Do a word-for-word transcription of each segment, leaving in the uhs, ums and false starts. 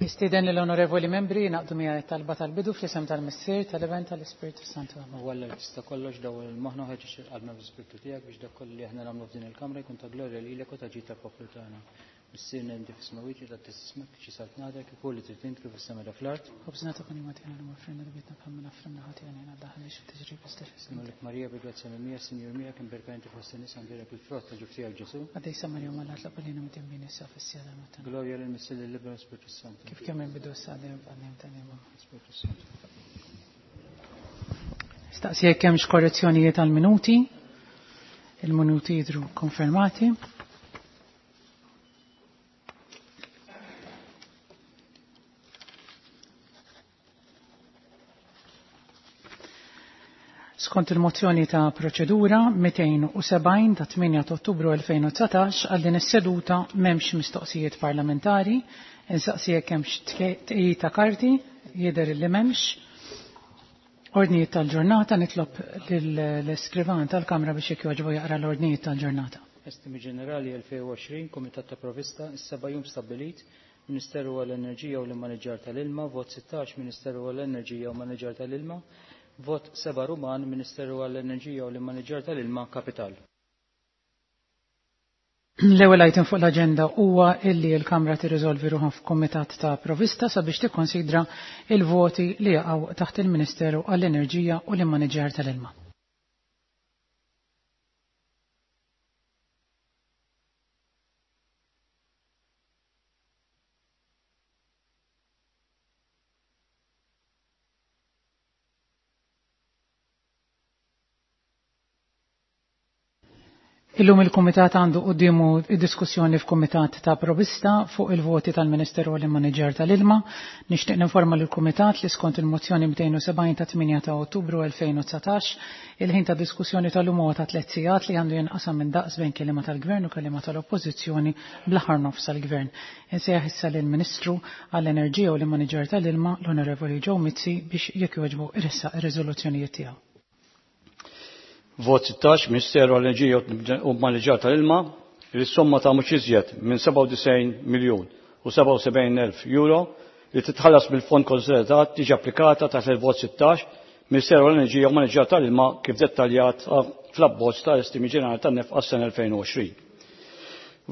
Nistieden lill-onorevoli membri jingħaqdu miegħi talba tal-bidu fl-isem tal-Missier, tal-Iben, tal-Ispirtu Santu. U Alla li tista' kollox dawwal il-moħħna ħeġġeġ il-qalbna bl-Ispirtu tiegħek biex dak kollu li aħna nagħmlu f'din il-kamra jkun ta' glorja lilek u ta' ġid tal-poplu tagħna. Missierna inti fis-smewwiet li tgħaddi ismek, tiġi saltnatek, ikun li trid int kif fis-sema da fl-art. Ħobżna ta' kuljum agħtina llum offrilna dnubietna bħalma naffrimna ħatijana jiena daħal biex tiġri biss Nagħlek Marija bi grazzja mimlija, Sinjur miegħek, imberka inti fost in-nisa mbierek il-frott ta' ġuf tiegħek Ġesù. Qaddisa Marija Omm Alla itlob għalina midinbin issa fis-siegħa tal-mewt tagħna. Glorja lil Missier lill-Iben u l-Ispirtu Santu. Kif kemm inbidu issa dejjem b'qaddim ta' dejjem. Spirtu Santu. Staqsi jekk hemmx korrezzjonijiet għall-minuti. Il-minuti jidhru konfermati. Skont il-mozzjoni ta' proċedura mitejn u sebgħin ta' tmienja ta' Ottubru elfejn u dsatax għal din is-seduta m'hemmx mistoqsijiet parlamentari, insaqsi jekk hemmx tqegħid ta' karti, jidher li m'hemmx. Ordnijiet tal-ġurnata, nitlob lill-iskrivan tal-Kamra biex jekk jogħġbu jaqra l-ordnijiet tal-ġurnata. Estimi ġenerali elfejn u għoxrin, Kumitat ta' Provista, is-seba' jum stabbilit, Ministeru għall-Enerġija u l-Immaniġġar tal-Ilma, vot sittax, Ministeru għall-Enerġija u l-Immaniġġar tal-Ilma, vot seba' Ruman, Ministeru għall-Enerġija u l-Immaniġġar tal-Ilma, Kapital. L-ewwel item fuq l-aġenda huwa illi l-Kamra tirriżolvi ruħha f'Kumitat ta' Provista sabiex tikkonsidra il-voti li jaqgħu taħt il-Ministeru għall-Enerġija u l-Immaniġġar tal-Ilma. Illum il-Kumitat għandu quddiemu diskussjoni f'Kumitat ta' Provista fuq il-voti tal-Ministeru għall-Immaniġġar tal-Ilma. Nixtieq ninforma lill-Kumitat li skont il-mozzjoni mitejn u sebgħin ta' tmienja ta' Ottubru elfejn u dsatax, il-ħin ta' diskussjoni tal-lum huwa ta' tliet sigħat li għandu jinqasam minn daqs bejn kelliema tal-Gvern u kelliema tal-Oppożizzjoni bl-aħħar nofs tal-Gvern. Insejjaħ issa lill-Ministru għall-Enerġija u l-Immaniġġar tal-Ilma, l-Onorevoli Joe Mizzi, biex jekk jogħġbu iressaq ir-riżoluzzjonijiet tiegħu. Vot sittax, Ministeru għall-Enerġija u Maniġġar tal-Ilma, li s-somma ta' mhux iżjed minn sebgħa u disgħin miljun u sebgħa u sebgħin elf euro li titħallas mill-fond konsolidat tiġi applikata taħt il-vot sittax, Ministeru għall-Enerġija u Maniġġar tal-Ilma kif dettaljat fl-abbozz tal-estimi ġenerali tan-nefqa għas-sena elfejn u għoxrin.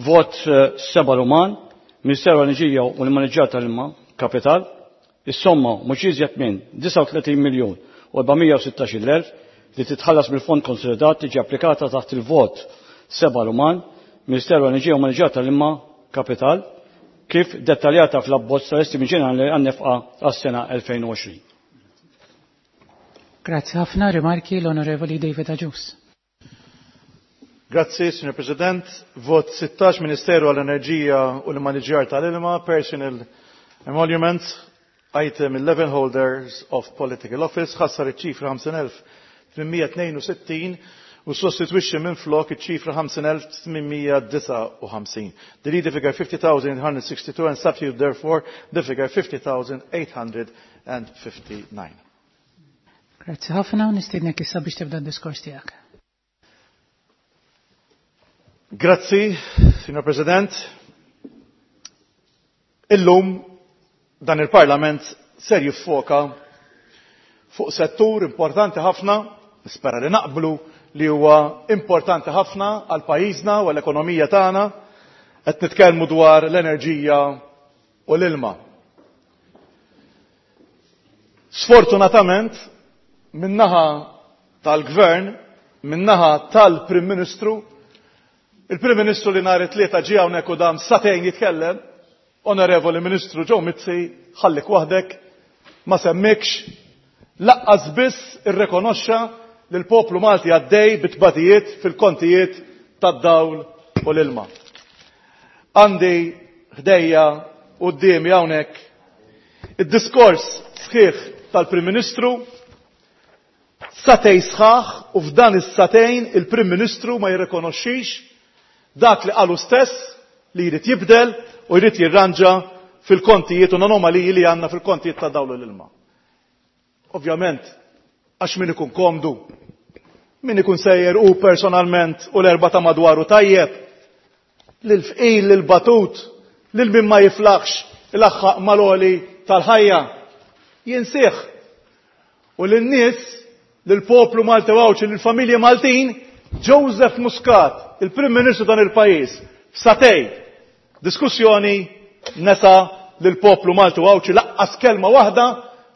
Vot seba' Ruman, Ministeru għall-Enerġija u l-Maniġġar tal-Ilma, Kapital, is-somma mhux iżjed minn disgħa u tletin miljun u erbamija u sittax-il elf li titħallas mill-fond konsolidat tiġi applikata taħt il-vot seba' Ruman, Ministeru għall-Enerġija u Maniġġar tal-Ilma, Kapital, kif dettaljata fl-abbozz tal-estimi ġenerali għan-nefqa għas-sena elfejn u għoxrin. Grazzi ħafna, rimarki l-Onorevoli David Agius. Grazzi, Signor President. Vot sittax, Ministeru għall-Enerġija u l-Maniġġar tal-Ilma, Personal Emoluments, Item eleven Holders of Political Office, ħassar iċ-ċifra ħamsin elf tmienmija tnejn u sittin u sostitwixxi minn flok iċ-ċifra ħamsin elf tmienmija disgħa u ħamsin. Delete the figure fifty thousand eight hundred sixty-two and substitute therefore the figure fifty thousand eight hundred and fifty-nine. Grazzi ħafna, nistiednek issa biex tibda d-diskors tiegħek. Grazzi, Signor President. Illum dan il-Parlament ser jiffoka fuq settur importanti ħafna, nispera li naqblu li huwa importanti ħafna għal pajjiżna u għall-ekonomija tagħna, qed nitkellmu dwar l-enerġija u l-ilma. Sfortunatament, min-naħa tal-Gvern, min-naħa tal-Prim Ministru, il-Prim Ministru li nhar it-Tlieta ġie hawnhekk u dam sagħtejn jitkellem, Onorevoli Ministru Joe Mizzi, ħallik waħdek, ma semmikx, laqqas biss irrekonoxxa li l-poplu Malti għaddej bit-tbatijiet fil-kontijiet tad-dawl u l-ilma. Għandi ħdejja quddiemi hawnhekk id-diskors sħiħ tal-Prim Ministru, satej sħaħ, u f'dan is-satejn il-Prim Ministru ma jirrikonoxxix dak li qalu stess li jrid jibdel u jrid jirranġa fil-kontijiet u l-anomaliji li għandna fil-kontijiet ta' dawl u l-ilma. Ovvjament, għax min ikun komdu, min ikun sejjer u personalment u l-erba ta' madwaru tajjeb, lil-fqil, lil-batut, lil min ma jiflaħx ilaħħaq mal-għoli tal-ħajja. Jinsih. U lin-nies, lill-poplu Malti u Għawdxi, lill-familji Maltin, Joseph Muscat, il-Prim Ministru dan il-pajjiż, f'satej diskussjoni nesa lill-poplu Malti u Għawdxi laqqas kelma waħda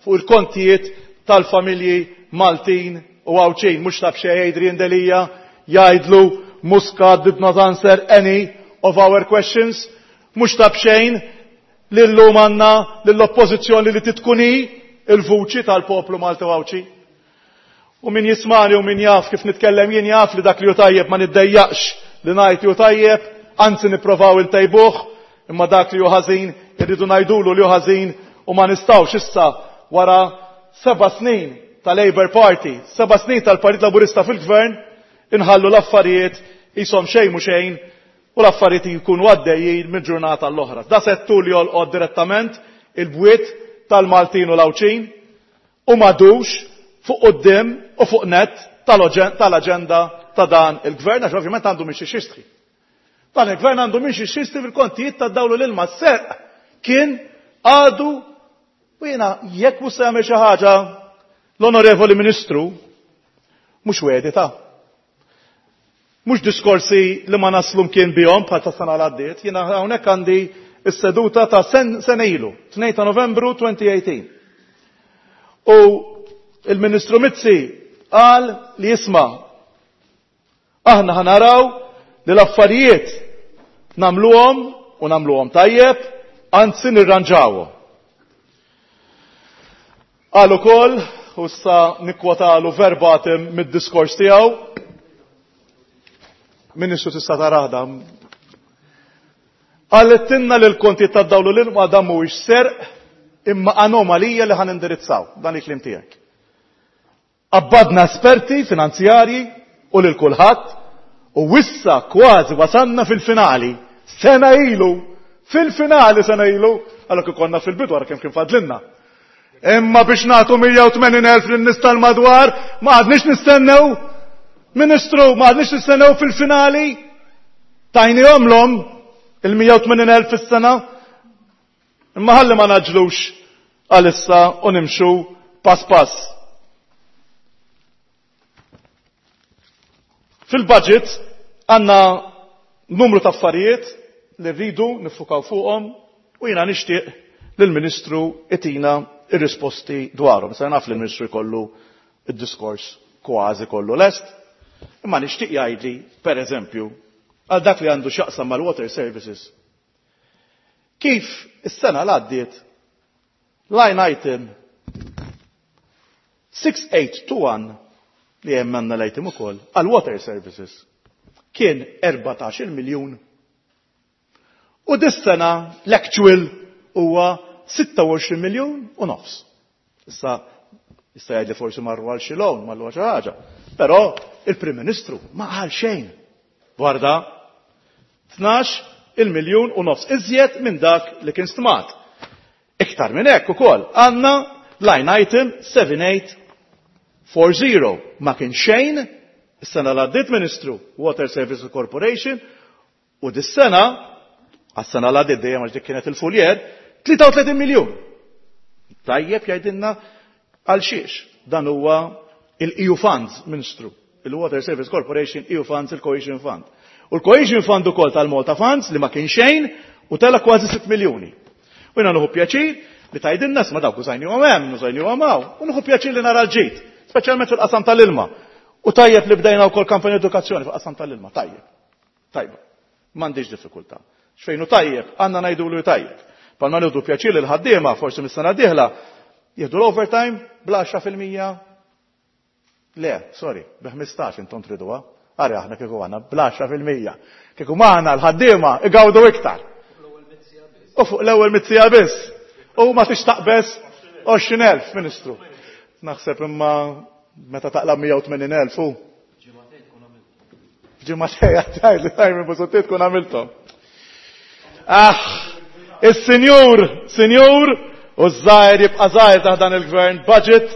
fuq il-kontijiet tal-familji Maltin u Għawdxin. Mhux taf xejn Adrian Delia jgħidlu Muscat did not answer any of our questions. Mhux taf xejn li llum għandna lill-oppożizzjoni li titkun hi il-vuċi tal-poplu Malti u Għawdxi. U min jismani u min jaf kif nitkellem jien jaf li dak li hu tajjeb ma niddejjaqx li ngħid hu tajjeb, anzi nipprovaw intejbuh, imma dak li hu ħażin irridu ngħidulu li hu ħażin u ma nistgħux issa wara seba' snin tal-Labour Party, seba' snin tal-Partit Laburista fil-Gvern, inħallu l-affarijiet qishom xejn mhu xejn u l-affarijiet jkunu għaddejjin minn ġurnata l-oħra. Da settur li jolqod direttament il-bwiet tal-Maltin u l-Għawdxin u m'għadux fuq quddiem u fuq net tal-aġenda ta' dan il-gvern, għax ovvjament għandu minn xiex jistħi. Dan il-gvern għandu minn xiex jistħi fil-kontijiet ta' dawlu l-ilma serq kien għadu u jiena jekk mhux se jagħmel xi ħaġa l-Onorevoli Ministru mhux wedi ta' mhux diskorsi li ma naslu mkien bihom bħal ta' sena l-għaddiet, jiena hawnhekk għandi s-seduta ta' sen sena ilu, tnejn ta' Novembru elfejn u tmintax. U il-Ministru Mizzi qal li jisma' aħna ħanaraw li l-affarijiet nagħmluhom u nagħmluhom tajjeb, anzi nirranġawhom. Qal ukoll, u issa nikkwotalu verbatim mid-diskors tiegħu, Ministru tista' taraħda. Qaltilna li l-konti tad-dawlu l-ilma dan mhuwiex serq imma anomalija li ħan indirizzaw, dan il-kliem tiegħek. Abbadna esperti finanzjarji u lil kulħadd u wissa kważi wasanna fil-finali. Sena ilu, fil-finali sena ilu, għalhekk ikollna fil-bidu wara kemm kien fadlinna. Imma biex nagħtu mija u tmenin elf lin-nies tal-madwar, ma għadniex nistennew, Ministru, ma għadniex nistennew fil-finali. Tajnihom lhom il-mija u tmenin elf fis-sena. Imma ħalli ma naġlux għalissa u nimxu pass pass. Fil-budget għandna numru ta' affarijiet li rridu nifukaw fuqhom u jiena nixtieq lill-Ministru itina ir-risposti dwarhom. Issa naf li l-Ministru jkollu id-diskors kważi kollu lest, imma nixtieq jgħidli, per eżempju, għal dak li għandu x'jaqsam mal-water services. Kif is-sena l-għaddiet line item six eight two one li hemm għandna l-item ukoll għal water services kien erbatax-il miljun u dis-sena l-actual huwa sitta u għoxrin miljun u nofs. Issa issa jgħidli forsi marru għal xi loan, marru għal xi ħaġa. Però il-Prim Ministru ma qal xejn. Dwar da tnax il-miljun u nofs iżjed minn dak li kien stmat. Iktar minn hekk ukoll għandna line item seven eight four zero ma kien xejn is-sena l-għaddiet Ministru Water Services Corporation u dis-sena għas-sena l-għaddiet dejjem għax dik kienet il-fuljer tlieta u tletin miljun. Tajjeb jgħidilna għal xiex dan huwa il-E U Funds, Ministru, il-Water Service Corporation, E U Funds, il-Cohesion Fund. U l-Cohesion Fund ukoll tal-Malta Funds li ma kien xejn u tela kważi sitt miljuni. U jiena nieħu pjaċir li tgħidilna ma dawk użajnihom hemm, użajnihom hawn, u nieħu pjaċir li nara l-ġid, speċjalment fil-qasam tal-ilma. U tajjeb li bdejna wkoll kampanja edukazzjoni fil-qasam tal-ilma, tajjeb. Tajba. M'għandix diffikultà. X'fejn hu tajjeb, għandna ngħidulu tajjeb. Palma nieħdu pjaċir li l-ħaddiema forsi mis-sena d-dieħla jieħdu l-overtime bla għaxra fil-mija. Le, sorry, bi ħmistax intom triduha. Ara aħna kieku għandna bla għaxra fil-mija. Kieku maħna l-ħaddiema igawdu iktar. U fuq l-ewwel mitzija biss. U ma tixtaqbes għoxrin elf, Ministru. Naħseb imma meta taqlab mija u tmenin elf u. F'ġimagħtejn għattajt li tajmi Busuttil tkun għamilthom. Ah, is-sinjur, sinjur, u ż-żgħir jibqa' żgħir taħt dan il-gvern, budget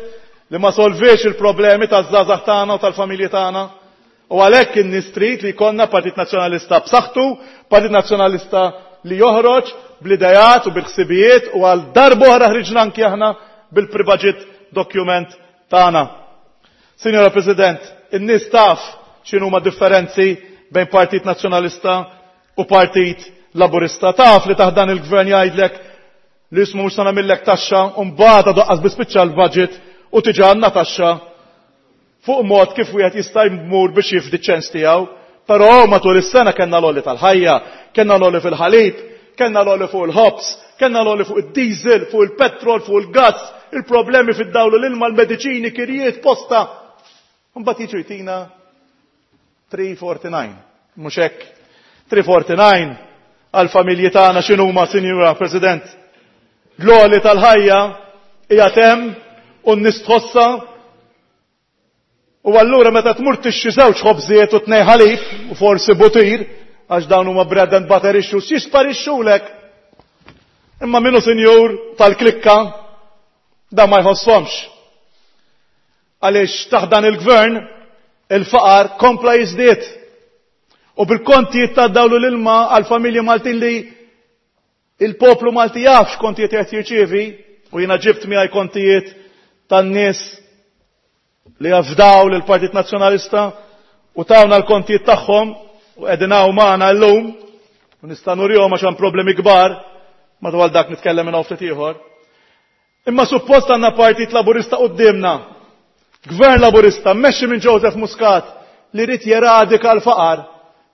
li ma solviex il-problemi taż-żgħażagħ tagħna u tal-familji tagħna, U għalhekk in-nies trid li jkollna Partit Nazzjonalista b'saħħtu, Partit Nazzjonalista li joħroġ bl-idejat u bil-ħsibijiet u għal darb'oħra ħriġna anki aħna bil-pre-budget document tagħna. Signora President, in-nies taf x'inhuma differenzi bejn Partit Nazzjonalista u Partit Laburista. Taf li taħt dan il-gvern jgħidlek li ismu mhux se nagħmillek taxxa u mbagħad għadu bispiċċa l-budget u tiġa għandna taxxa fuq mod kif wieħed jista' jmur biex jifdi ċens tiegħu. Però matul is-sena kellna l-għoli tal-ħajja, kellna l-għoli fil-ħalib, kellna l-għoli fuq il-ħobż, kellna l-għoli fuq id-diesel, fuq il-petrol, fuq il-gas, il-problemi fid-dawl l-ilma, l-mediċini, kirjiet, posta. Mbagħad jiġu jtina three forty-nine. Mhux hekk. three forty-nine għal-familji tagħna x'inhuma, Sinjura President? L-għoli tal-ħajja hija hemm u n-nies tħossha. U allura meta tmur tixtri żewġ ħobżiet u tnej ħalib u forsi butir, għax dawn huma bread and butter issues, jisparixxulek. Imma minnu sinjur tal-klikka da ma jħossomx. Għaliex taħt dan il-gvern il-faqar kompla jiżdied. U bil-kontijiet ta' dawl u l-ilma għal-familji Maltin li il-poplu Malti jaf x'kontijiet qed jirċievi, u jiena ġibt miegħi kontijiet tan-nies li jafdaw lill-Partit Nazzjonalista u tawna l-kontijiet tagħhom u qegħdin hawn magħna llum u nista' nurihom għax hemm problemi kbar madwar dak, nitkellem minn ftit ieħor. Imma suppost għandna Partit Laburista quddiemna. Gvern Laburista mmexxi minn Joseph Muscat li jrid jeradika l-faqar.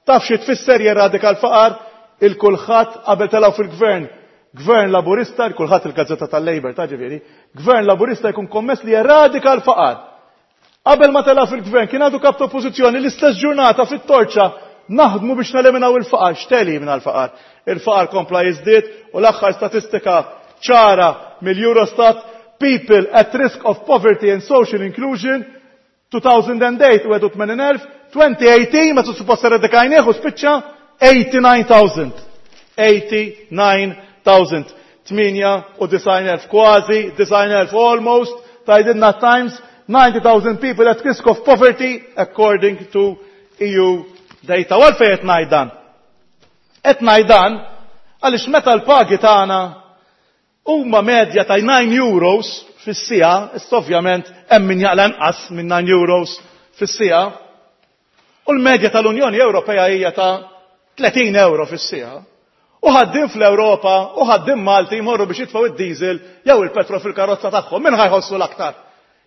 Taf xi tfisser jeradika l-faqar? Il-Kulħadd qabel telgħu fil-gvern. Gvern Laburista, il-Kulħadd il-gazzetta tal-Labour, ta' ġifieri, Gvern Laburista jkun kommess li jeradika l-faqar. Qabel ma tela fil-gvern kien għadu kap ta' oppożizzjoni, l-istess ġurnata fit-Torċa, "Naħdmu biex neliminaw il-faqar." X'telimina l-faqar? Il-faqar kompla jiżdied u l-aħħar statistika ċara mill-Eurostat, people at risk of poverty and social inclusion, two thousand eight wieħed u tmenin elf, twenty eighteen, meta suppost eradikajnieh u spiċċa, eighty-nine thousand. eighty-nine thousand. tmienja u disgħin elf, kważi disgħin elf, almost, tgħidilna Times, ninety thousand people at risk of poverty according to E U data. U għalfejn qed ngħid dan? Qed ngħid dan għaliex meta l-pagi tagħna huma medja ta' nine euros fis-siegħa, issa ovvjament hemm min jaqla inqas minn nine euros fis-siegħa, u l-medja tal-Unjoni Ewropea hija ta' tletin euro fis-siegħa. U ħaddiem fl-Ewropa u ħaddiem Malti jmorru biex jitfgħu id-diesel jew il-petrol fil-karozza tagħhom. Min ħa jħossu l-aktar?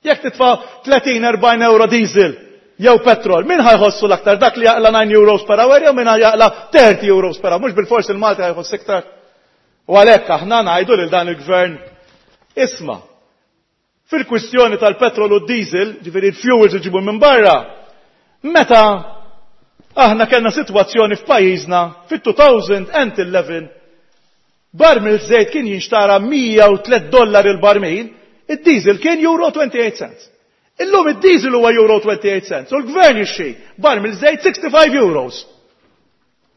Jekk titfa' tletin erbgħin euro diesel jew petrol, min ħa jħossu l-aktar? Dak li jaqla nine euros per hour jew min jaqla thirty euros per hour? Mhux bil-forsi il-Malti ħa jħoss iktar. U għalhekk aħna ngħidu lil dan il-gvern, isma', fil-kwistjoni tal-petrol u diesel, ġifieri il-fuels iġibu minn barra, meta aħna kellna sitwazzjoni f'pajjiżna fit-elfejn u għaxra barmil żejt kien jinxtara mija u tliet dollar il-barmil, id-diesel kien euro twenty-eight cents. Illum id-diesel huwa euro twenty-eight cents u l-gvern jixtri barmil żejt sixty-five euros.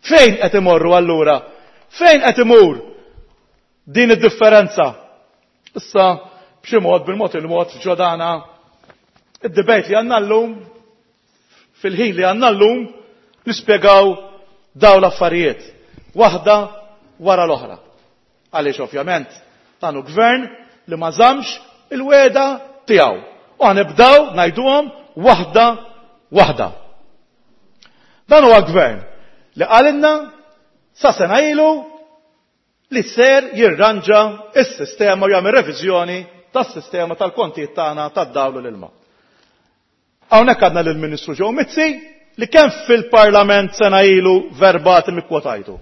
Fejn qed imorru allura? Fejn qed imur din id-differenza? Issa b'xi mod, bil-mod il-mod ġodana id-debate li għandna llum, fil-ħin li għandna llum, nispjegaw daw l-affarijiet waħda wara l-oħra. Għaliex ovvjament dan hu gvern li ma żammx il-wegħda tiegħu. U ħa nibdew ngħiduhom waħda waħda. Dan huwa gvern li qalilna sa sena ilu li ser jirranġa is-sistema u jagħmel reviżjoni tas-sistema tal-kontijiet tagħna tad-dawl u l-ilma. Hawnhekk għandna lill-Ministru Joe Mizzi li kemm fil-Parlament sena ilu, verbatim ikkwotajtu.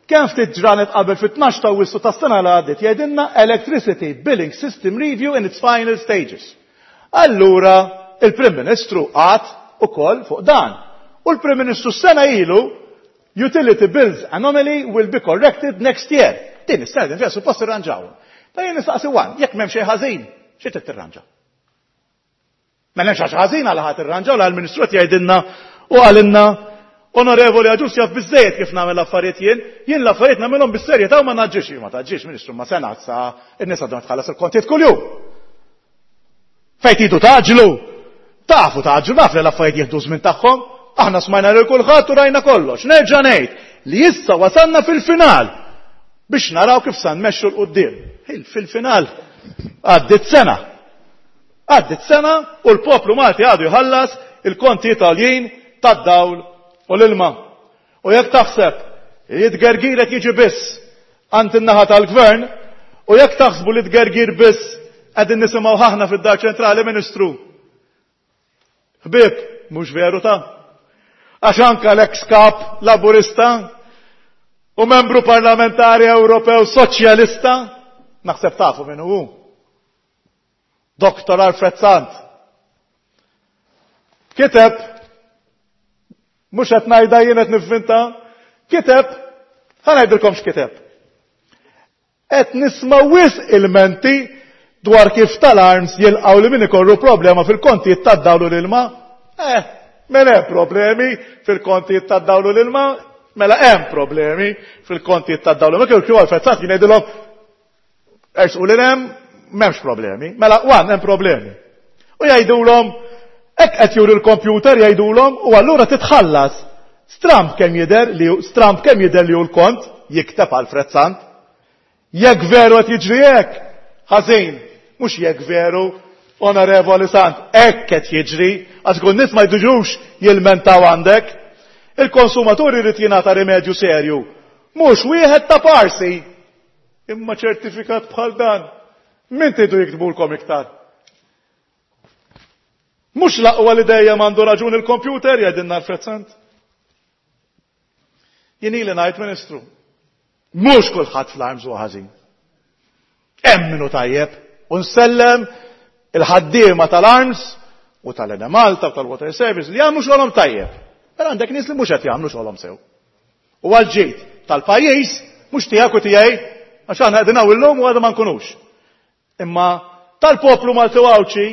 Kemm ftit ġranet qabel, fit-tnax ta' Awwissu tas-sena li għaddiet, jgħidilna "Electricity Billing System Review in its final stages". Allura il-Prim Ministru qagħad ukoll fuq dan. U l-Prim Ministru sena ilu, "Utility bills anomaly will be corrected next year". Din is-sena din fiha suppost irranġaw. Ta' jien nistaqsi wan, jekk m'hemm xejn ħażin, xi trid tirranġa? Ma hemmx xi ħażin għal ħadd irranġaw l ministru qed jgħidilna u qalilna, "Onorevoli Agius jaf biżejjed kif nagħmel l-affarijiet jien, jien l-affarijiet nagħmelhom bis-serjetà u ma naġġix." Ma taġġix, Ministru, ma sena sa in-nies għadhom tħallas il-kontijiet kuljum. Fejn tridu tgħaġġlu? Tafu taġġu, naf li l-affarijiet jieħdu żmien tagħhom, aħna smajna lil kulħadd u rajna kollox. Nerġa' ngħid li issa wasalna fil-final biex naraw kif sa nmexxu 'l quddiem. Fil-final għaddiet sena. Għaddiet sena u l-poplu Malti għadu jħallas il-konti Italjin tad-dawl u l-ilma. U jekk taħseb li tgergir qed jiġi biss għand in-naħa tal-gvern, u jekk taħsbu li tgergir biss qegħdin nisimgħu aħna fid-Dar Ċentrali, Ministru. Ħbieb, mhux veru ta'. Għax anka l-ex kap Laburista u membru parlamentari Ewropew Soċjalista, naħseb tafu min hu. Doktor Alfred Sant. Kiteb, mhux qed ngħidha jien qed nivvinta, kiteb, ħa ngħidilkom x'kiteb. Qed nisma' wisq ilmenti dwar kif tal-ARMS jilqgħu li min ikollu problema fil-kontijiet tad-dawl u l-ilma. Eh, mela hemm problemi fil-kontijiet tad-dawl u l-ilma, mela hemm problemi fil-kontijiet tad-dawl. Ma kieku Alfred Sant kien jgħidilhom ersqu lil hemm, m'hemmx problemi. Mela wan hemm problemi. U jgħidulhom hekk qed juri l-kompjuter jgħidulhom u allura titħallas. Stramb kemm jidher li stramb kemm jidher li hu l-kont, jikteb Alfred Sant. Jekk veru qed jiġri hekk, ħażin, mhux jekk veru, Onorevoli Sant, hekk qed jiġri, għax kun nies ma jduġux jilmentaw għandek. Il-konsumatur irid jingħata rimedju serju, mhux wieħed ta' parsi, imma ċertifikat bħal dan. Min tridu jiktbulkom iktar? Mhux l-aqwa li dejjem għandu raġun il-kompjuter, jgħidilna Alfred Sant. Jien ili ngħid, Ministru, mhux kulħadd fl-ARMS huwa ħażin. Hemm minnu tajjeb u nsellem il-ħaddiema tal-ARMS u tal-Enemalta u tal-Water Service li jagħmlu xogħolhom tajjeb. Però għandek nies li mhux qed jagħmlu xogħolhom sew. U għal-ġid tal-pajjiż mhux tiegħek u tiegħi, għax aħna qegħdin hawn illum u għadha ma nkunux. Imma tal-poplu Malti u Għawdxi,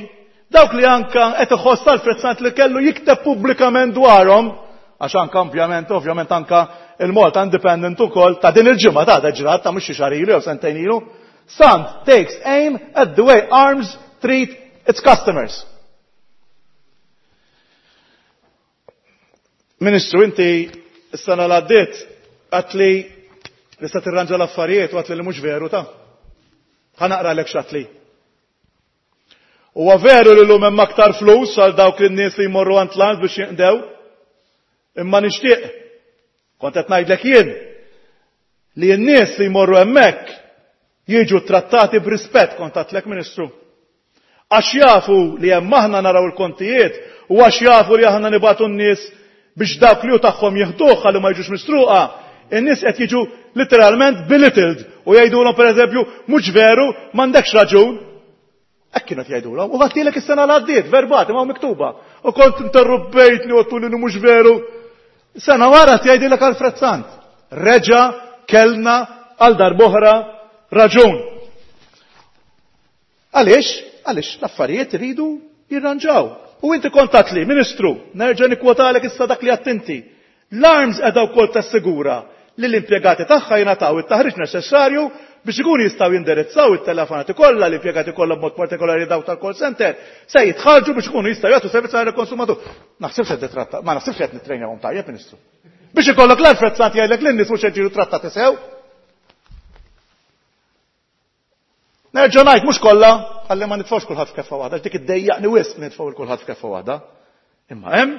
dawk li anka qed iħoss Alfred Sant li kellu jikteb pubblikament dwarhom, għax anka ovvjament, ovvjament anka il-Malta Independent ukoll ta' din il-ġimgħa ta' ġrat ta' mhux xi xahar ilu jew sentejn ilu, Sant takes aim at the way ARMS treat its customers. Ministru, inti s-sena l-għaddiet għat li li se tirranġa l-affarijiet u għat li li mhux veru ta'. Ħa naqralek x'għat li. Huwa veru li llum hemm aktar flus għal dawk lin-nies li jmorru għand l-ARMS biex jinqdew, imma nixtieq, kont qed ngħidlek jien, li n-nies li jmorru hemmhekk jiġu trattati b'rispett, kont għedtlek Ministru. Għax jafu li hemm aħna naraw il-kontijiet u għax jafu li aħna nibatu n-nies biex dawk li hu tagħhom jieħduh ħalli ma jiġux misruqa, in-nies qed jiġu literalment belittled u jgħidulhom pereżempju mhux veru, m'għandekx raġun. Hekk kienu qed jgħidulhom. U ħadtilek is-sena li għaddiet, verbati, ma hu miktuba. U kont interrumpejtni u għedtuli li mhux veru. Sena wara jgħidilek Alfred Sant. Reġa' kellna għal darb'oħra raġun. Għaliex? Għaliex l-affarijiet iridu jirranġaw. U inti kont li, Ministru, nerġa' nikkwotalek issa dak li għedt inti. L-ARMS qiegħda wkoll tassigura li l-impjegati tagħha jingħataw it-taħriġ neċessarju biex ikunu jistgħu jindirizzaw it-telefonati kollha, l-impjegati kollha b'mod partikolari dawk tal-call center, se jitħarġu biex ikunu jistgħu jagħtu servizz għal konsumatur. Naħsibx qed titratta, ma naħsibx qed nittrejnjahom tajjeb, Ministru. Biex ikollok l-Alfred Sant jgħidlek lin-nies mhux qed jiġu trattati sew. Nerġa' ngħid mhux kollha, ħalli ma nitfgħux kulħadd f'keffa waħda, dik iddejjaqni wisq nitfgħu lil kulħadd f'keffa waħda. Imma hemm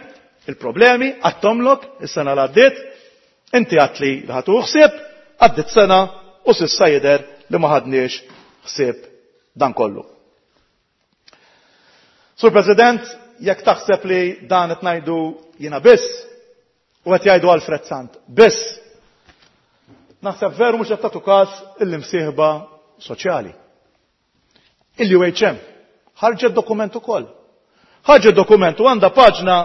il-problemi għattomlok is-sena li għaddiet, inti għedt li li ħadu ħsieb, għaddiet sena u s'issa jidher li ma ħadniex ħsieb dan kollu. Sur President, jekk taħseb li dan qed ngħidu jiena biss, u qed jgħidu Alfred Sant biss, naħseb veru mhux qed tagħtu każ il-imsieħba soċjali. Il-U H M ħarġet dokument ukoll. Ħarġet dokument u għandha paġna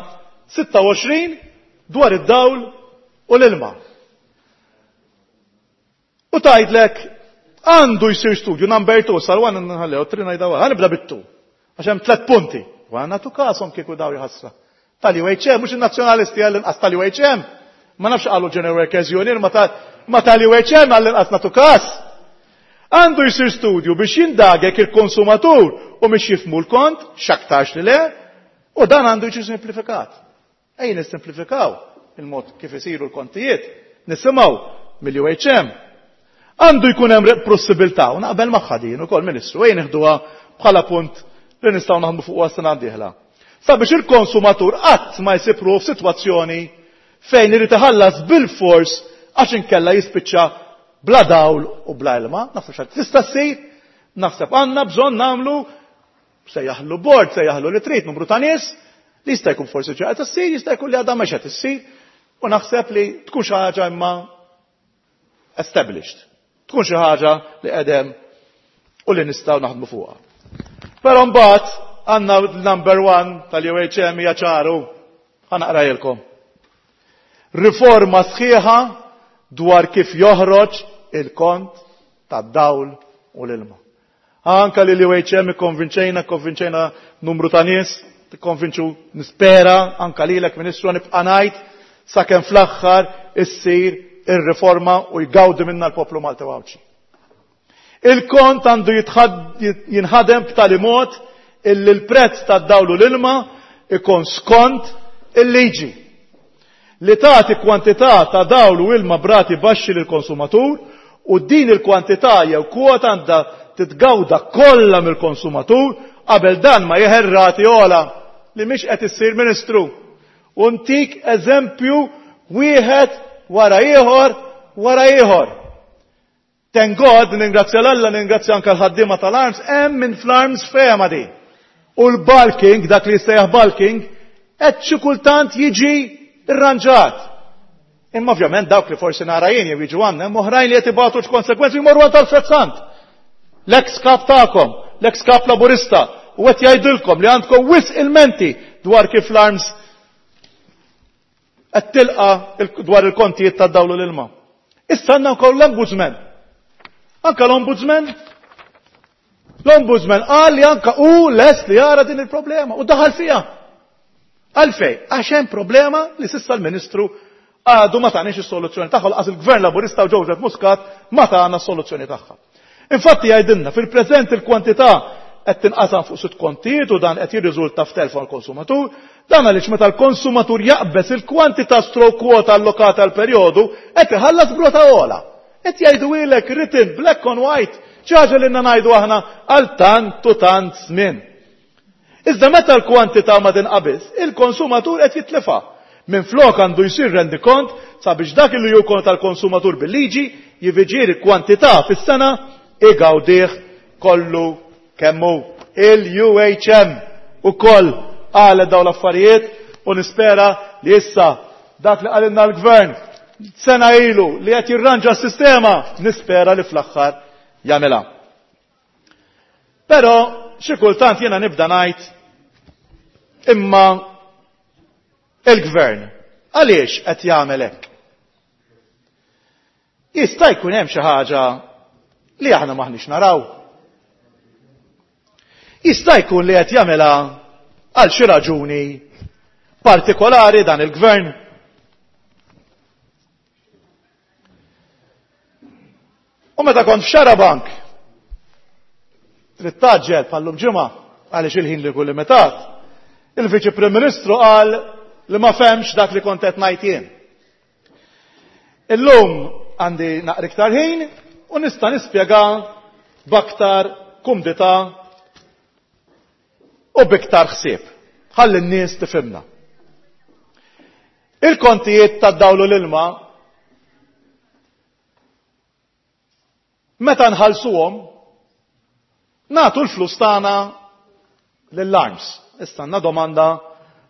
sitta u għoxrin dwar id-dawl u l-ilma. U tgħidlek għandu jsir studju number two, sal one nħallew, three ngħidha wara, ħanibda bit-two. Għax hemm tliet punti. U għandna tu kasom kieku daw jħassra. Tal-U H M, mhux in-nazzjonalisti għall-inqas tal-U H M. Ma nafx qalu General Workers Union, ma ta-, ma tal-U H M għall-inqas nagħtu każ. Għandu jsir studju biex jindagek il-konsumatur u biex jifmu l-kont, x'aktarx li le, U dan għandu jiġi simplifikat. Ejja nissimplifikaw il-mod kif isiru l-kontijiet, nisimgħu mill-U H M. Għandu jkun hemm possibilità, u naqbel magħha din ukoll, Ministru, ejja nieħduha bħala punt li nistgħu naħdmu fuq sena dieħla. Sabiex il-konsumatur qatt ma jsib ruħu f'sitwazzjoni fejn irid iħallas bil-fors għax inkella jispiċċa bla dawl u bla ilma, naħseb xi tista' ssir, naħseb għandna bżonn nagħmlu sejjaħlu board, sejjaħlu li trid, numru ta' nies, li jista' jkun forsi ġa qed issir, jista' jkun li għadha mhux qed issir, u naħseb li tkun xi ħaġa imma established. Tkun xi ħaġa li qegħdem u li nistgħu naħdmu fuqha. Però mbagħad għandna number one tal-U H M hija ċaru, ħa naqrajilkom. Riforma sħiħa dwar kif joħroġ il-kont tad-dawl u l-ilma. Anka li l-U H M konvinċejna, konvinċejna numru ta' nies, tikkonvinċu nispera, anka lilek, Ministru, nibqa' ngħid sakemm fl-aħħar issir ir-riforma u jgawdi minna l-poplu Malti Għawdxi. Il-kont għandu jinħadem b'tali mod illi l-prezz tad-dawl u l-ilma ikun skont il-liġi li tagħti kwantità ta' dawl u ilma b'rati baxxi lill-konsumatur u din il-kwantità jew kwota għandha titgawda kollha mill-konsumatur qabel dan ma jeħel rati ogħla li mhix qed issir, Ministru. U ntik eżempju wieħed wara ieħor wara ieħor. Thank God, ningrazzja l-Alla, ningrazzja anka l-ħaddiema tal-ARMS, hemm minn fl-ARMS fehma di. U l-bulking, dak li jissejjaħ bulking, qed xi kultant jiġi irranġat. Imma ovvjament dawk li forsi nara jien jew jiġu għandna, hemm oħrajn li qed ibatu x'konsegwenzi jmorru għand Alfred Sant. L-ex kap tagħkom, l-ex kap Laburista, u qed jgħidilkom li għandkom wisq ilmenti dwar kif l-ARMS qed tilqa dwar il-kontijiet tad-dawl u l-ilma. Issa għandna wkoll l-Ombudsman. Anka l-Ombudsman L-Ombudsman qal li anka u lest li jara din il-problema u daħal fiha. Għalfej? Għax hemm problema li s'issa l-Ministru għadu ma taniex is-soluzzjoni tagħha, lanqas il-Gvern Laburista u Joseph Muscat ma tana s-soluzzjoni tagħha. Infatti jgħidilna fil-preżent il-kwantità qed tinqasam fuq sitt kontijiet u dan qed jirriżulta f'telf għall-konsumatur, dan għaliex meta l-konsumatur jaqbeż il-kwantità stroke kwota allokata għal perjodu qed iħallas b'rata ogħla. Qed jgħidu written black on white, ħaġa li ngħidu aħna għal tant u tant żmien. Iżda meta l-kwantità ma tinqabiż, il-konsumatur qed jitlifa. Minn flok għandu jsir rendikont sabiex dak li jkun tal-konsumatur bil-liġi, jiġifieri kwantità fis-sena, igawdih kollu kemm hu. Il-U H M ukoll qalet dawn l-affarijiet u nispera li issa dak li qalilna l-gvern sena ilu li qed jirranġa s-sistema, nispera li fl-aħħar jagħmilha. Però xi kultant jiena nibda ngħid, imma il-gvern għaliex qed jagħmel hekk? Jista' jkun hemm xi ħaġa li aħna maħniex naraw. Jista' jkun li qed jagħmilha għal xi raġuni partikolari dan il-gvern. U meta kont f'Xarabank, trid tgħaġġel bħallum ġimgħa għaliex il-ħin li kull limitat, il-Viċi Prim Ministru qal li ma fehemx dak li kont qed ngħid jien. Illum għandi naqra iktar ħin u nista' nispjega b'aktar kumdità u b'iktar ħsieb. Ħalli n-nies tifhimna. Il-kontijiet tad-dawl u l-ilma meta nħallsuhom nagħtu l-flus tagħna lill-ARMS. Issa għandna domanda,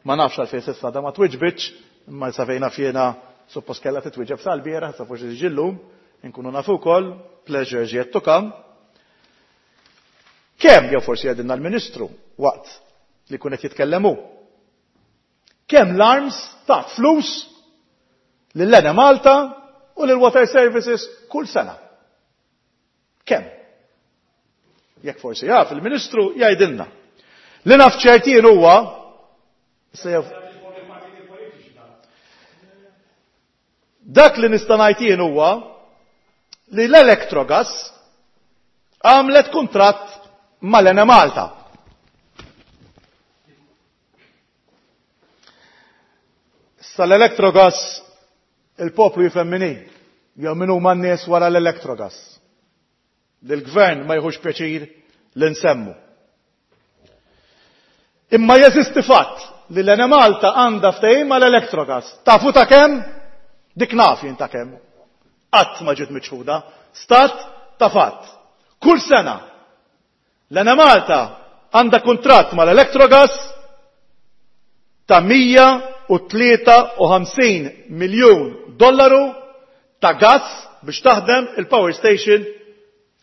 ma nafx għalfejn s'issa da ma twiġbitx, imma sa fejn naf jiena suppost kellha titwieġeb sal-bieraħ, sa forsi ġillum, inkunu nafu wkoll, pleasure yet to come. Kemm, jew forsi jgħidilna l-Ministru waqt li kun qed jitkellemu. Kemm l-ARMS ta' flus lil Malta u lil Water Services kull sena? Kemm? Jekk forsi jaf il-Ministru jgħidilna. Li naf ċertin huwa dak li nista' ngħid jien huwa li l-Electrogas għamlet kuntratt mal-Enemalta. Sal-Electrogas il-poplu jifhem min hi, jew min huma n-nies wara l-Electrogas. L-gvern ma jħux pjaċir li nsemmu. Imma jeżisti fatt li l-Enemalta għandha ftehim mal-Electrogas. Tafu ta' kemm? Dik naf jien ta' kemm. Qatt ma ġiet miċħuda. Stat ta' fatt. Kull sena l-Enemalta għandha kuntratt mal-Electrogas ta' mija u tlieta u ħamsin miljun dollaru ta' gas biex taħdem il-power station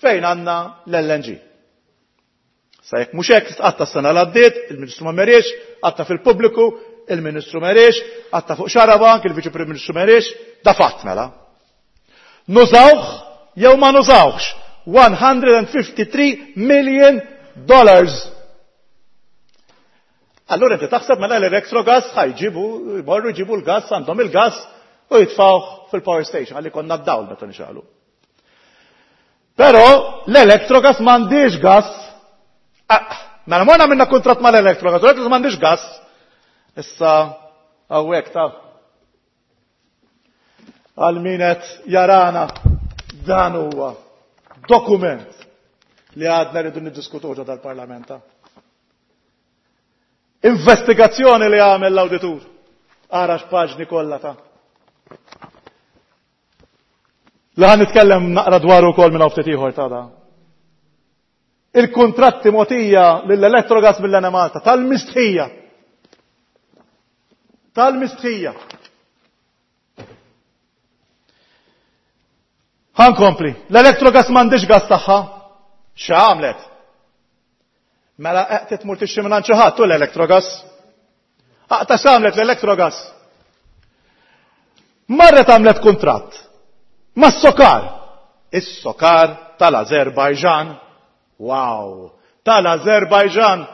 fejn għandna l-L N G. Sa jekk mhux hekk, għatta s-sena l-għaddiet, il-Ministru ma meriex, għatta fil-pubbliku, il-Ministru meriex, għatta fuq Xarabank, il-Viċi Prim Ministru meriex, da fatt mela. Nużawh jew ma nużawhx one hundred and fifty-three million dollars. Allura inti taħseb mela l-Electrogas ħajġibu, jmorru jġibu l-gas, għandhom il-gas u jitfawh fil-power station, għalli konna d-dawl meta nixgħalu. Però l-Electrogas m'għandix gas. Ah, mela morna minna kuntratt mal-Electrogas, u l-Electrogas m'għandix gas. Issa hawnhekk ta' għal min qed jarana dan huwa dokument li għadna rridu niddiskutu ġo dal-Parlament. Investigazzjoni li għamel l-awditur. Ara x'paġni kollha ta' Li ħan nitkellem naqra dwaru wkoll minn hawn ftit ieħor ta' da. Il-kuntratti mogħtija lill-Electrogas mill-Enemalta tal-mistħija. Tal-mistħija. Ħankompli. L-Electrogas m'għandix gas tagħha. X'għamlet? Mela qed tmur tixtri minn għand xi ħadd u l-Electrogas. Aqta' x'għamlet l-Electrogas? Marret għamlet kuntratt mas-Sokar. Is-Sokar tal-Azerbajġan. Wow! Tal-Azerbajġan.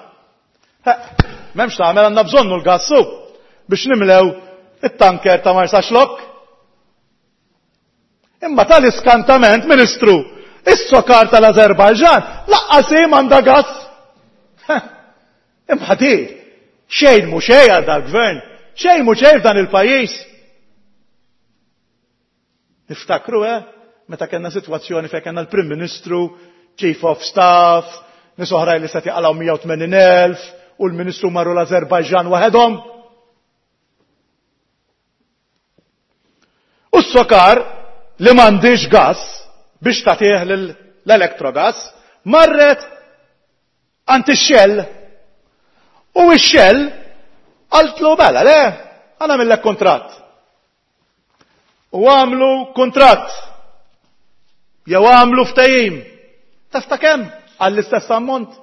M'hemmx tagħmel, għandna bżonnu l-gassu biex nimlew it-tanker ta' Marsaxlokk. Imma tal-iskantament, Ministru, is-Sokar tal-Azerbajġan laqqas hi m'għandha gas. Imma di, xejn mhu xejn għal dal-gvern, xejn mhu xejn f'dan il-pajjiż. Niftakru, eh, meta kellna sitwazzjoni fejn kellna l-Prim Ministru, Chief of Staff, nies oħrajn li se jaqalgħu mija u tmenin elf, u l-Ministru marru l-Azerbajġan waħedhom. U s-Sokar li m'għandix gas biex tagħtih l-Electrogas, marret għand ix-Shell. U x-Shell qaltlu mela le, għana millek kuntratt. U għamlu kuntratt. Jew għamlu ftehim. Taf ta' kemm? Għall-istess ammont.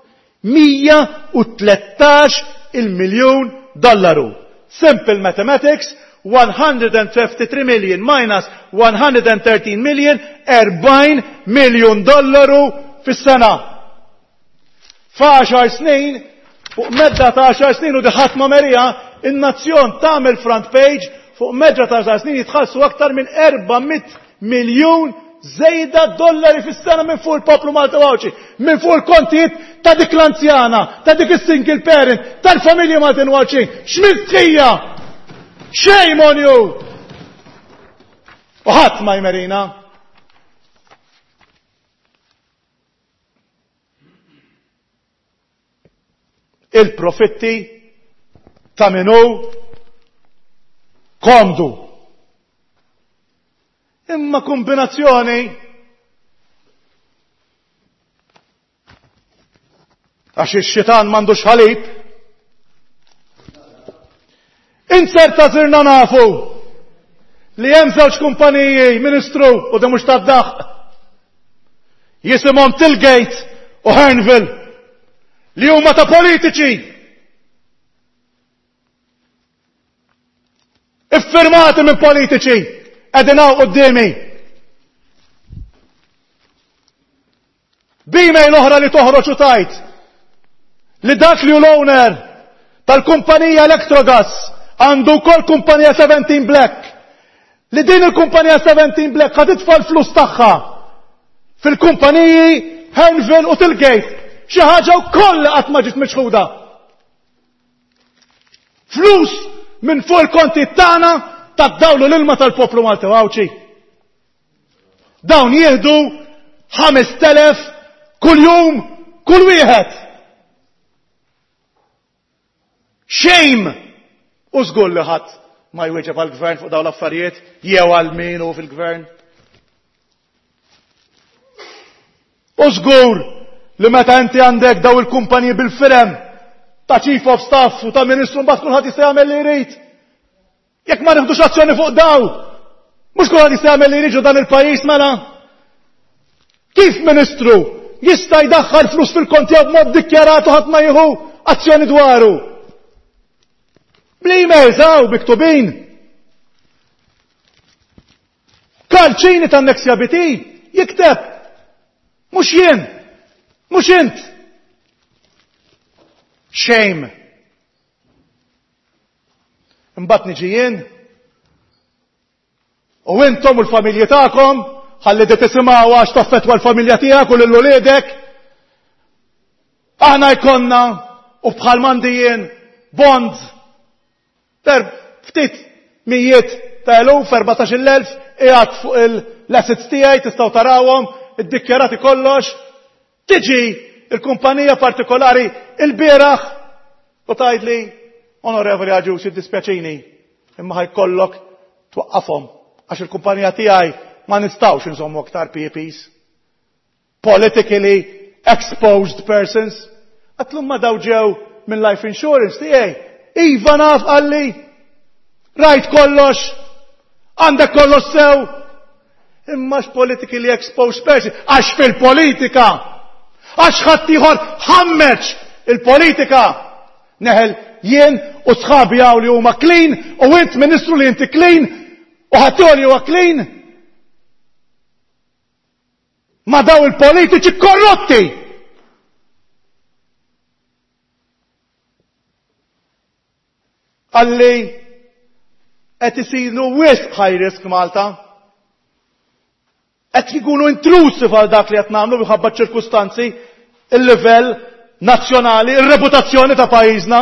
Mija u tlettax il-miljun dollaru. Simple mathematics, one hundred and fifty-three million minus one hundred and thirteen million, erbgħin miljun dollaru fis-sena. F'għaxar snin, fuq medda ta' għaxar snin u diħat ma' merija, in-nazzjon tagħmel front page fuq medda ta' għaxar snin jitħallsu aktar minn erba' mitt miljun żejda dollari fis-sena minn fuq il-poplu Malti u Għawdxi, minn fuq il-kontijiet ta' dik l-anzjana, ta' dik is-single parent, tal-familji Maltin u Għawdxin. X'mistħija! Shame on you! U ħadd ma jmerina. Il-profitti ta' minu komdu. Imma kombinazzjoni għax ix-xitan m'għandux ħalib. Inzerta sirna nafu li hemm żewġ kumpaniji, Ministru, u di mhux tad-daħq, jisimhom Tilgate u Hearnville, li huma ta' politiċi. Iffirmati minn politiċi, qegħdin hawn quddiemi. B'email oħra li toħroġ u tajt li dak li hu l-owner tal-kumpanija Electrogas għandu wkoll kumpanija seventeen Black, li din il-kumpanija seventeen Black ħad titfa' l-flus tagħha fil-kumpaniji Hearnville u Tilgate, xi ħaġa wkoll li qatt ma ġiet miċħuda. Flus minn fuq il-konti tagħna tad-dawlu l-ilma tal-poplu Malti u Għawdxi. Dawn jieħdu ħamest elef kull jum kull wieħed. Shame! U żgur li ħadd ma jwieġeb għall-gvern fuq dawn l-affarijiet jew għal min hu fil-gvern. U żgur li meta inti għandek daw il-kumpaniji bil-firem ta' chief of staff u ta' ministru, mbagħad kulħadd jista' jagħmel li jrid. Jekk ma nieħdux azzjoni fuq daw, mhux kulħadd jista' jagħmel li jrid dan il-pajjiż mela. Kif ministru jista' jdaħħal flus fil-konti b'mod dikjarat u ħadd ma jieħu azzjoni dwaru? Bl-emails hawn miktubin. Karl Cini ta' Nexia B T jikteb. Mhux jien, mhux int. Shame. Imbagħad niġi jien u intom u l-familji tagħkom, ħalli di tisimgħu għax taffettwa l-familja tiegħek u lil uliedek. Aħna jkollna u bħal m'għandi jien bonds per ftit mijiet ta' eluf, erbatax-il elf, qiegħed fuq l-assets tiegħi, tistgħu tarawhom, iddikjarati kollox. Tiġi il-kumpanija partikolari il-bieraħ u tgħidli, "Onorevoli Agius, jiddispjaċini, imma ħa jkollok twaqqafhom għax il-kumpanija tiegħi ma nistgħux nżommu aktar P E Ps. Politically exposed persons." Għedtlu, "Ma daw ġew minn life insurance tiegħi." "Iva naf," qalli. "Rajt kollox, għandek kollox sew. Imma politically exposed person, għax fil-politika, għax ħaddieħor ħammeċ il-politika. Neħel jien u sħabi hawn li huma clean u int ministru li inti clean u ħaddieħor li huwa clean. Ma daw il-politiċi korrotti. Qalli qed isiru wisq high risk Malta. Qed jkunu intrusive għal dak li qed nagħmlu minħabba ċirkustanzi, il-livell nazzjonali, ir-reputazzjoni ta' pajjiżna.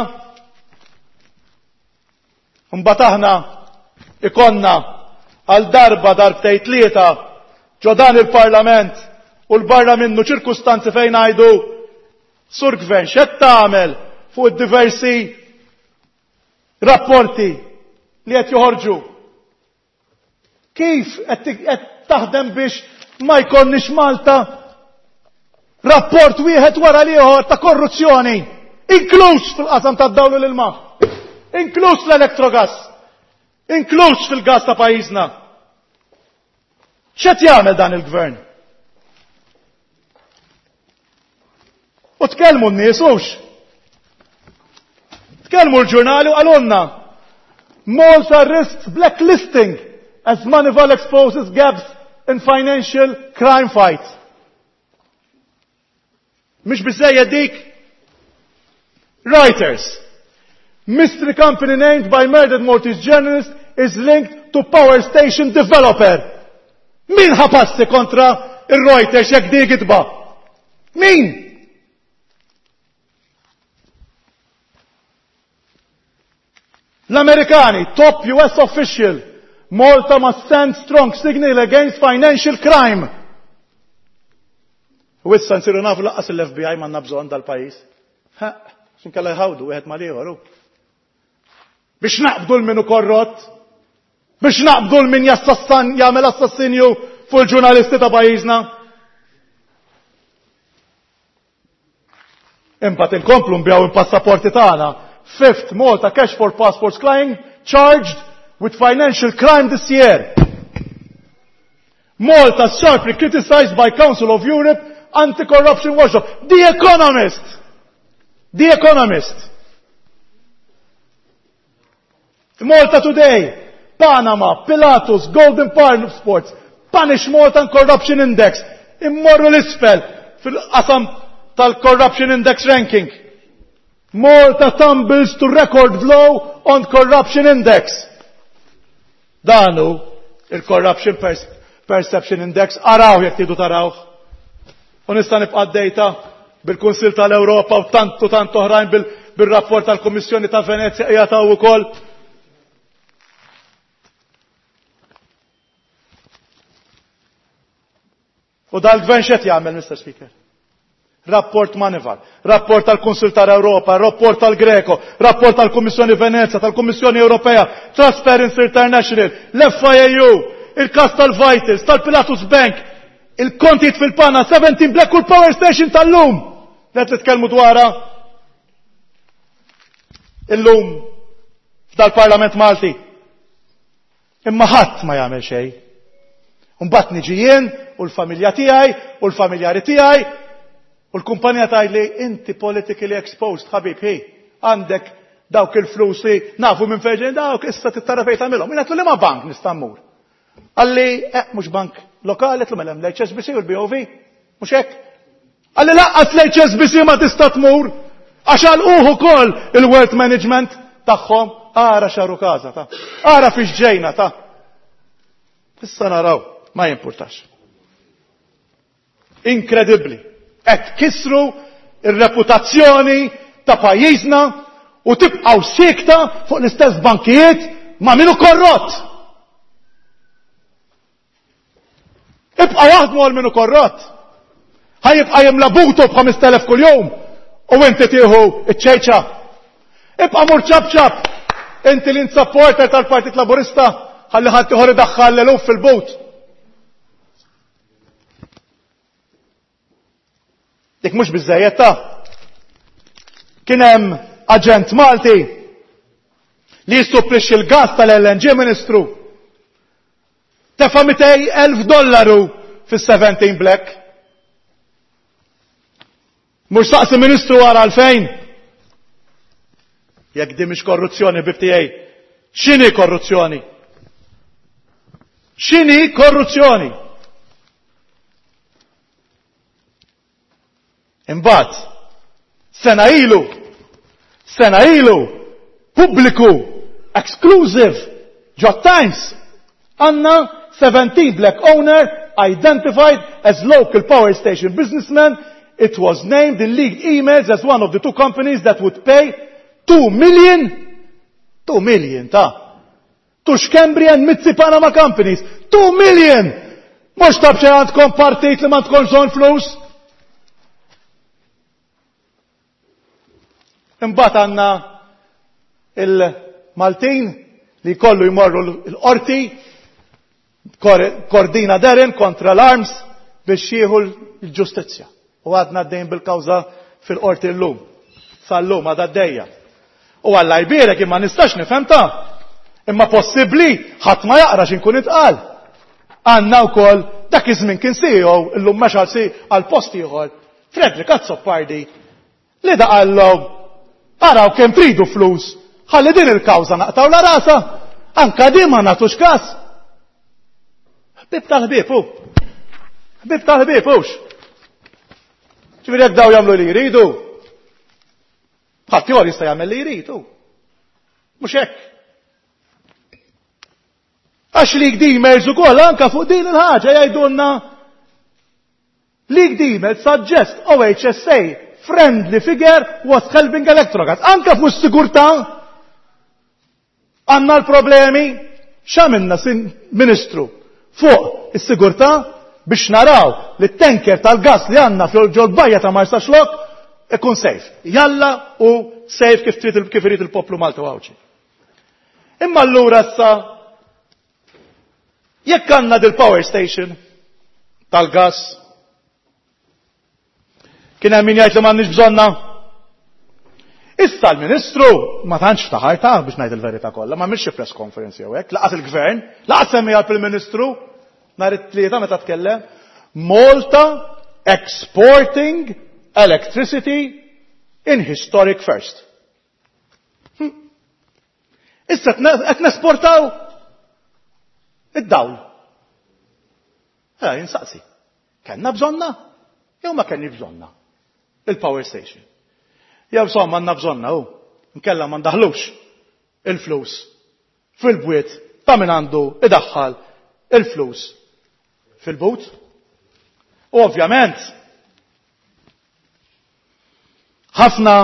Mbagħad aħna ikollna għal darba, darbtejn, tlieta ġo dan il-Parlament u l-barra minnu ċirkustanzi fejn ngħidu, "Sur Gvern, x'qed tagħmel fuq id-diversi rapporti li qed joħorġu? Kif qed taħdem biex ma jkollniex Malta rapport wieħed wara l-ieħor ta' korruzzjoni, inkluż fil-qasam tad-dawl u l-ilma, inkluż l-Electrogas, inkluż fil-gas ta' pajjiżna? X'qed jagħmel dan il-gvern?" U tkellmu n-nies hux. Tkellmu l-ġurnali u qalulna, "Malta risks blacklisting as Moneyval exposes gaps in financial crime fight." Mhix biżejjed dik? Reuters. "Mystery company named by murdered Maltese journalist is linked to power station developer." Min ħa passi kontra il-Reuters jekk di gidba? Min? L-Amerikani, "Top U S official, Malta must send strong signal against financial crime." U issa nsiru nafu lanqas l-F B I m'għandna bżonn dal-pajjiż. Ha, x'inkella jħawdu wieħed mal-ieħor. Biex naqbdu 'l min hu korrott, biex naqbdu 'l min jassassan jagħmel assassinju fuq il-ġurnalisti ta' pajjiżna. Imbagħad inkomplu nbigħu il-passaporti tagħna. "Fifth Malta Cash for Passports client charged with financial crime this year." "Malta sharply criticized by Council of Europe Anti-Corruption Watchdog." The Economist! The Economist! Malta Today, "Panama, Pilatus, Golden Passports, Punish Malta and Corruption Index." Immorru l-isfel fil-qasam tal-Corruption Index ranking. "Malta tumbles to record low on Corruption Index." Danu il-Corruption Perception Index, araw jekk tridu taraw. U nista' nibqa' data bil-Kunsil tal-Ewropa u tantu tant oħrajn, bil-rapport tal-Kummissjoni ta' Venezja qiegħed ukoll. U dal-gvern x'qed jagħmel, Mister Speaker? Rapport Moneyval, rapport tal-Kunsil tal-Ewropa, rapport tal-Greco, rapport tal-Kummissjoni Venezia, tal-Kummissjoni Ewropea, Transparency International, l-F I A U, il-kas tal-Vitals, tal-Pilatus Bank, il-kontijiet fil-Pana, seventeen Black u l-Power Station tal-lum. Qed nitkellmu dwarha illum f'dal-Parlament Malti. Imma ħadd ma jagħmel xejn. Imbagħad niġi jien u l-familja tiegħi u l-familjari tiegħi u l-kumpanija tgħidli inti politically exposed, ħabib, hi, għandek dawk il-flus li nafu minn fejn ġejjin dawk, issa tittara fejn tagħmilhom. Jien għedtlu li ma bank nista' mmur. Qalli, eh, mhux bank lokali, għedtlu mela hemm l-H S B C u l-B O V, mhux hekk? Qalli laqqas l-H S B C ma tista' tmur, għax għalquh ukoll il-wealth management tagħhom. Ara xaru każa ta'. Ara fiex ġejna ta'. Issa naraw, ma jimpurtax. Inkredibbli. Qed kisru ir-reputazzjoni ta' pajjiżna u tibqgħu siekta fuq l-istess bankijiet ma' minu korrott. Ibqa' jaħdmu għal minu korrott. Ħajibqa' jimla butu b'ħamest elef kuljum u inti tieħu iċ-ċejċa. Ibqa' mur ċabċab. Inti li supporter tal-Partit Laburista ħalli ħadd ieħor idaħħal l-eluf fil-but. Dik mhux biżżejjed ta'. Kien hemm aġent Malti li jissupplixxi l-gas tal-L N G Ministru. Tefa' mitej elf dollaru fis-seventeen Black. Mhux saqsi Ministru wara għalfejn. Jekk di mhix korruzzjoni bib tiegħi, x'inhi korruzzjoni? X'inhi korruzzjoni? Imbagħad, sena ilu, sena ilu, pubbliku, exclusive, ġo Times, għandna seventeen Black owner identified as local power station businessman. It was named in leaked emails as one of the two companies that would pay two million, two million ta' to Schembri and Mizzi Panama companies. two million! Mux tabxie għandkom partit li ma tkunx bżonn flus? Imbagħad għandna il-Maltin li jkollu jmorru l-qorti, Cordina Darren kontra l-Arms biex jieħu l-ġustizzja. U għadna għaddejn bil-kawża fil-qorti llum. Sal-lum għadha għaddejja. U Alla jbierek imma nistax nifhem ta' imma possibbli ħadd ma jaqra x'inkun itqal. Għandna wkoll dak iż-żmien kien C E O illum mexa għal si għal post ieħor, Frederick Azzopardi, li da qallhom araw kemm tridu flus, ħalli din il-kawża naqtaw la rasa, anka din ma nagħtux każ. Ħbieb tal-ħbieb hu. Ħbieb tal-ħbieb hux. Ġifieri jekk daw jagħmlu li jridu, ħadd ieħor jista' jagħmel li jrid hu. Mhux hekk. Għax li emails ukoll anka fuq din il-ħaġa jgħidulna leaked email suggest O H S A friendly figure was helping Electrogas. Anka fuq is-sigurtà għandna l-problemi. X'għamilna sin Ministru fuq is-sigurtà biex naraw li t-tanker tal-gas li għandna fil-ġol bajja ta' Marsaxlokk ikun safe. Jalla u safe kif trid il-, kif irid il-poplu Malta u Għawdxi. Imma allura issa jekk għandna dil-power station tal-gas, kien hemm min jgħid li m'għandniex bżonna. Issa l-Ministru ma tantx ftaħar ta' biex ngħid il-verità kollha, ma għamilx press conference jew hekk, laqas il-Gvern, laqas semmiha l-Prim Ministru nhar it-Tlieta meta tkellem, Malta exporting electricity in historic first. Hm. Issa qed nesportaw id-dawl. Eh, insaqsi. Kellna bżonna? Jew ma kellniex bżonna? Il-power station. Jew insomma għandna bżonna hu. Nkella ma ndaħlux il-flus fil-bwiet ta' min għandu idaħħal il-flus fil-but. U ovvjament ħafna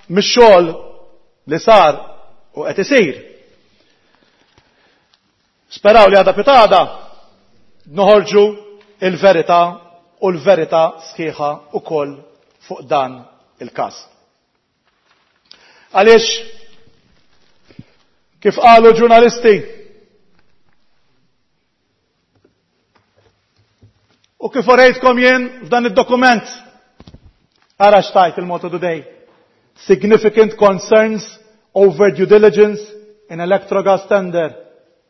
mix-xogħol li sar u qed isir. Speraw li għada pitada noħorġu il-verità u l-verità sħiħa ukoll fuq dan il-każ. Għaliex kif qalu ġurnalisti u kif orejtkom jien f'dan id-dokument, ara x'tajt il-Malta Today. Significant concerns over due diligence in Electrogas tender,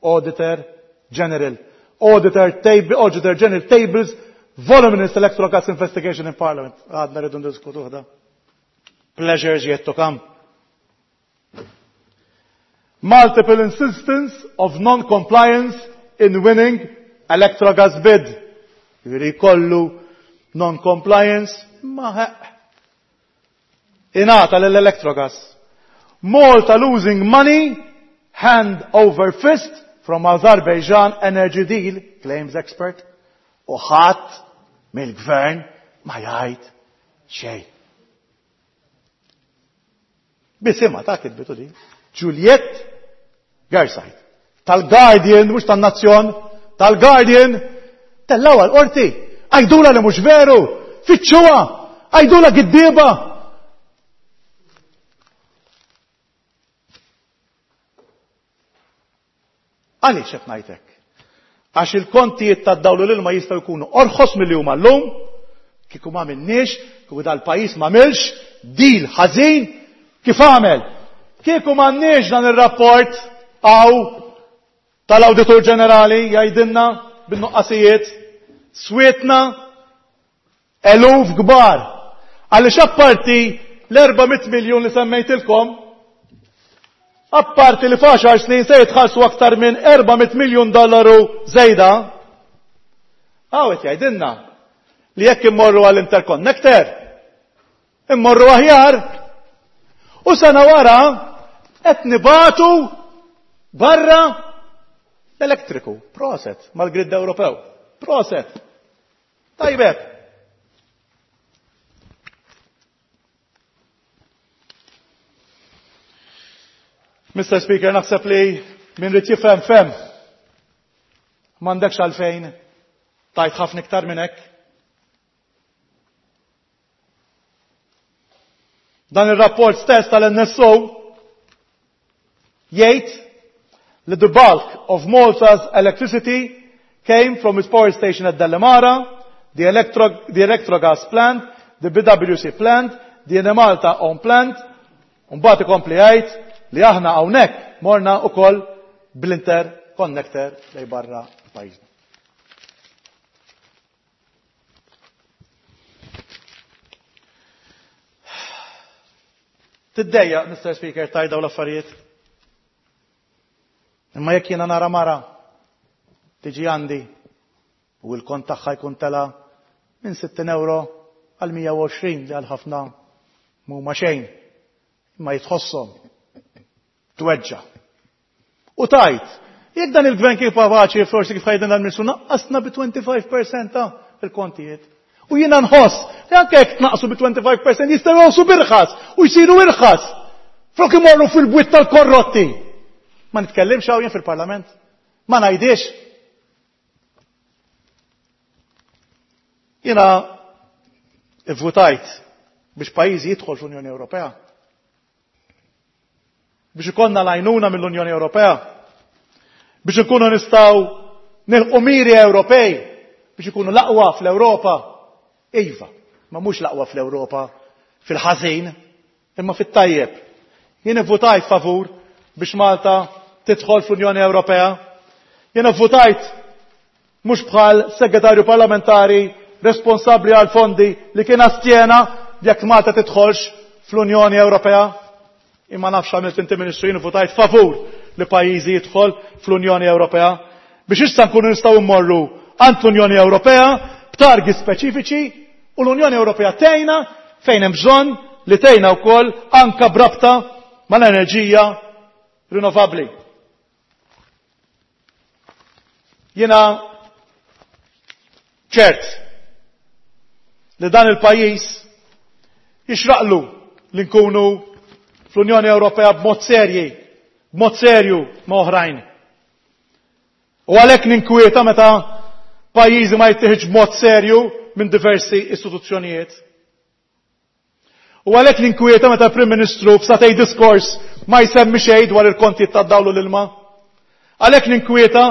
Auditor General. Auditor, table, Auditor General tables voluminous Electrogas investigation in Parliament. Għadna rridu ndiskutu ħda. Pleasures yet to come. Multiple insistence of non-compliance in winning Electrogas bid. Jiri kollu non-compliance ma ħeq. Ingħata l-Electrogas. Malta losing money hand over fist from Azerbaijan energy deal, claims expert. U ħadd mill-gvern ma jgħid xejn. Bisimha ta' kitbitu di. Juliet Garside. Tal-Guardian, mhux tan-Nazzjon, tal-Guardian, tellgħuha l-qorti. Għajdula li mhux veru, fittxuha, għajdula giddieba. Għaliex qed ngħidlek? Għax il-kontijiet tad-dawl u l-ilma jistgħu jkunu orħos milli huma llum, kieku ma minniex, kieku dal-pajjiż ma milx, deal ħażin kif għamel. Kieku m'għandniex dan ir-rapport għaw tal-Awditur Ġenerali jgħidilna bin-nuqqasijiet, swietna eluf kbar. Għaliex apparti l-erba' mitt miljun li semmejtilkom, apparti li f'għaxar snin se jitħallsu aktar minn erba' mitt miljun dollaru żejda, hawn qed jgħidilna li jekk immorru għall-interconnector, immorru aħjar, u sena wara qed nibatu barra l-elettriku. Proset mal-grid Ewropew. Proset. Tajbeb. Mister Speaker, naħseb li min rid jifhem fem. M'għandekx għalfejn tajt ħafna iktar minn hekk. Dan ir-rapport stess tal-N S O jgħid li the bulk of Malta's electricity came from its power station at Delimara, the, electro, the Electrogas plant, the B W C plant, the Enemalta own plant, u mbagħad ikompli jgħid li aħna hawnhekk morna wkoll bl-interconnector lej barra pajjiżna. Tiddejjaq, Mister Speaker, tajda u l-affarijiet. Imma jekk jiena nara mara tiġi għandi u l-kont tagħha jkun tela minn sittin euro għal mija u għoxrin li għal ħafna m'huma xejn, imma jitħosshom tweġġa. U tajt, jekk dan il-gvern kif kapaċi forsi kif ħajdin dal-Ministru naqqasna bi twenty-five percent ta' il-kontijiet. U jiena nħoss li anke jekk tnaqqsu bi twenty-five percent jistgħu jgħosu birħas u jsiru irħas. Flok imorru fil-bwiet tal-korrotti. Ma nitkellimx hawn jien fil-Parlament. Ma ngħidix. Jiena ivvutajt biex pajjiżi jidħol fl-Unjoni Ewropea. Biex ikollna l-għajnuna mill-Unjoni Ewropea. Biex ikunu nistgħu nilqu miri Ewropej biex ikunu l-aqwa fl-Ewropa. Iva, ma mhux l-aqwa fl-Ewropa fil-ħażin, imma fit-tajjeb. Jien ivvutajt favur biex Malta tidħol fl-Unjoni Ewropea. Jien ivvutajt mhux bħal segretarju parlamentari responsabbli għal fondi li kien astjena jekk Malta tidħolx fl-Unjoni Ewropea. Imma nafx għamilt inti Ministru, jien ivvutajt favur li pajjiżi jidħol fl-Unjoni Ewropea biex issa nkunu nistgħu mmorru għand l-Unjoni Ewropea b'targi speċifiċi u l-Unjoni Ewropea tgħinna fejn hemm bżonn li tgħinna wkoll anke b'rabta mal-enerġija rinnovabbli. Jiena ċert li dan il-pajjiż jixraqlu li nkunu fl-Unjoni Ewropea b'mod serji, b'mod serju ma' oħrajn. U għalhekk ninkwieta meta pajjiżi ma jittieħedx b'mod serju minn diversi istituzzjonijiet. U għalhekk l-inkwieta meta l-Prim Ministru f'satej diskors ma jsemmi xejn dwar il-kontijiet tad-dawl u l-ilma. Għalhekk l-inkwieta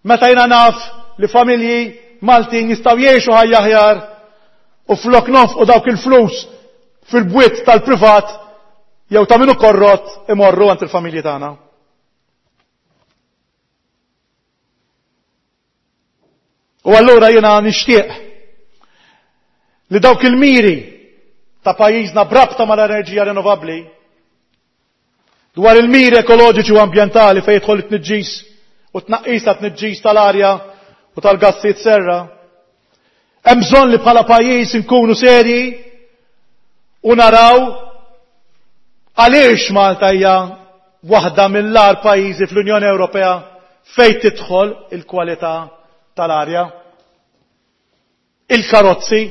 meta jiena naf li familji Maltin jistgħu jgħixu ħajja aħjar u flok nonfqu dawk il-flus fil-bwiet tal-privat jew ta' minu korrott imorru għand il-familji tagħna. U allura jiena nixtieq li dawk il-miri ta' pajjiżna brabta mal-enerġija rinnovabbli dwar il-miri ekoloġiċi u ambjentali fejn jidħol it-tniġġis u tnaqqis ta' tniġġis tal-arja u tal-gassijiet serra. Hemm bżonn li bħala pajjiż inkunu serji u naraw għaliex Malta hija waħda mill-agħar pajjiżi fl-Unjoni Ewropea fejn tidħol il-kwalità tal-arja. Il-karozzi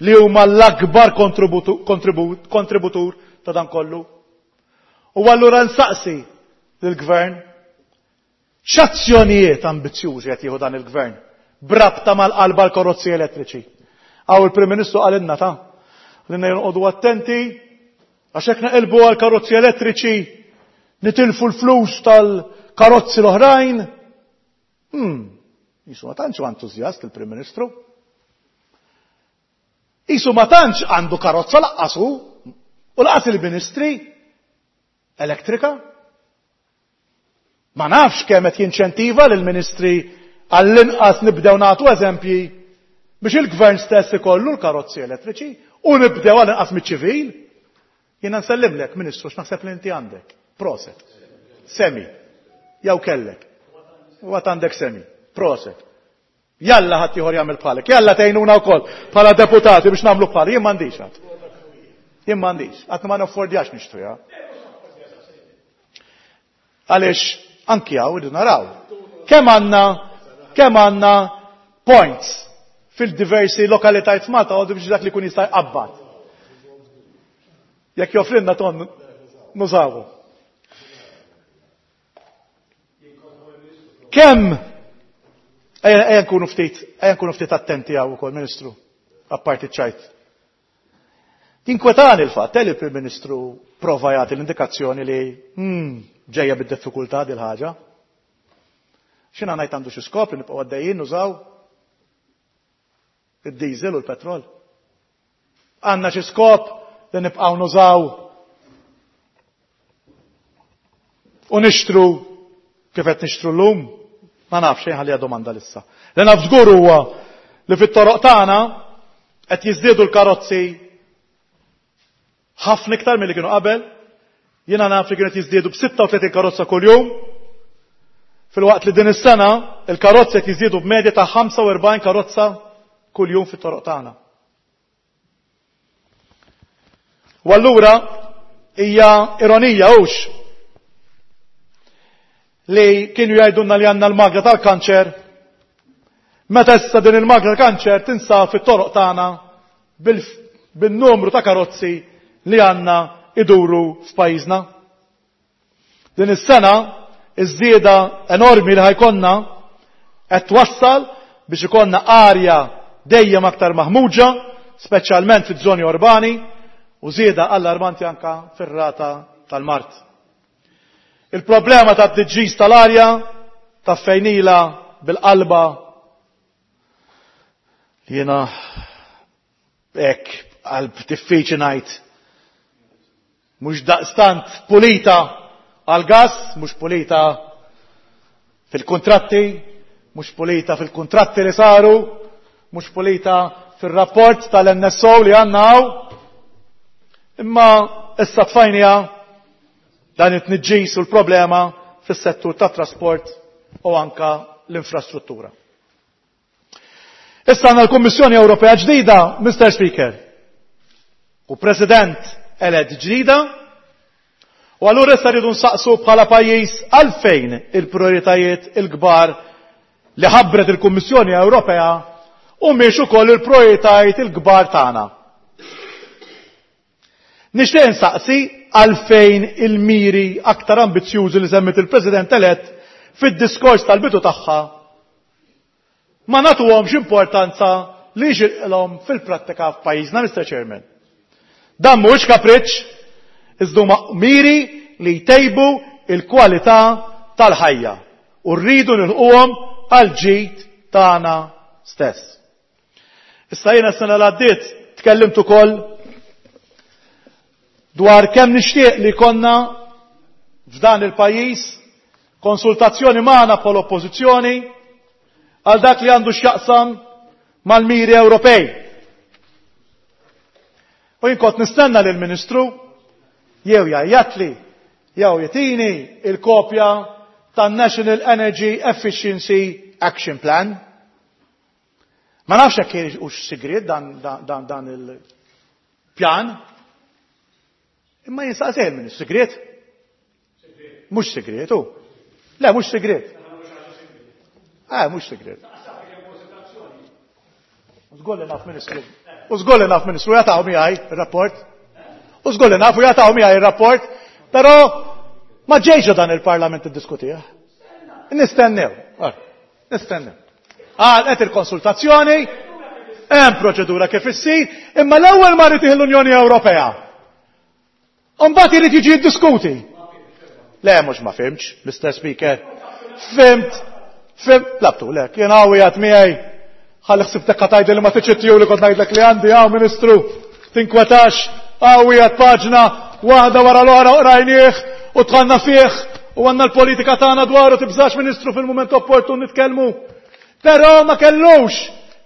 li huma l-akbar kontributur ta' dan kollu. U allura nsaqsi lill-gvern x'azzjonijiet ambizzjużi qed jieħu dan il-gvern brabta mal-qalba l-karozzi elettriċi. Għaw il-Prim Ministru qalilna ta' li jonqogħdu attenti għax hekk naqilbu għal karozzi elettriċi nitilfu l-flus tal-karozzi l-oħrajn. Hmm, jisu ma tantx entużjast il-Prim Ministru. Isu ma tantx għandu karozza laqqasu u laqas il-ministri elettrika. Ma nafx kemm qed jinċentiva lill-ministri għall-inqas nibdew nagħtu eżempji biex il-gvern stess ikollu l-karozzi elettriċi u nibdew għall-inqas miċ-ċivil. Jiena nsellimlek, Ministru, x'naħseb li inti għandek. Proset. Semi. Jew kellek. U għad għandek semi. Proset. Jalla ħadd ieħor jagħmel bħalek. Jalla tgħinuna wkoll bħala deputati biex nagħmlu bħali. Jien m'għandix għad. Jien m'għandix. Qatt ma naffordjax nixtriha. Għaliex anki hawn irridu naraw. Kemm għandna kemm għandna points fil-diversi lokalitajiet f'Malta għodu biex dak li jkun jista' jqabbad. Jekk joffrilna ton nużawu. Kemm ejja nkunu ftit, ejja nkunu ftit attenti hawn ukoll, Ministru, apparti ċajt. Tinkwetani l-fatt li l-Prim Ministru prova jagħti l-indikazzjoni li hmm, ġejja bid-diffikultà dil ħaġa. X'inha ngħid għandu xi skop li nibqgħu għaddejjin nużaw id-diesel u l-petrol. Għandna xi skop li nibqgħu nużaw u nixtru kif qed nixtru llum. Ma nafx xejn ħalliha domanda lissa. Li naf żgur huwa li fit-toroq tagħna qed jiżdiedu l-karozzi ħafna iktar milli kienu qabel. Jiena naf li kienu qed jiżdiedu b'sitta u tletin karozza kuljum. Filwaqt li din is-sena il-karozzi qed jiżdiedu b'medja ta' ħamsa u erbgħin karozza kuljum fit-toroq tagħna. U allura hija ironija hux li kienu jgħidulna li għandna l-magna tal-kanċer, meta issa din il-magna tal-kanċer tinsab fit-toroq tagħna bil-numru ta' karozzi li għandna iduru f'pajjiżna. Din is-sena iż-żieda enormi li ħajkonna qed twassal biex ikollna arja dejjem aktar maħmuġa, speċjalment fiż-żoni urbani, u żieda allarmanti anka fir-rata tal-mard. Il-problema ta' tniġġis tal-arja ta' fejnila bil-qalba li jiena hekk qalb diffiċli ngħid mhux daqstant pulita għal-gas, mhux pulita fil-kuntratti, mhux pulita fil-kuntratti li saru, mhux pulita fir-rapport tal-N S O li għandna hawn. Imma issa tfajnija dan it-tniġġis u l-problema fis-settur tat-trasport u anka l-infrastruttura. Issa għandna l-Kummissjoni Ewropea ġdida, Mister Speaker, u President elett ġdida, u allura issa rridu nsaqsu bħala pajjiż għalfejn il-prioritajiet il-kbar li ħabbret il-Kummissjoni Ewropea u mhix ukoll il-prioritajiet il-kbar tagħna. Nixtieq nsaqsi għalfejn il-miri aktar ambizzjużi li semmit il-President elett fid-diskors tal-bidu tagħha ma nagħtuhomx importanza li jixirqilhom fil-prattika f'pajjiżna, Mister Chairman. Dan mhuwiex kapriċċ, iżda huma miri li jtejbu il-kwalità tal-ħajja u rridu nilquhom għal ġid tagħna stess. Issa jiena s-sena l-għaddiet tkellimt ukoll dwar kemm nixtieq li konna f'dan il-pajjiż konsultazzjoni magħna bħala oppożizzjoni għal dak li għandu x'jaqsam mal-miri Ewropej. U jien kont nistenna lill ministru jew jgħajjatli jew jtini il-kopja tan-National Energy Efficiency Action Plan. Ma nafx hekk hux sigriet dan, dan, dan, dan il-pjan. Imma jinsaqsej il-Ministru, sigriet? Mhux sigriet, hu. Le, mhux sigriet. Eh, mhux sigriet. U żgur li naf Ministru. U żgur li naf Ministru jagħtaw miegħi ir-rapport. U żgur li naf u jagħtaw miegħi ir-rapport, però ma ġejx dan il-Parlament iddiskutih. Nistennew. Nistennew. Għal qed il-konsultazzjoni, hemm proċedura kif issir, imma l-ewwel ma rid l-Unjoni Ewropea. Mbagħad irid jiġi jiddiskuti. Le, mhux ma fimx, Mister Speaker. Fimt, fimt, labtu, le, kien hawn jgħid miegħi. Ħalli ħsibtek qatajd li ma tiċittiju li kont ngħidlek li għandi hawn Ministru. Tinkwetax, hawn jgħid paġna waħda wara l-oħra qrajnieh u tħanna fih u għandna l-politika tagħna dwaru tibżax Ministru fil-mument opportun nitkellmu. Però ma kellux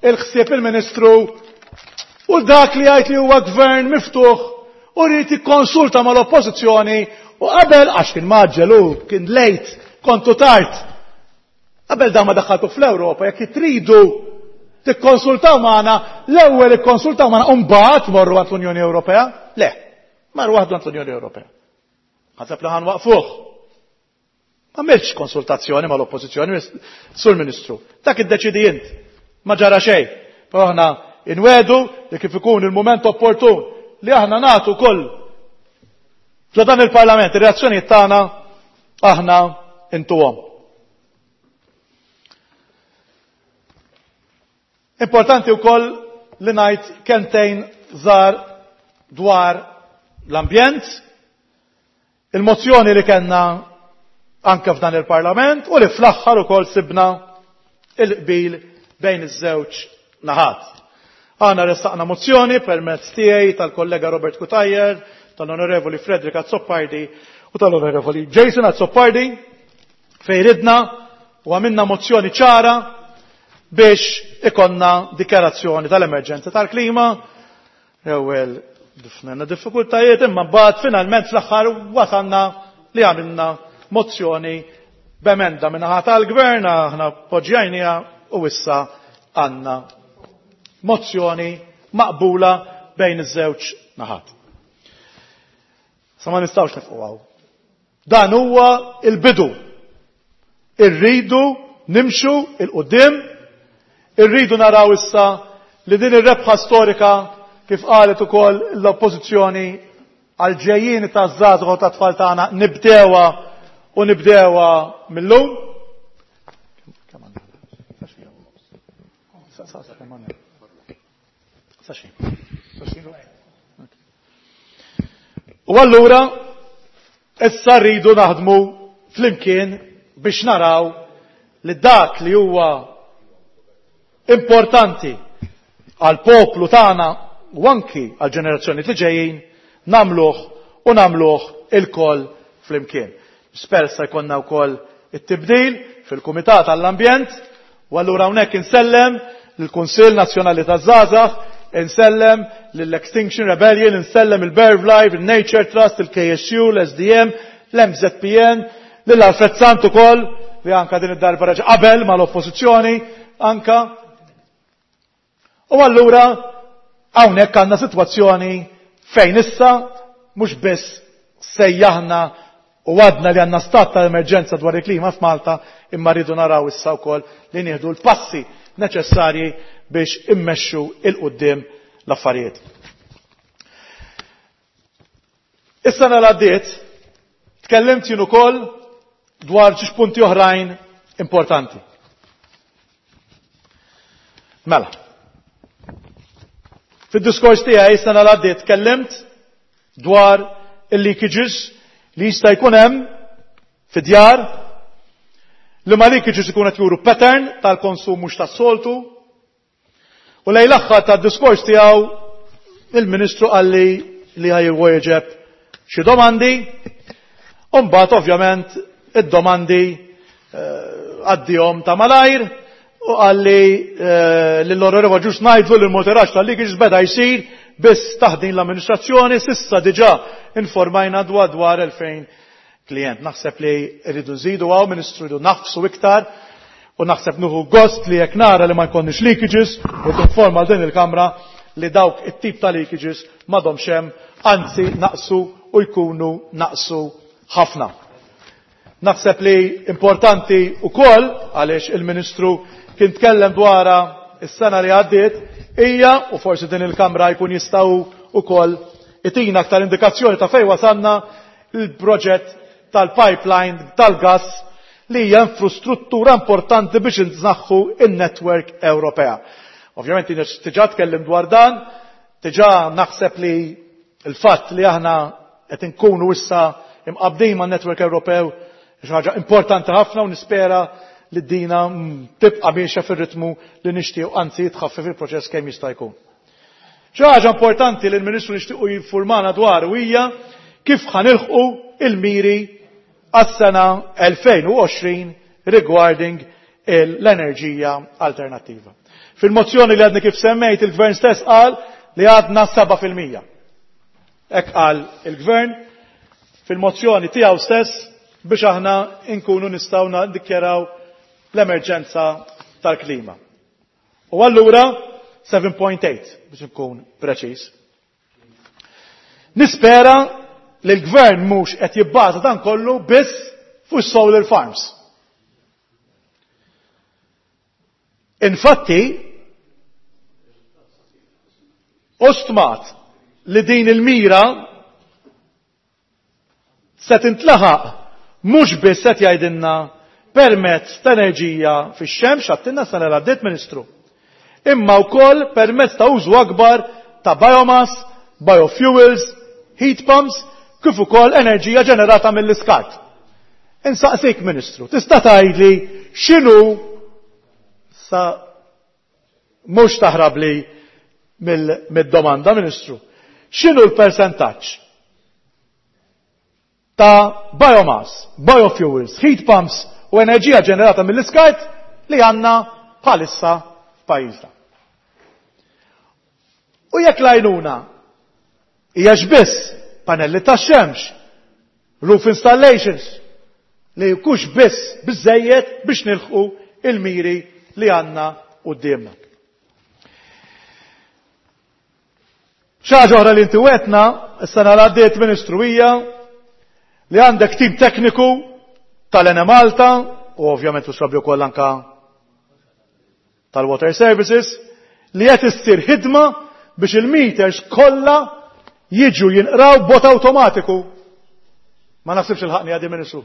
il-ħsieb il-Ministru u dak li jgħid li huwa gvern miftuħ u rrid jikkonsulta mal-oppożizzjoni u qabel għax kien maġġel u kien lejt, kontu tard. Qabel da ma daħħaltu fl-Ewropa, jekk tridu tikkonsultaw magħna, l-ewwel ikkonsultaw magħna u mbagħad morru għand l-Unjoni Ewropea? Le, marru waħdu għand l-Unjoni Ewropea. Ħaseb li ħanwaqfuh. Ma għamilx konsultazzjoni mal-oppożizzjoni, Sur Ministru. Dak iddeċidi int. Ma ġara xejn. Però aħna inwedu li kif ikun il-mument opportun li aħna nagħtu koll f'dan dan il-Parlament ir-reazzjonijiet tagħna aħna intuhom. Importanti wkoll li ngħid kentejn żgħar dwar l-ambjent, il-mozzjoni li kellna anke f'dan il-Parlament u li fl-aħħar ukoll sibna il-qbil bejn iż-żewġ naħat. Aħna ressaqna mozzjoni permezz tiegħi tal-kollega Robert Cutajar, tal-Onorevoli Frederick Azzopardi u tal-Onorevoli Jason Azzopardi fejn ridna u għamilna mozzjoni ċara biex ikonna dikjarazzjoni tal-emerġenza tal-klima. Ewwel difnenna diffikultajiet imma mbagħad finalment fl-aħħar wasalna li għamilna mozzjoni b'emenda min-naħa tal-gvern, aħna poġġjajniha u issa għandna mozzjoni maqbula bejn iż-żewġ naħat. Sa ma nistgħux nifqu hawn. Dan huwa il-bidu. Irridu nimxu il-qudiem, irridu naraw issa li din ir-rebħa storika kif qalet ukoll l-oppożizzjoni għal ġejjieni taż-żgħażagħ u tat-tfal tagħna nibdewha u nibdewha mill-lum. U allura issa rridu naħdmu flimkien biex naraw li dak li huwa importanti għal poplu tagħna u anki għal ġenerazzjoni li ġejjin nagħmluh u nagħmluh ilkoll flimkien. Spera sa jkollna wkoll it-tibdil fil-Kumitat għall-Ambjent u allura hawnhekk insellem lill-Kunsill Nazzjonali taż-Żgħażagħ, insellem lill-Extinction Rebellion, insellem il-Bird Life, il-Nature Trust, il-K S U, l-S D M, l-M Z P N, lil Alfred Sant ukoll li anka din id-darba reġa' qabel mal-oppożizzjoni anka. U allura hawnhekk għandna sitwazzjoni fejn issa mhux biss sejjaħna u għadna li għandna stat ta' emerġenza dwar il-klima f'Malta, imma rridu naraw issa wkoll li nieħdu l-passi neċessarji biex immexxu il-qudiem l-affarijiet. Is-sena li għaddiet tkellimt jien ukoll dwar xi punti oħrajn importanti. Mela. Fid-diskors tiegħi sena l-għaddiet tkellimt dwar il-leakages li jista' jkun hemm fid-djar, li ma leakages ikun qed juru pattern tal-konsum mhux tas-soltu. U lejn l-aħħar tad-diskors tiegħu il-Ministru qalli li ħajwieġeb xi domandi, u mbagħad ovvjament id-domandi għaddihom ta' malajr u qalli lill-Onorevoli Ġust ngħidlu li l-monitoraġġ tal-leakages beda jsir biss taħt din l-amministrazzjoni, s'issa diġà informajna dwar dwar elfejn klient. Naħseb li rridu nżidu hawn, Ministru, rridu nafsu iktar, u naħseb nieħu gost li jekk nara li ma jkollniex leakages u tinforma din il-Kamra li dawk it-tip ta' leakages m'għadhomx hemm, anzi naqsu u jkunu naqsu ħafna. Naħseb li importanti wkoll, għaliex il-Ministru kien tkellem dwarha s-sena li għaddiet, hija, u forsi din il-Kamra jkun jistgħu wkoll itina aktar indikazzjoni ta' fejn wasalna il-proġett tal-pipeline tal-gas li hija infrastruttura importanti biex inżaħħu in-network Ewropea. Ovvjament jien diġà tkellim dwar dan, diġà naħseb li l-fatt li aħna qed inkunu issa imqabdin man-network Ewropew xi ħaġa importanti ħafna, u nispera li d-dina tibqa' miexja fir-ritmu li nixtiequ, anzi jitħaffef il-proċess kemm jista' jkun. Xi ħaġa importanti li l-Ministru nixtiequ jinformana dwar hija kif ħanilħqu il-miri għas-sena elfejn u għoxrin regarding l-enerġija alternattiva. Fil-mozzjoni li għadni kif semmejt, il-Gvern stess qal li għadna seba' fil-mija. Hekk qal il-Gvern fil-mozzjoni tiegħu stess biex aħna nkunu nistgħu niddikjaraw l-emerġenza tal-klima. U allura seven point eight biex nkun preċiż. Nispera li l-Gvern mhux qed jibbaża dan kollu biss fuq solar farms. Infatti, ostmat li din il-mira se tintlaħaq mhux biss qed jgħidilna permezz ta' enerġija fix-xemx, għattilna sena l għaddiet, Ministru, imma wkoll permezz ta' użu akbar ta' biomass, biofuels, heat pumps, kif ukoll enerġija ġenerata mill-iskart. Insaqsik, Ministru, tista' tgħidli x'inhu sa mhux taħrabli mill-, mid-domanda, Ministru, x'inhu l-persentaġġ ta' biomass, biofuels, heat pumps u enerġija ġenerata mill-iskart li għandna bħalissa f'pajjiżna? U jekk l-għajnuna hija biss panelli tax-xemx, roof installations, li jkunx biss biżejjed biex nilħqu il-miri li għandna quddiemna. Xi ħaġa oħra li inti wetna s-sena li għaddiet, Ministru, hija li għandek tim tekniku tal-Enemalta u ovvjament u wkoll anka tal-Water Services li qed issir ħidma biex il-meters kollha jiġu jinqraw b'mod awtomatiku. Ma naħsibx il-ħaqni għadi, Ministru.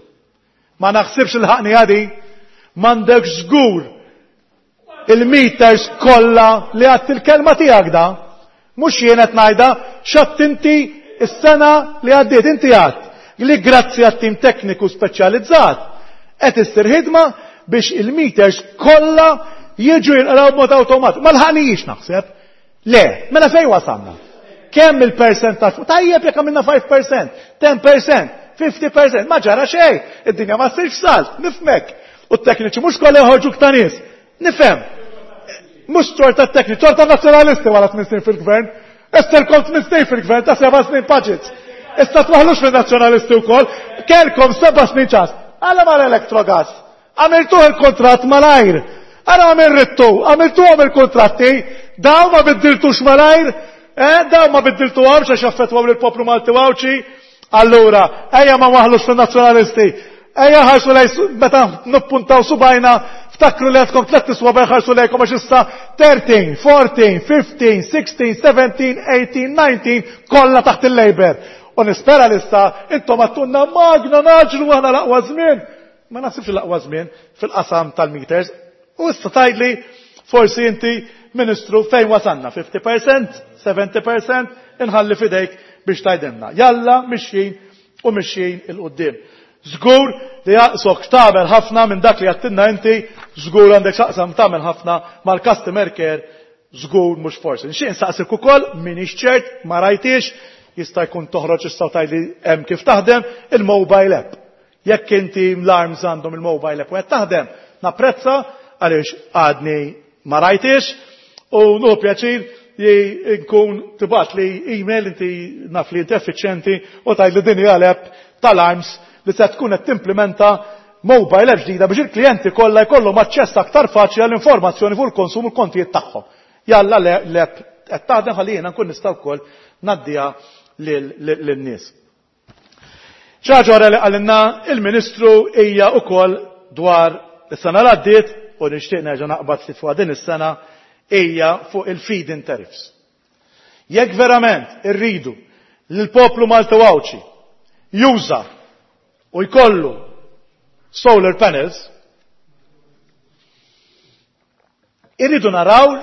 Ma naħsibx il-ħaqni għadi. M'għandekx żgur il-meters kollha li għadt il-kelma tiegħek da. Mhux jien qed ngħidha, x'għadt inti s-sena li għaddiet, inti għadt li grazzi għat-tim tekniku speċjalizzat qed issir ħidma biex il-meters kollha jiġu jinqraw b'mod awtomatiku. Ma l-ħanijiex naħseb. Le, mela fejn wasalna? Kemm il-percentaġġ? Tajjeb jekk għamilna five percent, ten percent, fifty percent, ma ġara xejn, id-dinja ma ssirx salt, nifhmek. U t-tekniċi mhux kollha joħorġu ta' nies. Nifhem. Mhux torta t-tekniċi, torta nazzjonalisti wara tmien snin fil-gvern. Issa lkom tmien snin fil-gvern ta' seba' snin budgets. Issa twaħlux fin-nazzjonalisti wkoll, kelkom seba' snin ċas. Għala mal-Electrogas. Għamiltuh il-kontratt malajr. Għala għamil rittu, għamiltuhom il-kontratti, daw ma biddiltux malajr, eh, daw ma biddiltuhomx għax jaffettwaw lill-poplu Malti Għawdxi. Allura, ejja ma waħlux fin-nazzjonalisti. Ejja ħarsu lej su-, meta nippuntaw subajna, ftakru li għandkom tliet iswaba jħarsu lejkom għax issa thirteen, fourteen, fifteen, sixteen, seventeen, eighteen, nineteen, kollha taħt il-Labour. U nispera li issa intom għattunna magna naġlu aħna l-aqwa żmien. Ma naħsibx l-aqwa żmien fil-qasam tal-meters. U issa tgħidli forsi inti Ministru, fejn wasanna? fifty percent? seventy percent? Inħalli fidejk biex tgħidilna. Jalla mixjin u mixjin 'il quddiem. Żgur li jaqsok tagħmel ħafna minn dak li għedtilna inti, żgur għandek x'taqsam tagħmel ħafna mal-customer care, żgur mhux forsi. Nixtieq nsaqsik ukoll, m'iniex ċert, ma rajtix, jista' jkun toħroġ issa tgħidli hemm kif taħdem il-mobile app. Jekk inti l-ARMS għandhom il-mobile app u qed taħdem, napprezza għaliex għadni ma rajtix u nieħu pjaċir li nkun tibgħat li email, inti naf li inti effiċjenti, u tgħid li din hija l-app tal-ARMS li se tkun qed timplementa mobile app ġdida biex il-klijenti kollha jkollhom aċċess aktar faċli għall-informazzjoni fuq il-konsum u l-kontijiet tagħhom. Jalla l-app qed taħdem ħalli jiena nkun nista' wkoll ngħaddiha lin-nies. Ħaġa oħra li qalilna il-Ministru hija wkoll dwar is-sena l għaddiet u nixtieq nerġa' naqbad ftit fuq din is-sena, hija fuq il-feed-in tariffs. Jekk verament irridu li l-poplu Malti Għawdxi juża u jkollu solar panels, irridu naraw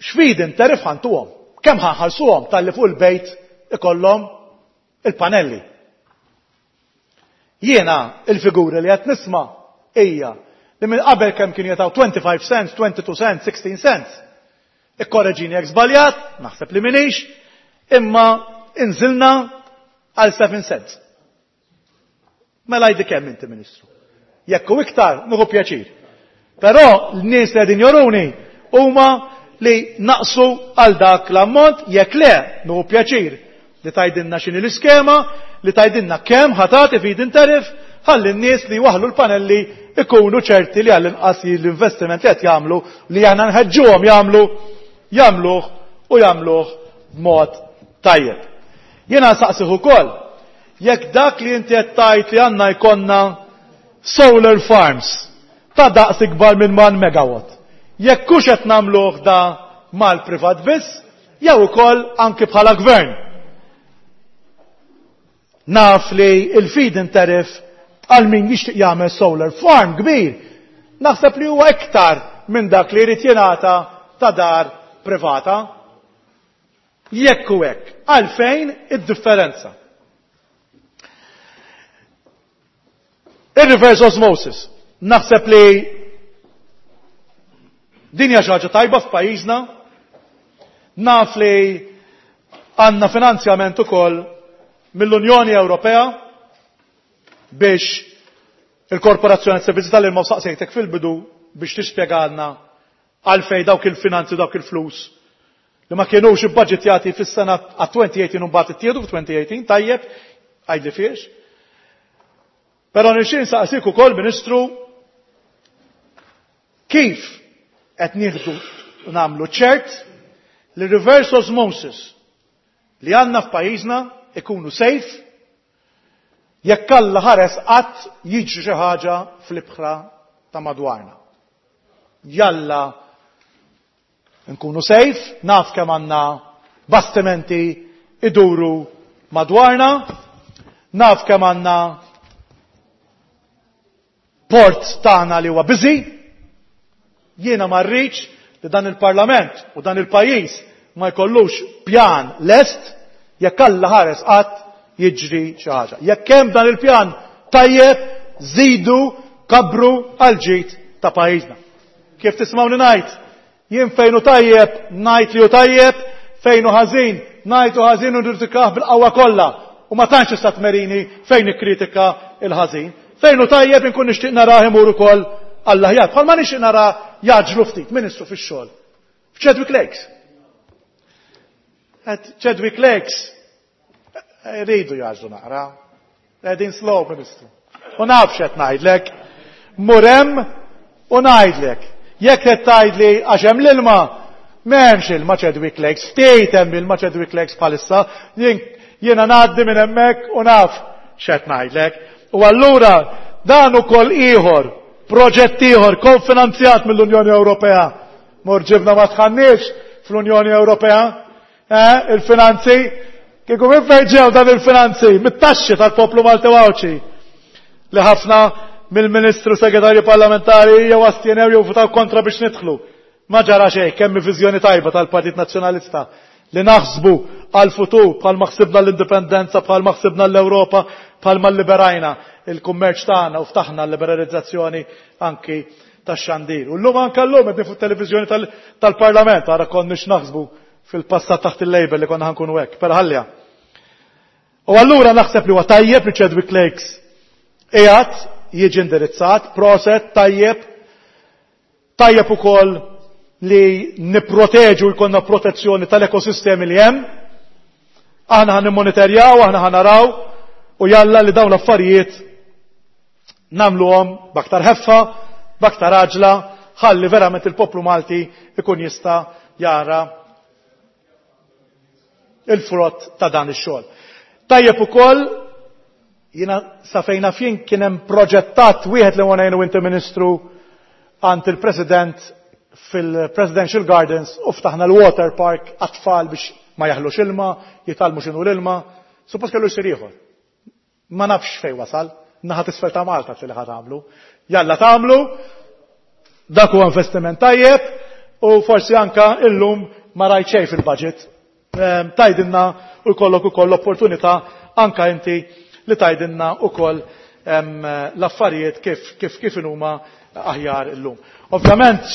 x'feed-in tariff ħa ntuhom, kemm ħa nħallsuhom talli fuq il-bejt ikollhom il-panelli. Jiena il-figuri li qed nisma' hija li minn qabel kemm kien jagħtaw twenty-five cents, twenty-two cents, sixteen cents. Ikkorreġini jekk żbaljat, naħseb li m'iniex, imma inżilna għal seven cents. Mela għidli kemm inti, Ministru. Jekk hu iktar, nieħu pjaċir. Però l-nies li qegħdin juruni huma li naqsu għal dak l-ammont, jekk le, nieħu pjaċir li tgħidilna x'inhi l-iskema, li tgħidilna kemm ħa tagħti feed-in tariff, ħalli n-nies li waħlu l-panelli ikunu ċerti li għall-inqas l-investiment li qed jagħmlu, li aħna nħeġġuhom jagħmlu, jagħmluh u jagħmluh b'mod tajjeb. Jiena saqsih ukoll jekk dak li inti qed tgħid li għandna jkollna solar farms ta' daqs ikbar minn one megawatt. Jekk hux qed nagħmluh da mal-privat biss, jew ukoll anki bħala gvern. Naf li il-feed-in tariff għal min jixtieq jagħmel solar farm kbir, naħseb li huwa iktar minn dak li jrid jingħata ta' dar privata. Jekk hu hekk, għalfejn id-differenza? Il-reverse osmosis. Naħseb li din hija xi ħaġa tajba f'pajjiżna. Naf li għandna finanzjament ukoll mill-Unjoni Ewropea biex il-Korporazzjoni Servizzi tal-Ilma, saqsejtek fil-bidu biex tispjegalna għalfej dawk il-finanzi, dawk il-flus li ma kienux ibbaġitjati fis-sena għat-twenty eighteen u mbagħad ittieħdu f'-twenty eighteen, tajjeb, għidli fiex. Però nixtieq nsaqsik ukoll, Ministru, kif qed nieħdu nagħmlu ċert li reverse osmosis li għandna f'pajjiżna ikunu safe jekk Alla ħares qatt jiġri xi ħaġa fl-ibħra ta' madwarna. Jalla nkunu safe, naf kemm għandna bastimenti iduru madwarna, naf kemm għandna port tagħna li huwa busy, jiena ma rridx li dan il-Parlament u dan il-pajjiż ma jkollux pjan lest jekk Alla ħares qatt jiġri xi ħaġa. Jekk hemm dan il-pjan tajjeb, żidu, kabru għal ġid ta' pajjiżna. Kif tismawni ngħid, jien fejn hu tajjeb ngħid li hu tajjeb, fejn hu ħażin ngħid hu ħażin u nikkritikah bil-qawwa kollha. U ma tantx tista' tmerini fejn nikkritika il-ħażin. Fejn hu tajjeb inkun nixtieq narah imur ukoll għall-aħjar. Bħalma nixtieq nara jgħaġġlu ftit, Ministru, fix-xogħol. F'Chadwick Lakes. At Chadwick Lakes rridu jgħaġġlu naqra. Qegħdin slow, Ministru. U naf x'qed ngħidlek. Mur hemm u ngħidlek. Jekk qed tgħidli għax hemm l-ilma, m'hemmx ilma Chadwick Lakes, ftit hemm ilma Chadwick Lakes bħalissa, jiena ngħaddi minn hemmhekk u naf x'qed ngħidlek. U allura dan ukoll ieħor, proġett ieħor konfinanzjat mill-Unjoni Ewropea. Mur ġibna ma tħannix fl-Unjoni Ewropea, eh, il-finanzi, kieku minn fejn ġew dan il-finanzi? Mit-taxxi tal-poplu Malti Għawdxi. Li ħafna mill-Ministru Segretarju Parlamentari jew astjenew jew votaw kontra biex nidħlu. Ma ġara xejn, kemm viżjoni tajba tal-Partit Nazzjonalista li naħsbu għal-futur bħalma ħsibna l-indipendenza, bħalma ħsibna l-Ewropa, bħalma liberajna il-kummerċ tagħna u ftaħna l-liberalizzazzjoni anki tax-xandir. U llum anke llum qed fuq televiżjoni tal-Parlament, ara konniex naħsbu fil-passat taħt il-label li konna ħankunu hekk, però ħallija. U allura naħseb li huwa tajjeb li Chadwick Lakes qiegħed jiġi indirizzat, proset tajjeb, tajjeb ukoll li nipproteġu jkollna protezzjoni tal-ekosistemi li hemm. Aħna ħan nimmonitorjaw, aħna ħan naraw u jalla li dawn l-affarijiet nagħmluhom b'aktar ħeffa, b'aktar għaġla, ħalli verament il-poplu Malti ikun jista' jara il-frott ta' dan ix-xogħol. Tajjeb ukoll jiena sa fejna fjien kien hemm proġettat wieħed li wara inti Ministru għand il-President fil-Presidential Gardens u ftaħna l-water park għat-tfal biex ma jaħlux ilma, jitgħallmu x'inhu l-ilma. Suppost kellu jsir ieħor. Ma nafx fejn wasal, naħa t'isfel ta' Malta li ħa tagħmlu. Jalla tagħmlu, dak huwa investiment tajjeb u forsi anka illum ma rajt xejn fil-budget. Tgħidilna u jkollok ukoll l-opportunità anka inti li tgħidilna ukoll l-affarijiet kif kif kif huma aħjar illum. Ovvjament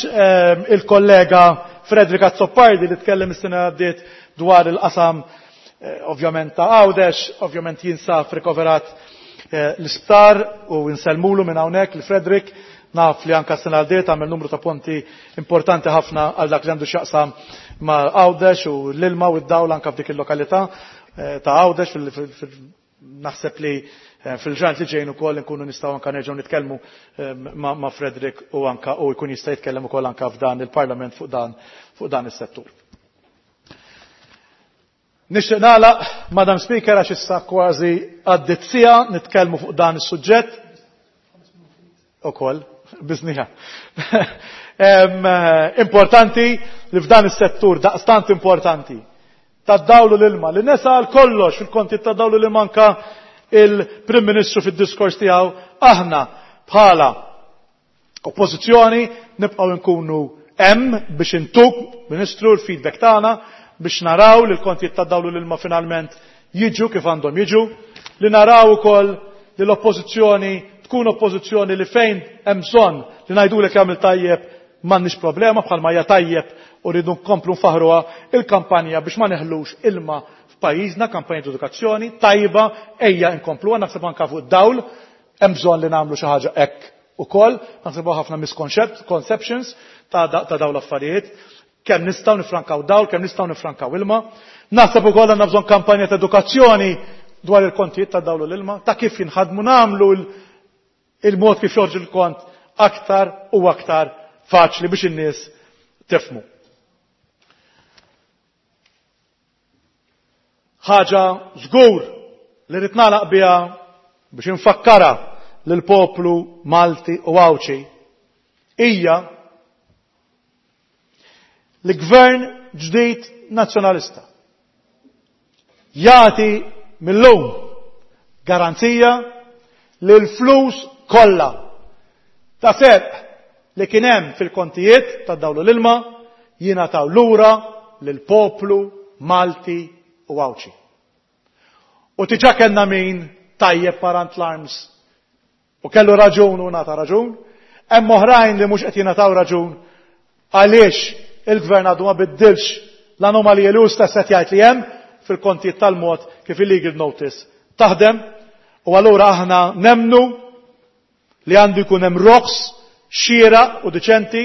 il-kollega Frederick Azzopardi li tkellem is-sena għaddiet dwar il-qasam ovvjament ta' Għawdex, ovvjament jinsab rikoverat l-isptar u nsellmulu minn hawnhekk li Frederick naf li anka s-sena għaddiet għamel numru ta' punti importanti ħafna għal dak li għandu x'jaqsam ma' Għawdex u l-ilma u d-dawl anka f'dik il-lokalità ta' Għawdex. Naħseb li fil-ġranet li ġejjin ukoll nkunu nistgħu anka nerġgħu nitkellmu ma' Frederick u anka u jkun jista' jitkellem ukoll anka f'dan il-Parlament fuq dan fuq dan is-settur. Nixtieq nagħlaq, Madam Speaker, għax issa kważi għaddiet siegħa nitkellmu fuq dan is-suġġett. Ukoll, biżnija. Importanti li f'dan is-settur daqstant importanti tad-dawlu l-ilma, li nesa għal kollox fil-konti tad-dawlu l-ilma anka il-Prim Ministru fid-diskors tiegħu, aħna bħala oppożizzjoni nibqgħu nkunu hemm biex intuk, Ministru, l-feedback tagħna biex naraw li l-kontijiet tad-dawlu l-ilma finalment jiġu kif għandhom jiġu, li naraw ukoll li l-oppożizzjoni tkun oppożizzjoni li fejn hemm bżonn li ngħidulek jagħmel tajjeb m'għandniex problema bħalma hija tajjeb u rridu nkomplu nfaħruha il-kampanja biex ma neħlux ilma f'pajjiżna, kampanja ta' edukazzjoni tajba, ejja nkompluha, naħseb anke fuq id-dawl hemm bżonn li nagħmlu xi ħaġa hekk ukoll, naħseb ħafna misconceptions ta' dawn l-affarijiet, kemm nistgħu nifrankaw dawl, kemm nistgħu nifrankaw ilma. Naħseb ukoll għandna bżonn kampanja ta' edukazzjoni dwar il-kontijiet ta' dawl u l-ilma, ta' kif jinħadmu nagħmlu il-mod kif joħorġu l-kont aktar u aktar faċli biex in-nies tifhmu. Ħaġa żgur li rrid nagħlaq biha biex infakkara lill-poplu Malti u Għawdxi hija li gvern ġdid nazzjonalista jagħti mill-lum garanzija li l-flus kollha ta' serq li kien hemm fil-kontijiet ta' dawlu l-ilma jingħataw lura lill-poplu Malti u Għawdxi. U diġà kellna min tajjeb parant l-arms u kellu raġun u ngħata raġun, hemm oħrajn li mhux qed jingħataw raġun għaliex il-gvern għadu ma biddilx l-anomalija li hu stess qed jgħid li hemm fil-kontijiet tal-mod kif il-legal notice taħdem, u allura aħna nemnu li għandu jkun hemm roħs xieraq u diċenti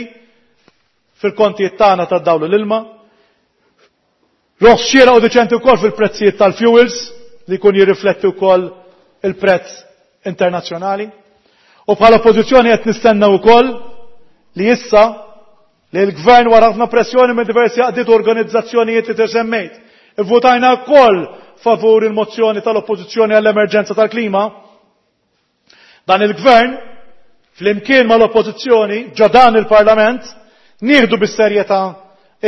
fil-kontijiet tagħna tad-dawl u l-ilma, roħs xieraq u diċenti wkoll fil-prezzijiet tal-fuels li jkun jirrifletti wkoll il-prezz internazzjonali. U bħala oppożizzjoni qed nistennew ukoll li issa li l-gvern wara ħafna pressjoni minn diversi għaqdiet u organizzazzjonijiet li semmejt, ivvutajna wkoll favur il-mozzjoni tal-oppożizzjoni għall-emerġenza tal-klima. Dan il-gvern flimkien mal-oppożizzjoni ġo dan il-Parlament nieħdu bis-serjetà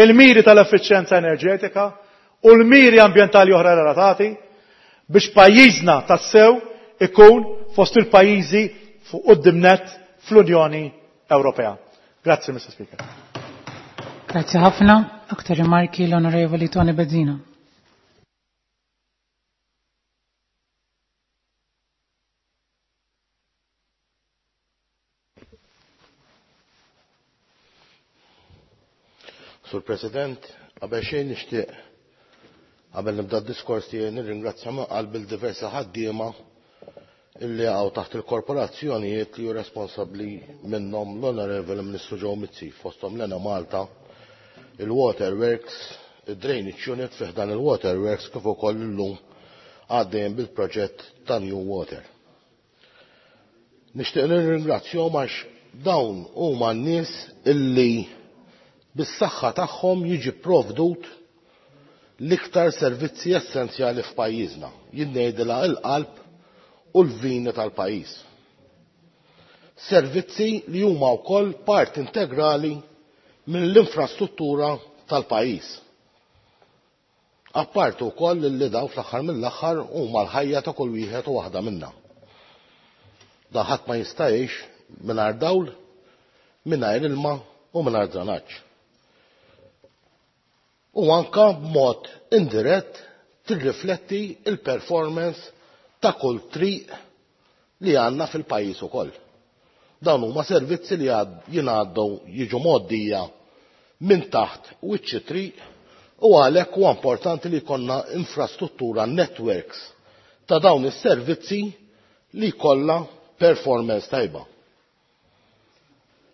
il-miri tal-effiċjenza enerġetika u l-miri ambjentali oħra relatati biex pajjiżna tassew ikun fost il-pajjiżi fuq quddiem nett fl-Unjoni Ewropea. Grazzi, Mister Speaker. Grazie ħafna. Aktar rimarki l-Onorevoli Tony Bezzina. Sur President, qabel xejn nixtieq qabel nibda d-diskors tiegħi nirringrazzja minn qalbi l-diversi ħaddiema illi għaw taħt il-korporazzjonijiet li hu responsabbli minnhom l-Onorevoli Ministru Joe Mizzi, fosthom l-Enemalta, il-Waterworks, il-Drainage Unit fih dan il-Waterworks kif ukoll illum għaddejjem bil-proġett ta' New Water. Nixtieq nirringrazzjahom għax dawn huma n-nies illi bis-saħħa tagħhom jiġi provdut l-iktar servizzi essenzjali f'pajjiżna. Jien ngħidilha l-qalb u l-vini tal-pajjiż. Servizzi li huma wkoll part integrali mill-infrastruttura tal-pajjiż. Apparti wkoll li daw fl-aħħar mill-aħħar huma l-ħajja ta' kull wieħed u waħda minna. Da ħadd ma jista' jgħix mingħajr dawl, mingħajr ilma u mingħajr dranaġġ. U anka b'mod indirett tirrifletti il-performance ta' kull triq li għandna fil-pajjiż ukoll. Dawn huma servizzi li jingħaddu jiġu mgħoddija minn taħt wiċċ triq u għalhekk huwa importanti li jkollna infrastruttura networks ta' dawn is-servizzi li jkollha performance tajba.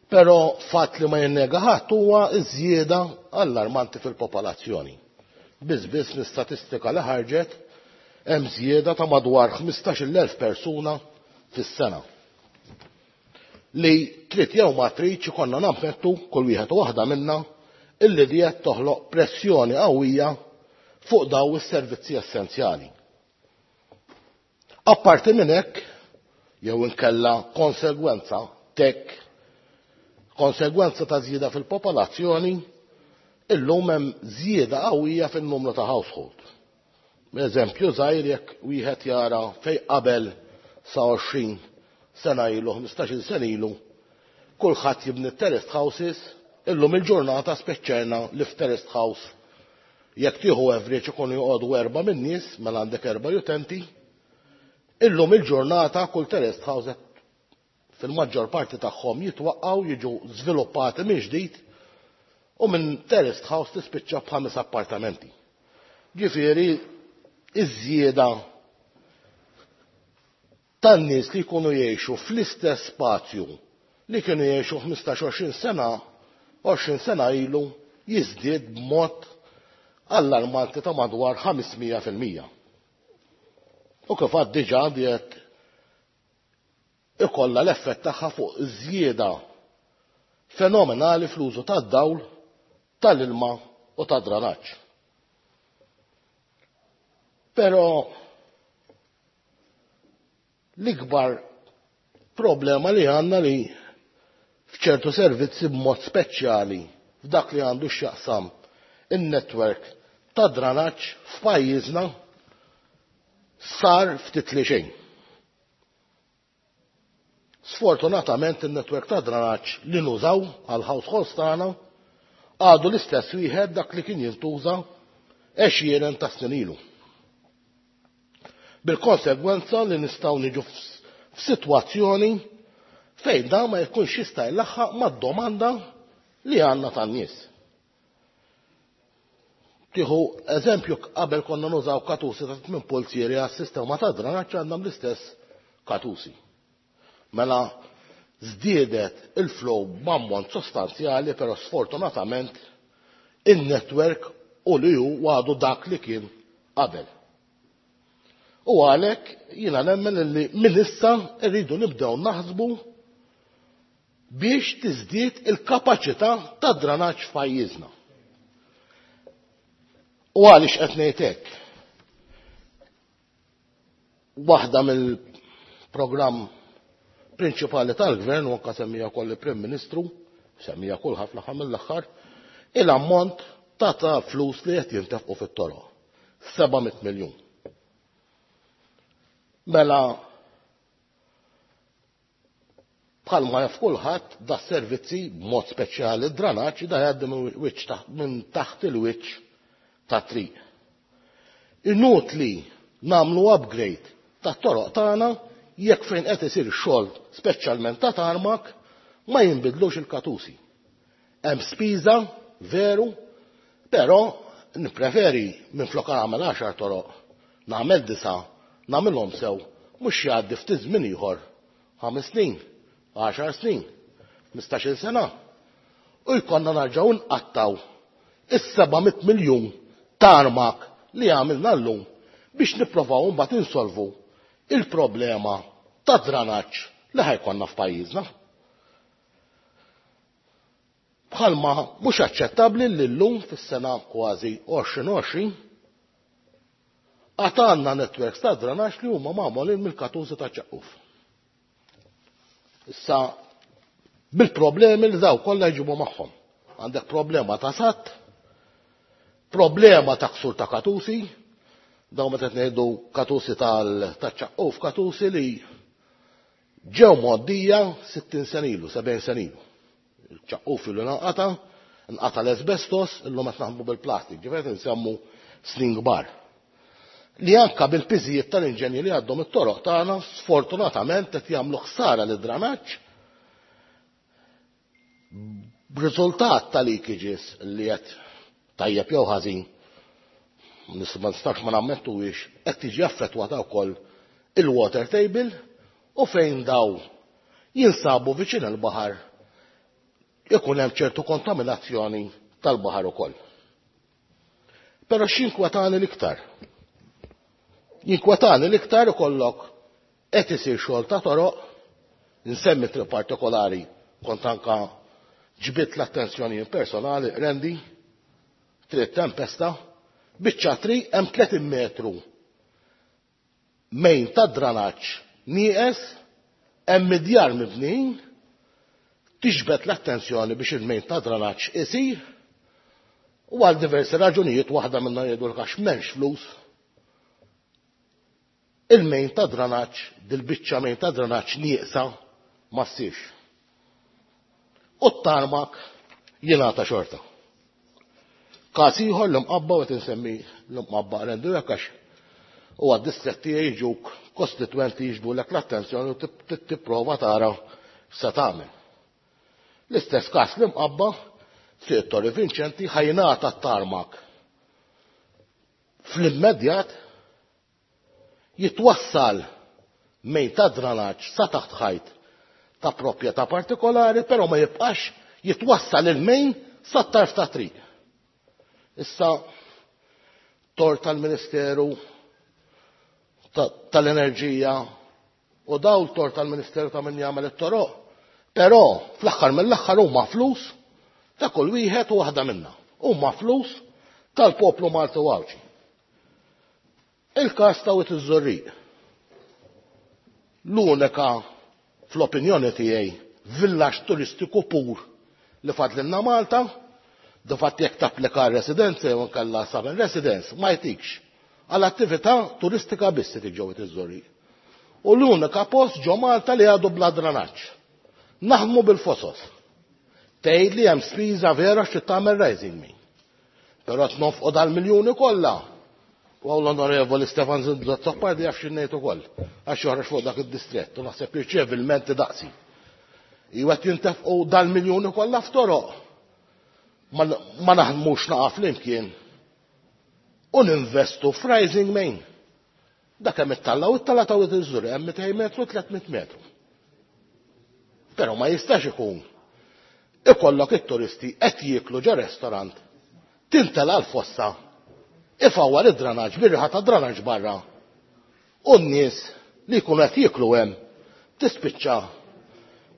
Però fatt li ma jinnega ħadd huwa ż-żieda allarmanti fil-popolazzjoni. Biss biss l-istatistika li ħarġet hemm żieda ta' madwar ħmistax-il elf persuna fis-sena. Li trid jew ma tridx ikollna nammettu kull wieħed u waħda minna illi di qed toħloq pressjoni qawwija fuq daw is-servizzi essenzjali. Apparti minn hekk, jew inkella konsegwenza tek, konsegwenza ta' żieda fil-popolazzjoni, illum hemm żieda qawwija fin-numru ta' household. Eżempju żgħir jekk wieħed jara fejn qabel sa għoxrin sena ilu, ħmistax-il sena ilu, kulħadd jibni terraced houses, illum il-ġurnata speċċerna li f'terraced house jekk tieħu average ikunu joqogħdu erba' min-nies, mela għandek erba' utenti, illum il-ġurnata kull terraced house fil-maġġor parti tagħhom jitwaqqgħu jiġu żviluppati minn ġdid u minn terraced house tispiċċa b'ħames appartamenti. Ġifieri iż-żieda tan-nies li jkunu jgħixu fl-istess spazju li kienu jgħixu ħmistax għoxrin sena, għoxrin sena ilu jiżdied b'mod allarmanti ta' madwar ħames mija fil-mija. U kif għad diġà diet ikollha l-effett tagħha fuq żieda fenomenali fl-użu tad-dawl, tal-ilma u tad-dranaġġ. Però l-ikbar problema li għandna li f'ċertu servizzi b'mod speċjali f'dak li għandu x'jaqsam in-network ta' dranaġġ f'pajjiżna sar ftit li xejn. Sfortunatament in-network ta' dranaġġ li nużaw għal households tagħna għadu l-istess wieħed dak li kien jintuża għexieren ta' snin ilu. Bil-konsegwenza li nistgħu niġu f'sitwazzjoni fejn dan ma jkunx jista' jlaħħaq mad-domanda li għandna tan-nies. Tieħu eżempju, qabel konna nużaw katusi ta' tmien pulzieri għas-sistema ta' dranaġġ, għandna l-istess katusi. Mela żdiedet il-flow b'ammont sostanzjali, però sfortunatament in-network u li hu għadu dak li kien qabel. U għalhekk jiena nemmen li minn issa rridu nibdew naħsbu biex tiżdied il-kapaċità ta' dranaġġ f'pajjiżna. U għaliex qed ngħid hekk? Waħda mill-programm prinċipali tal-gvern, u anke semmija wkoll il-Prim Ministru, semmija kulħadd fl-aħħar mill-aħħar, il-ammont ta' ta' flus li qed jintefqu fit-toroq, seba' mitt miljun. Mela Bħalma jaf kulħadd da servizzi b'mod speċjali d-dranaġġ da jgħaddi minn taħt il-wiċċ ta' triq. Inutli nagħmlu upgrade tat-toroq tagħna jekk fejn qed isir xogħol speċjalment ta' tarmak ma jinbidlux il-katusi. Hemm spiża veru, però nippreferi minflok nagħmel għaxar toroq, nagħmel disa, nagħmilhom sew, mhux jgħaddi ftit żmien ieħor ħames snin, għaxar snin, ħmistax-il sena. U jkollna narġgħu nqattaw is-seba' mitt miljun tarmak li għamilna llum biex nipprovaw mbagħad insolvu il-problema ta' dranaġġ li ħajkonna f'pajjiżna. Bħalma mhux aċċettabbli li llum fis-sena kważi għoxrin għoxrin għad għandna networks ta' dranaġġ li huma magħmulin mill-katużi ta' ċaqquf. Issa bil-problemi li daw kollha jġibu magħhom. Għandek problema ta' satt, problema ta' ksur ta' katusi, daw meta ngħidu katusi tal-ċaqquf, katusi li ġew mgħoddija sittin sena ilu, sebgħin sena ilu. Il-ċaqquf ilu nqata, nqata l-asbestos, illum qed naħdmu bil-plastik, ġifieri nsemmu snin kbar. Li anka bil-piżijiet tal-inġenji li għaddhom it-toroq tagħna sfortunatament qed jagħmlu ħsara lid-dranaġġ b'riżultat ta' leakages li qed tajjeb jew ħażin, ma nistax ma nammettuhiex, qed tiġi affettwata wkoll il-water table u fejn daw jinsabu viċin il-baħar ikun hemm ċertu kontaminazzjoni tal-baħar ukoll. Però x'inkwetani l-iktar? Jinkwetani l-iktar ikollok qed isir xogħol ta' toroq, nsemmi triq partikolari kont anka ġbidt l-attenzjoni personali, Rendi, triq Tempesta, biċċa triq hemm tletin metru mejn ta' dranaġġ nieqes, hemm midjar mibnin, tiġbed l-attenzjoni biex il-mejn ta' dranaġġ isir, u għal diversi raġunijiet waħda minnhom jgħidu għax m'hemmx flus. Il-mejn ta' dranaġġ, dil-biċċa mejn ta' dranaġġ nieqsa ma ssirx. U t-tarmak jingħata xorta. Każ ieħor l-imqabba u qed insemmi l-imqabba Rendu jekk għax huwa d-distrett tiegħi jiġuk kostitwenti jiġbdulek l-attenzjoni u tipprova tara x'se tagħmel. L-istess każ l-imqabba Triq Torri Vinċenti ħajnata t-tarmak fl-immedjat jitwassal mejn ta' dranaġġ sa taħt ħajt ta' proprjetà partikolari, però ma jibqax jitwassal il-mejn sa tarf ta' triq. Issa tor tal-Ministeru tal-Enerġija u daw tor tal-Ministeru ta' min jagħmel it-toroq, però fl-aħħar mill-aħħar huma flus ta' kull wieħed u waħda minna. Huma flus tal-poplu Malti u Għawdxi. Il-każ ta' Wied iż-Żurrieq. L-unika fl-opinjoni tiegħi villaġġ turistiku pur li fadlilna Malta, difatti jekk tapplika residenza jew inkella summer residence ma jtikx għal attività turistika biss se tiġi Wied iż-Żurrieq. U l-unika post ġo Malta li għadu bla dranaġġ. Naħdmu bil-fosos. Tgħid li hemm spiża vera xi tagħmel rising me. Però qed nonfqu dal-miljuni kollha. U l-Onorevoli Stefan Azzopardi jaf xi ngħid ukoll għax joħroġ fuq dak id-distrett u naħseb jirċievi l-menti daqsi. Iwa qed jintefqu dal-miljuni kollha f'toroq. Ma naħdmux naqa' flimkien u ninvestu f'rising main. Dak hemm it-talla u t-talla ta' Wied iż-Żurrieq hemm mitejn metru, tliet mitt metru. Però ma jistax ikun ikollok it-turisti qed jieklu ġo restorant, tintela l-fossa, ifawwar id-dranaġġ bir-riħa ta' dranaġġ barra. U n-nies li jkunu qed jieklu hemm tispiċċa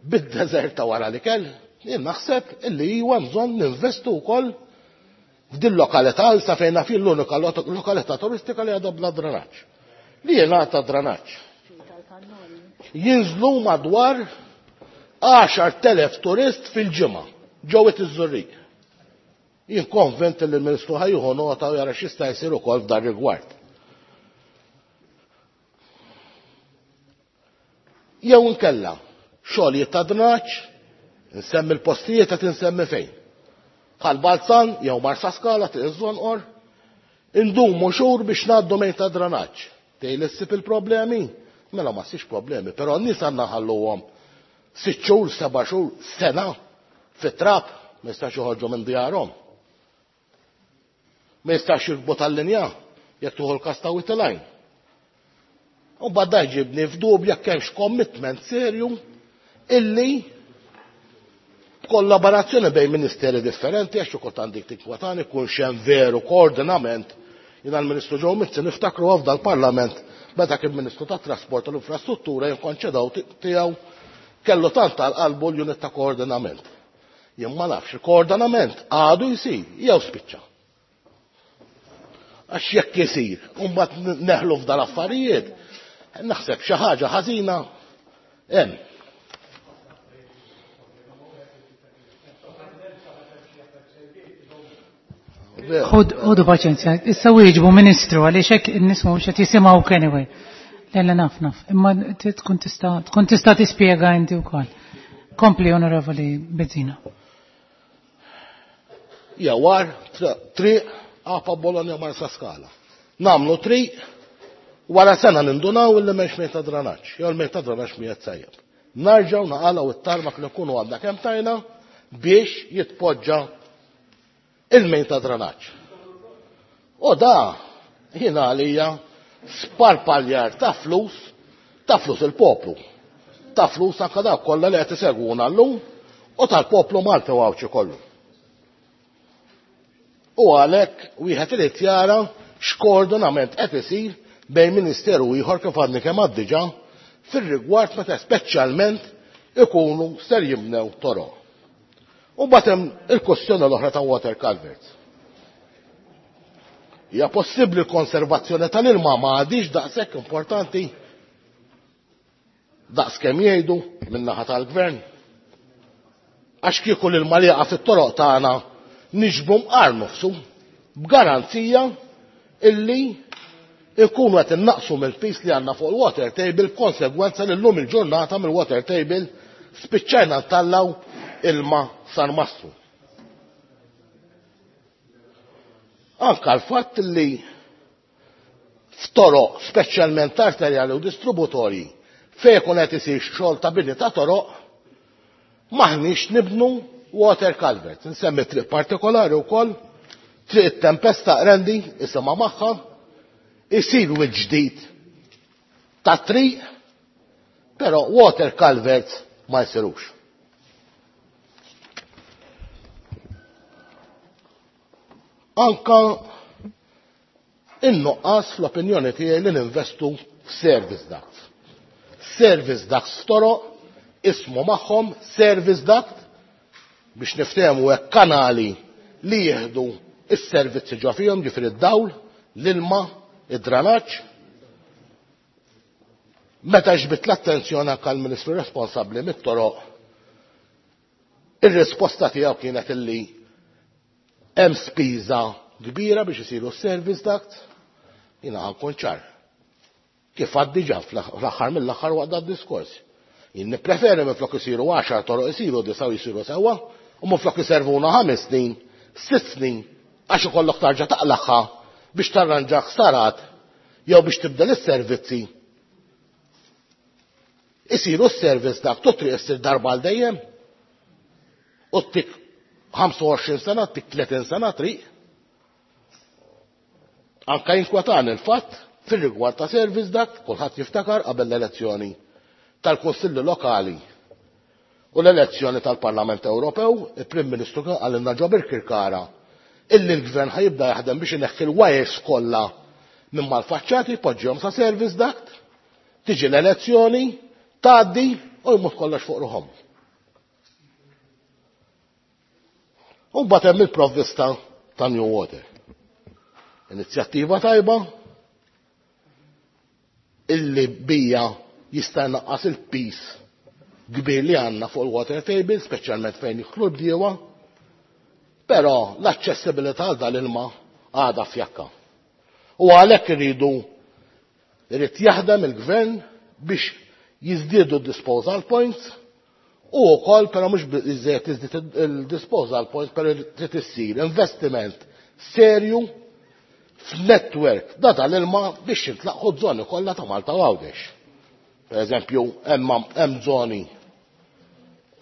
bid-deżert ta' wara l-ikel. Jien naħseb illi huwa bżonn ninvestu wkoll f'din lokalità sa fejn naf l-unika lokalità turistika li għadha bla dranaġġ. Li jingħata dranaġġ. Jinżlu madwar għaxar telef turist fil-ġimgħa ġo Wied iż-Żurrieq. Jien konvent li l-Ministru ħajjuħu nota u jara x'jista' jsir ukoll f'dan rigward. Jew inkella, Xogħlijiet ta' drenaġġ, insemmi l-postijiet qed insemmi fejn. Bħal Balzan jew Marsaskala triq iż-Żonqor, indumu xhur biex ngħaddu mejn ta' drenaġġ. Tgħid issib il-problemi? Mela ma ssibx problemi, però n-nies għandna nħalluhom sitt xhur, seba' xhur, sena fit-trab, ma jistax joħorġu minn djarhom. Ma jistax jirkbu tal-linja jekk tuħu l-każ ta' Wied il-Għajn. U mbagħad jġibni f'dubju jekk hemmx commitment serju illi kollaborazzjoni bejn ministeri differenti, għax ukoll għandik tinkwetani kun hemm veru koordinament. Jiena l-Ministru Joe Mizzi niftakru f'dal parlament meta kien Ministru tat-Trasport u l-Infrastruttura jinkonċedaw tiegħu kellu tant tal-qalbu l-unit ta' koordinament. Jien ma nafx il-koordinament għadu jsir jew spiċċa. Għax jekk isir, u mbagħad neħlu f'dal affarijiet, naħseb xi ħaġa ħażina hemm. Ħudu paċenzja, issa wieġbu Ministru għaliex hekk in-nies mhux qed jisimgħu anyway. Le le naf naf, imma tkun tista' tkun tista' tispjega inti wkoll. Kompli Onorevoli Bezzina. Jawar triq Apa Bologna Marsaskala. Namlu triq wara sena nindunaw illi m'hemmx mejn ta' drenaġġ, jew l-mejn ta' drenaġġ miegħed sajjeb. Narġgħu naqalgħu it-tarmak li nkunu għandna kemm tajna biex jitpoġġa il-mejn ta' drenaġġ. U da jiena għalija sparpaljar ta' flus, ta' flus il-poplu. Ta' flus anke dawk kollha li qed isegwuna llum u tal-poplu Malti u Għawdxi kollu. U għalhekk wieħed irid jara x'koordinament qed isir bejn ministeru ieħor kif għadni kemm għad diġà fir-rigward meta speċjalment ikunu ser jibnew toroq. U mbagħad hemm il-kwestjoni l-oħra ta' water culverts. Hija possibbli l-konservazzjoni tal-ilma ma għadix daqshekk importanti daqs kemm jgħidu min-naħa tal-gvern. Għax kieku l-ilma li jaqa' fit-toroq tagħna niġbu mqar nofsu b'garanzija illi ikunu qed innaqsu mill-pis li għandna fuq il-water table, konsegwenza li llum il-ġurnata mill-water table spiċċajna ntallaw ilma San Mastru. Anka l-fatt li f'toroq speċjalment arterjali u distributorji fejn ikun qed isir xogħol ta' bini ta' toroq maħniex nibnu water culvert. Nsemmi triq partikolari wkoll, triq it-Tempesta Qrendi isimha magħha, isir ġdid ta' triq, però water culverts ma jsirux. Anka in-nuqqas fl-opinjoni tiegħi li ninvestu f'service ducts. Service ducts f'toroq, ismu magħhom service duct biex niftehmu hekk kanali li jieħdu is-servizzi ġo fihom, ġifieri id-dawl, l-ilma, id-dranaġġ. Meta ġbit l-attenzjoni anke l-Ministru responsabbli mit-toroq, ir-risposta tiegħu kienet illi hemm spiża kbira biex isiru s-service duct. Jiena ħankun ċar. Kif għad diġà fl-aħħar mill-aħħar waqt dan diskors. Jien nippreferi minflok isiru għaxar toroq isiru disa' u jisiru sewwa, u minflok iservuna ħames snin, sitt snin, għax ikollok tarġa' taqlaħħa biex tarranġa ħsarat jew biex tibdel is-servizzi. Isiru s-service duct u triq issir darba għal dejjem. U tik ħamsa u għoxrin sena, tik tletin sena triq. Anka jinkwetani l-fatt fir-rigward ta' service duct, kulħadd jiftakar qabel l-elezzjoni tal-Kunsilli Lokali u l-elezzjoni tal-Parlament Ewropew, il-Prim Ministru kien qalilna ġo Birkirkara illi l-Gvern ħajibda jaħdem biex ineħħi l-wires kollha minn mal-faċċati, jpoġġihom sa service duct, tiġi l-elezzjoni, tgħaddi u jmut kollox fuq ruħhom. U mbagħad hemm il-provvista ta' New Water. Inizjattiva tajba illi bija jista' jnaqqas il-pis kbir li għandna fuq il-water table, speċjalment fejn jidħlu l-bdiewa, però l-aċċessibilità għal dal-ilma għadha fjakka. U għalhekk iridu irid jaħdem il-gvern biex jiżdiedu disposal points U wkoll però mhux biżżejjed tiżdied il-disposal point, però trid issir investiment serju f'network da tal-ilma biex jintlaqħu żoni kollha ta' Malta u Għawdex. Per eżempju, hemm żoni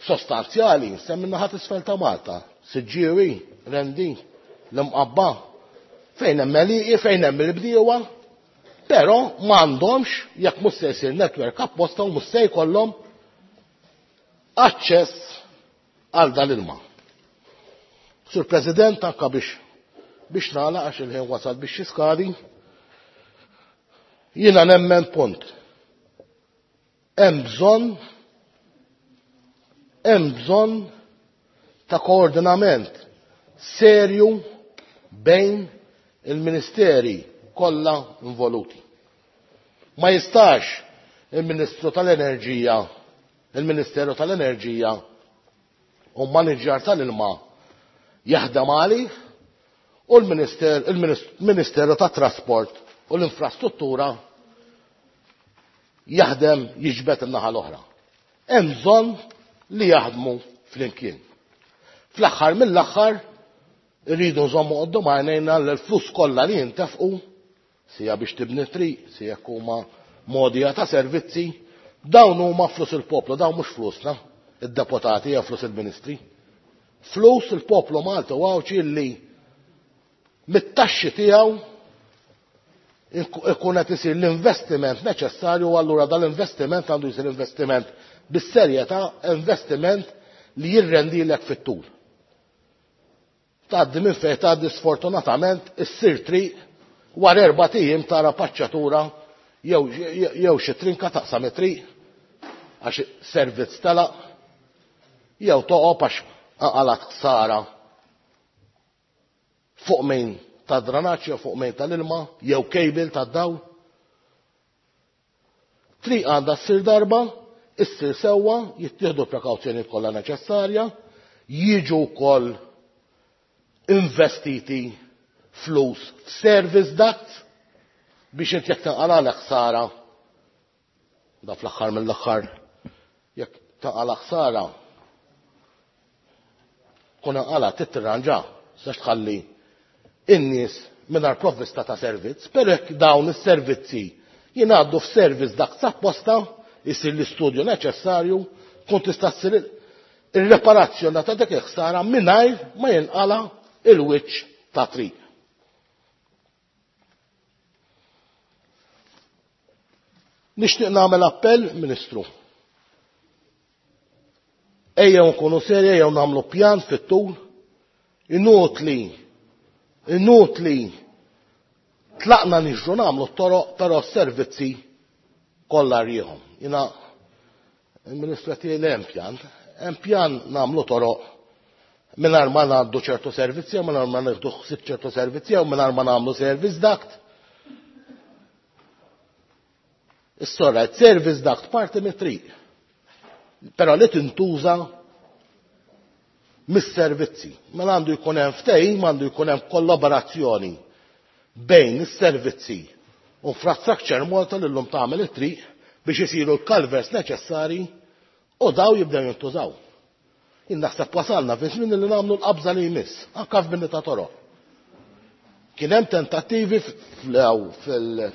sostanzjali, semmi naħat isfel ta' Malta, Siġġiewi, Rendi, l-Imqabba, fejn hemm għelieqi, fejn hemm il-bdiewa, però m'għandhomx jekk mhux se jsir network apposta u mhux se jkollhom aċċess għal dal-ilma. Sur President, anka biex biex nagħlaq għax il-ħin wasal biex jiskadi, jiena nemmen punt. Hemm bżonn hemm bżonn ta' koordinament serju bejn il-ministeri kollha involuti. Ma jistax il-Ministru tal-Enerġija, il-Ministeru tal-Enerġija u maniġjar tal-ilma jaħdem għalih u l-Ministeru tat-Trasport u l-Infrastruttura jaħdem jiġbed in-naħa l-oħra. Hemm bżonn li jaħdmu flimkien. Fl-aħħar mill-aħħar irridu nżommu quddiem għajnejna l-flus kollha li jintefqu sija biex tibni triq, sija huma modija ta' servizzi, dawn huma flus il-poplu, dawn mhux flusna, id-deputati jew flus il-ministri. Flus il-poplu Malta u Għawdxi li mit-taxxi tiegħu ikun qed isir l-investiment neċessarju, u allura dal-investiment għandu jsir investiment bis-serjetà, investiment li jirrendilek fit-tul. Tgħaddi minn fejn tgħaddi sfortunatament issir triq wara erba' ijiem tara paċċatura jew jew xi trinka taqsam it-triq għax servizz telaq, jew toqgħod għax anqalat ħsara fuq min ta' dranaġġ jew fuq min tal-ilma jew cable tad-dawl. Triq għandha ssir darba, issir sewwa, jittieħdu prekawzjonijiet kollha neċessarja, jiġu wkoll investiti flus f'service duct biex inti jekk tinqala ħsara, da fl-aħħar mill-aħħar jekk tinqala ħsara kun inqala titranġa, sax tħalli in-nies mingħajr provvista ta' servizz, però jekk dawn is-servizzi jingħaddu f'service duct apposta, isir l-istudju neċessarju, tkun tista' ssir ir-reparazzjoni ta' dik il-ħsara mingħajr ma jinqala il-wiċċ ta' triq. Nixtieq nagħmel appell, Ministru. Ejjew nkunu serji, ejjew nagħmlu pjan fit-tul. Inutli, inutli tlaqna niġru nagħmlu t-toroq, però s-servizzi kollha rjieħhom. Jiena il-Ministru qed jgħid hemm pjan, hemm pjan nagħmlu toroq mingħajr ma ngħaddu ċertu servizzi, mingħajr ma nieħdu ħsieb ċertu servizzi, jew mingħajr ma nagħmlu service duct. Is-sorra, service duct parti mit-triq, però li tintuża mis-servizzi. Mela għandu jkun hemm ftehim, għandu jkun hemm kollaborazzjoni bejn is-servizzi u Infrastructure Malta li llum tagħmel it-triq biex isiru l-culverts neċessari u daw jibdew jintużaw. Jien naħseb wasalna fi żmien li nagħmlu l-qabża li jmiss, anke f'bini ta' toroq. Kien hemm tentattivi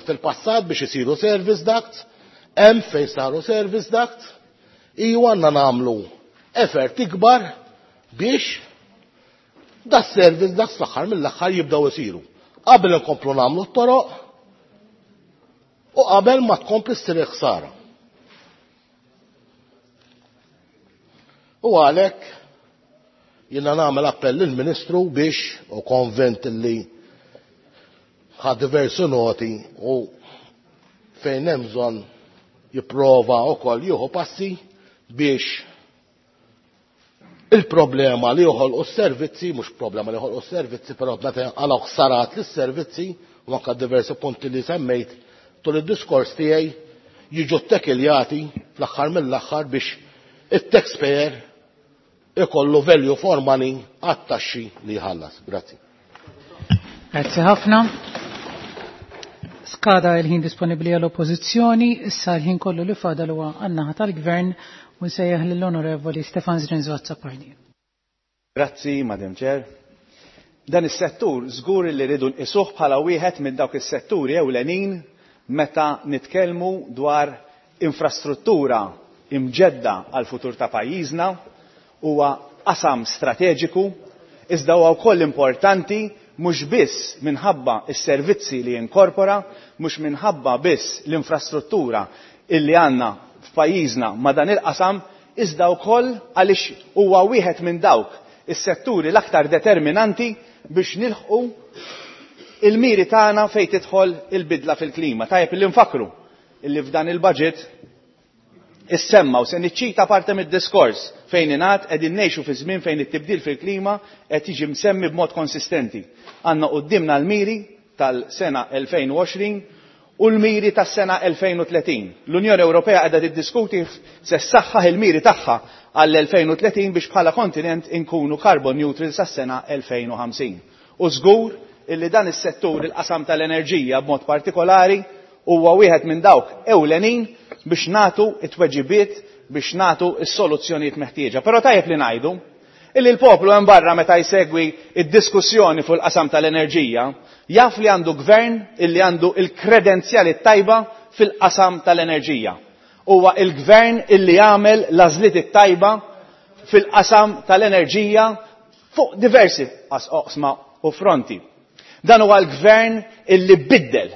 fil-passat biex isiru service ducts, hemm fejn saru service ducts, iju għandna nagħmlu effort ikbar biex da service ducts fl-aħħar mill-aħħar jibdew isiru. Qabel inkomplu nagħmlu t-toroq u qabel ma tkompli ssir ħsara. U għalhekk jiena nagħmel appell lill-Ministru biex, u konvent li ħa diversi noti u fejn hemm bżonn jipprova wkoll jieħu passi biex il-problema li joħolqu s-servizzi, mhux problema li joħolqu s-servizzi, però meta jinqalgħu ħsarat lis-servizzi u anke diversi punti li semmejt tul id-diskors tiegħi jiġu ttekiljati fl-aħħar mill-aħħar biex it-taxpayer ikollu value for money għat-taxxi li jħallas. Grazzi. Grazzi ħafna. Skada il-ħin disponibli għall-Oppożizzjoni, issa l-ħin kollu li fadal huwa għan-naħa tal-Gvern u nsejjaħ lill-Onorevoli Stefan Zrinzo Azzopardi. Grazzi, Madam Chair. Dan is-settur żgur li rridu nqisuh bħala wieħed minn dawk is-setturi ewlenin meta nitkellmu dwar infrastruttura imġedda għal futur ta' pajjiżna. Huwa qasam strateġiku, iżda huwa wkoll importanti mhux biss minħabba s-servizzi li jinkorpora, mhux minħabba biss l-infrastruttura illi għandna f'pajjiżna ma' dan il-qasam, iżda wkoll għaliex huwa wieħed minn dawk is-setturi l-aktar determinanti biex nilħqu il-miri tagħna fejn tidħol il-bidla fil-klima. Tajjeb illi nfakru illi f'dan il-budget issemma, u se niċċita parti mid-diskors fejn ingħad qegħdin ngħixu fi żmien fejn it-tibdil fil-klima qed jiġi msemmi b'mod konsistenti. Għandna quddiemna l-miri tal-sena elfejn u għoxrin u l-miri tas-sena elfejn u tletin. L-Unjoni Ewropea qiegħda tiddiskuti se ssaħħaħ il-miri tagħha għall-elfejn u tletin biex bħala kontinent inkunu carbon neutral sas-sena elfejn u ħamsin. U żgur illi dan is-settur, il-qasam tal-enerġija b'mod partikolari, huwa wieħed minn dawk ewlenin biex nagħtu it-tweġibiet, biex nagħtu s-soluzzjonijiet meħtieġa. Però tajjeb li ngħidu illi l-poplu hemm barra meta jsegwi id-diskussjoni fuq il-qasam tal-enerġija jaf li għandu gvern illi għandu il-kredenzjali tajba fil-qasam tal-enerġija. Huwa il-gvern illi jagħmel l-għażliet it-tajba fil-qasam tal-enerġija fuq diversi oqsma u fronti. Dan huwa l-gvern illi biddel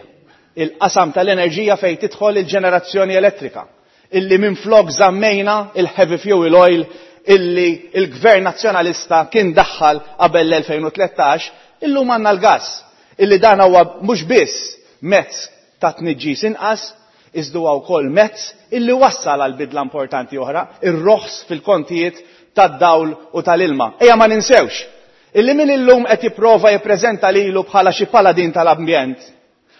il-qasam tal-enerġija fejn tidħol il-ġenerazzjoni elettrika, illi minflok żammejna il-heavy fuel oil illi il-gvern nazzjonalista kien daħħal qabel l-elfejn u tlettax, illum għandna l-gas, illi dan huwa mhux biss mezz ta' tniġġis inqas, iżda huwa wkoll mezz illi wassal għal bidla importanti oħra, ir-roħs fil-kontijiet tad-dawl u tal-ilma. Ejja ma ninsewx illi min illum qed jipprova jippreżenta lilu bħala xi paladin tal-ambjent.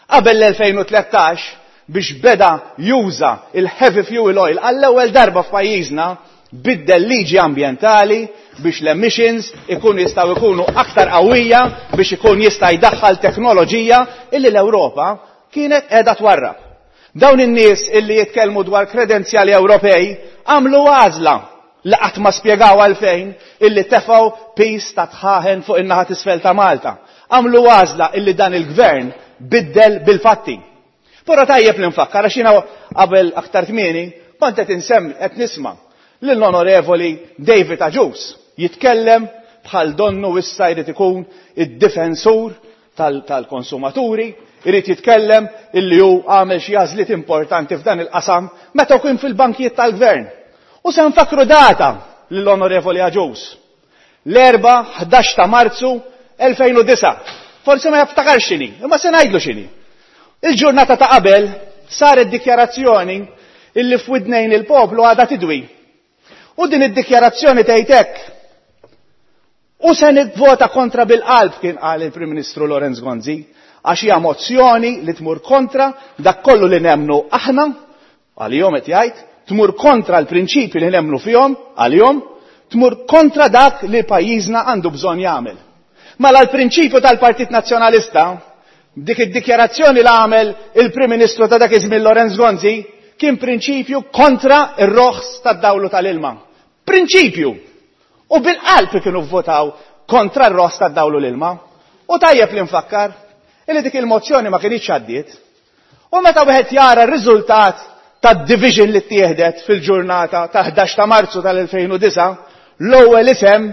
Qabel l-elfejn u tlettax biex beda juża il-heavy fuel oil għall-ewwel darba f'pajjiżna, biddel liġi ambjentali biex l-emissions ikun jistgħu jkunu aktar qawwija biex ikun jista' jdaħħal teknoloġija illi l-Ewropa kienet qiegħda twarrab. Dawn in-nies illi jitkellmu dwar kredenzjali Ewropej għamlu għażla li qatt ma spjegaw għalfejn illi tefgħu pis ta' tħaħen fuq in-naħa t'isfel ta' Malta. Għamlu għażla illi dan il-gvern biddel bil-fatti. Però tajjeb li nfakkar għax jiena qabel aktar kmieni kont qed insemmi qed nisma' lill-Onorevoli David Agius jitkellem bħal donnu issa jrid ikun id-difensur tal-, tal-konsumaturi, irid jitkellem illi hu għamel xi għażliet importanti f'dan il-qasam meta kien fil-bankijiet tal-gvern. U se nfakru data lill-Onorevoli Agius. L-erba' ħdax ta' Marzu elfejn u disa'. Forsi ma jaftakarx x'inhi, imma se ngħidlu x'inhi. Il-ġurnata ta' qabel saret dikjarazzjoni illi f'widnejn il-poplu għadha tidwi. U din id-dikjarazzjoni tgħid hekk. U se nivvota kontra bil-qalb, kien qal il-Prim Ministru Lawrence Gonzi, għax hija mozzjoni li tmur kontra dak kollu li nemmnu aħna, għalihom qed jgħid, tmur kontra l-prinċipji li nemmnu fihom, għalihom, tmur kontra dak li pajjiżna għandu bżonn jagħmel. Mela l-prinċipju tal-Partit Nazzjonalista, dik id-dikjarazzjoni li għamel il-Prim Ministru ta' dak iż-żmien Lawrence Gonzi, kien prinċipju kontra ir-roħs tad-dawlu tal-ilma. Prinċipju! U bil-qalb kienu vvotaw kontra r-roħs tad-dawlu l-ilma. U tajjeb li nfakkar illi dik il-mozzjoni ma kinitx għaddiet. U meta wieħed jara r-riżultat tad-division li ttieħdet fil-ġurnata ta' ħdax ta' Marzu tal-elfejn u disa', l-ewwel isem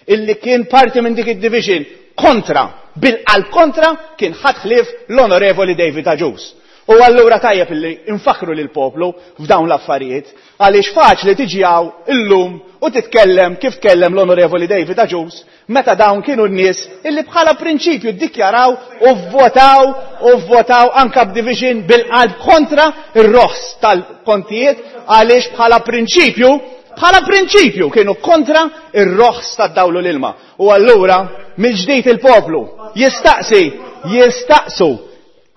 illi kien parti minn dik id-division kontra, bil-qalb kontra, kien ħadd ħlief l-Onorevoli David Agius. U allura tajjeb illi nfakru lil poplu f'dawn l-affarijiet, għaliex faċli tiġi hawn illum u titkellem kif tkellem l-Onorevoli David Agius meta dawn kienu n-nies illi bħala prinċipju ddikjaraw u vvotaw u vvotaw anka b'division bil-qalb kontra ir-roħs tal-kontijiet, għaliex bħala prinċipju, bħala prinċipju kienu kontra ir-roħs tad-dawlu l-ilma. U allura mill-ġdid il-poplu jistaqsi, jistaqsu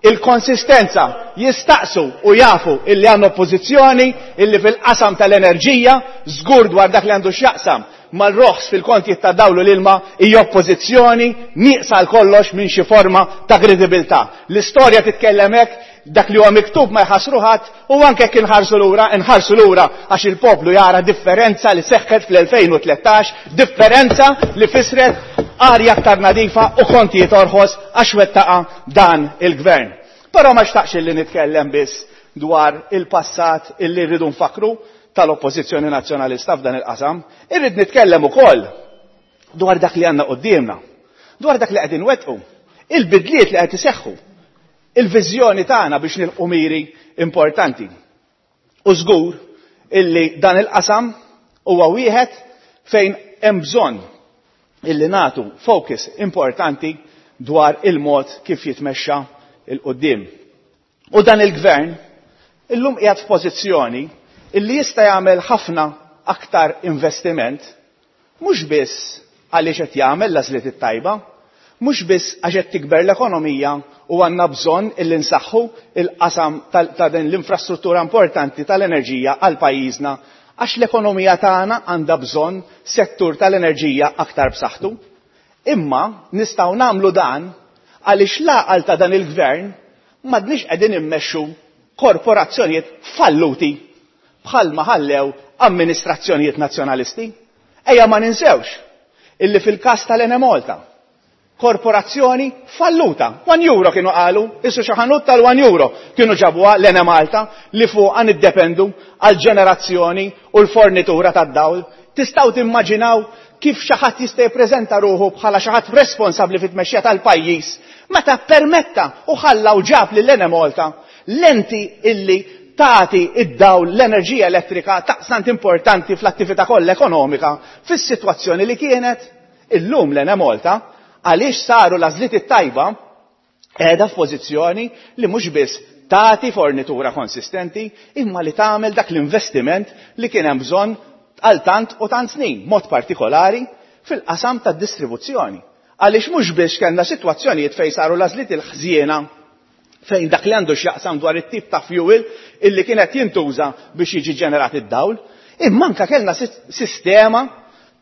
il-konsistenza, jistaqsu u jafu illi għandna oppożizzjoni illi fil-qasam tal-enerġija żgur dwar dak li għandu x'jaqsam mal-roħs fil-kontijiet ta' dawl u l-ilma hija oppożizzjoni nieqsa għal kollox minn xi forma ta' kredibilità. L-istorja titkellem hekk, dak li huwa miktub ma jħassru ħadd, u anke jekk inħarsu lura, inħarsu lura għax il-poplu jara differenza li seħħet fl-elfejn u tlettax, differenza li fisret arja aktar nadifa u kontijiet orħos għax wettaqa dan il-gvern. Però ma xtaqx li nitkellem biss dwar il-passat illi rridu nfakru tal-Oppożizzjoni Nazzjonalista f'dan il-qasam, irrid nitkellem ukoll dwar dak li għandna quddiemna, dwar dak li qegħdin wettqu, il-bidliet li qed iseħħu, il-viżjoni tagħna biex nilqu miri importanti. U żgur illi dan il-qasam huwa wieħed fejn hemm bżonn illi nagħtu focus importanti dwar il-mod kif jitmexxa il-qudiem. U dan il-gvern illum qiegħed f'pożizzjoni illi jista' jagħmel ħafna aktar investiment, mhux biss għaliex qed jagħmel l-għażliet it-tajba, mhux biss għax qed tikber l-ekonomija u għandna bżonn illi nsaħħu il-qasam ta' din l-infrastruttura importanti tal-enerġija għal pajjiżna, għax l-ekonomija tagħna għandha bżonn settur tal-enerġija aktar b'saħħtu. Imma nistgħu nagħmlu dan għaliex l-għaqal ta' dan il-gvern m'għadniex qegħdin immexxu korporazzjonijiet falluti bħalma ħallew amministrazzjonijiet nazzjonalisti. Ejja ma ninsewx illi fil-każ tal-Enemalta, korporazzjoni falluta, one euro kienu qalu, issu xi ħanut tal-one euro kienu ġabuha l-Enemalta li fuqha niddependu għal ġenerazzjoni u l-fornitura tad-dawl. Tistgħu timmaġinaw kif xi ħadd jista' jippreżenta ruħu bħala xi ħadd responsabbli fit-tmexxija tal-pajjiż meta permetta u ħalla u ġab lill-Enemalta l-enti illi tagħti id-dawl l-enerġija elettrika taqsant importanti fl-attività kollha ekonomika fis-sitwazzjoni li kienet illum l-Enemalta, għaliex saru l-għażliet it-tajba qiegħda f'pożizzjoni li mhux biss tagħti fornitura konsistenti imma li tagħmel dak l-investiment li kien hemm bżonn għal tant u tant snin, mod partikolari fil-qasam tad-distribuzzjoni. Għaliex mhux biss kellna sitwazzjonijiet fejn saru l-għażliet il-ħżiena fejn dak li għandu x'jaqsam dwar it-tip ta' fuel illi kienet jintuża biex jiġi ġenerat id-dawl, imma anke kellna sistema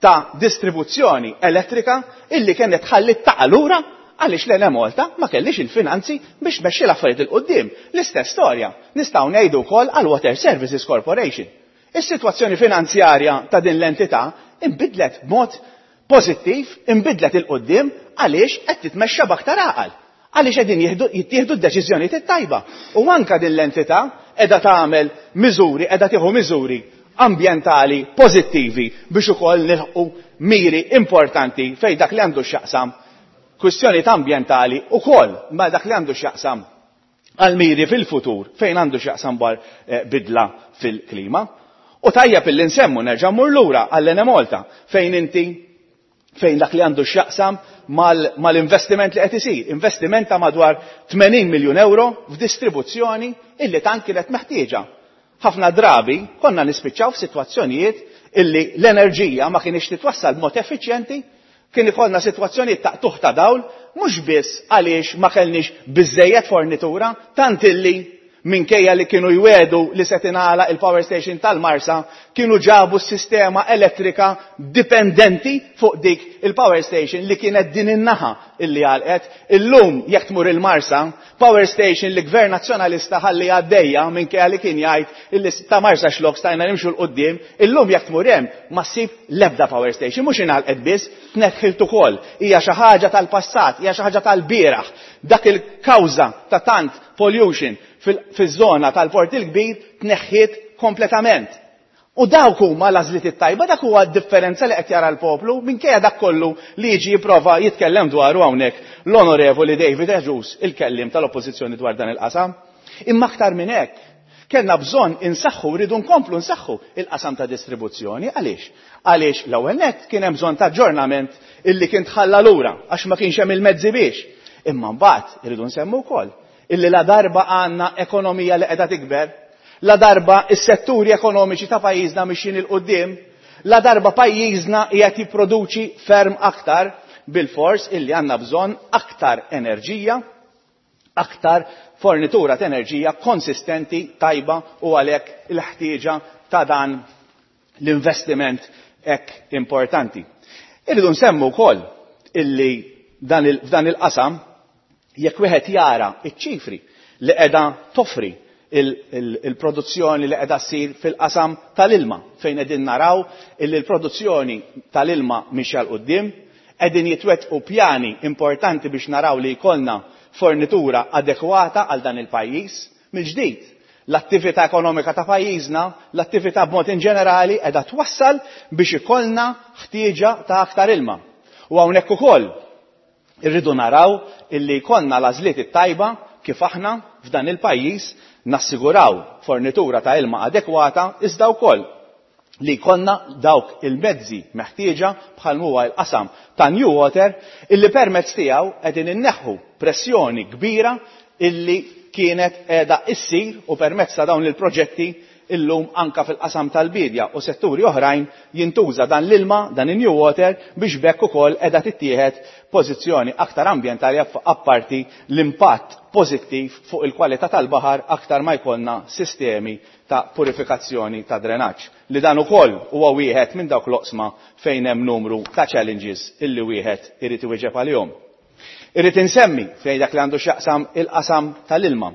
ta' distribuzzjoni elettrika illi kienet tħalli taqa' lura għaliex l-Enemalta ma kellix il-finanzi biex tmexxi l-affarijiet il quddiem. L-istess storja nistgħu ngħidu wkoll għal Water Services Corporation. Is-sitwazzjoni finanzjarja ta' din l-entità inbidlet b'mod pożittiv, inbidlet il quddiem għaliex qed titmexxa b'aktar għaqal, għaliex qegħdin jittieħdu d-deċiżjonijiet it-tajba. U anke din l-entità qiegħda tagħmel miżuri, qiegħda tieħu miżuri ambjentali pożittivi biex ukoll nilħqu miri importanti fejn dak li għandu x'jaqsam kwistjonijiet ambjentali ukoll ma dak li għandu x'jaqsam għal miri fil-futur fejn għandu x'jaqsam bar bidla fil-klima. U tajjeb illi nsemmu nerġa' mmur lura għall-Enemalta fejn inti fejn dak li għandu x'jaqsam mal-investiment li qed isir, investiment ta' madwar tmenin miljun euro f'distribuzzjoni illi tant kienet meħtieġa. Ħafna drabi konna nispiċċaw f'sitwazzjonijiet illi l-enerġija ma kienx titwassal b'mod effiċjenti, kien ikollna sitwazzjonijiet ta' qtugħ ta' dawl, mhux biss għaliex ma kellniex biżejjed fornitura, tant illi minkejja li kienu jwedu li se tingħalaq il-power station tal-Marsa, kienu ġabu s-sistema elettrika dipendenti fuq dik il-power station li kienet din in-naħa illi għalqet. Illum jekk tmur il-Marsa, power station li gvern nazzjonalista ħalli għaddejja minkejja li kien jgħid illi ta' Marsa xlok stajna nimxu l quddiem, illum jekk tmur hemm ma ssib l-ebda power station, mhux ingħalqet biss, tneħħilt ukoll. Hija xi ħaġa tal-passat, hija xi ħaġa tal-bieraħ. Dak il-kawża ta' tant pollution fil-żona tal-Port il-Kbir tneħħiet kompletament. U dawk huma l-għażliet it-tajba, dak huwa d-differenza li qed jara l-poplu minkejja dak kollu li jiġi jipprova jitkellem dwaru hawnhekk l-Onorevoli David Agius, il-kellim tal-Oppożizzjoni dwar dan il-qasam. Imma aktar minn hekk, kellna bżonn insaħħu, rridu nkomplu nsaħħu il-qasam ta' distribuzzjoni. Għaliex? Għaliex l-ewwel nett kien hemm bżonn ta' aġġornament illi kien tħalla lura għax ma kienx hemm il-mezzi biex. Imma mbagħad irridu nsemmu wkoll illi la darba għandna ekonomija li qiegħda tikber, la darba is-setturi ekonomiċi ta' pajjiżna mixjin il quddiem, la darba pajjiżna qiegħed jipproduċi ferm aktar, bil-fors illi għandna bżonn aktar enerġija, aktar fornitura ta' enerġija konsistenti, tajba, u għalhekk il-ħtieġa ta' dan l-investiment hekk importanti. Irridu nsemmu wkoll illi dan il, f'dan il-qasam jekk wieħed jara iċ-ċifri li qiegħda toffri il-produzzjoni li qiegħda ssir fil-qasam tal-ilma, fejn qegħdin naraw illi l-produzzjoni tal-ilma mixja 'l quddiem, qegħdin jitwettqu pjani importanti biex naraw li jkollna fornitura adekwata għal dan il-pajjiż. Mill-ġdid, l-attività ekonomika ta' pajjiżna, l-attività b'mod in ġenerali qiegħda twassal biex ikollna ħtieġa ta' aktar ilma. U hawnhekk ukoll irridu naraw illi jkollna l-għażliet it-tajba kif aħna f'dan il-pajjiż nassiguraw fornitura ta' ilma adekwata, iżda wkoll li jkollna dawk il-mezzi meħtieġa bħal huwa l-qasam ta' New Water illi permezz tiegħu qegħdin inneħħu pressjoni kbira illi kienet qiegħda issir, u permezz ta' dawn il-proġetti illum anka fil-qasam tal-bidja u setturi oħrajn jintuża dan l-ilma, dan in-New Water, biex bekk ukoll qiegħda tittieħed pożizzjoni aktar ambjentali apparti l-impatt pożittiv fuq il-kwalità tal-baħar aktar ma jkollna sistemi ta' purifikazzjoni ta' drenaġġ. Li dan ukoll huwa wieħed minn dawk l-oqsma fejn hemm numru ta' challenges illi wieħed irid iwieġeb għalihom. Irrid insemmi fejn dak li għandu x'jaqsam il-qasam tal-ilma.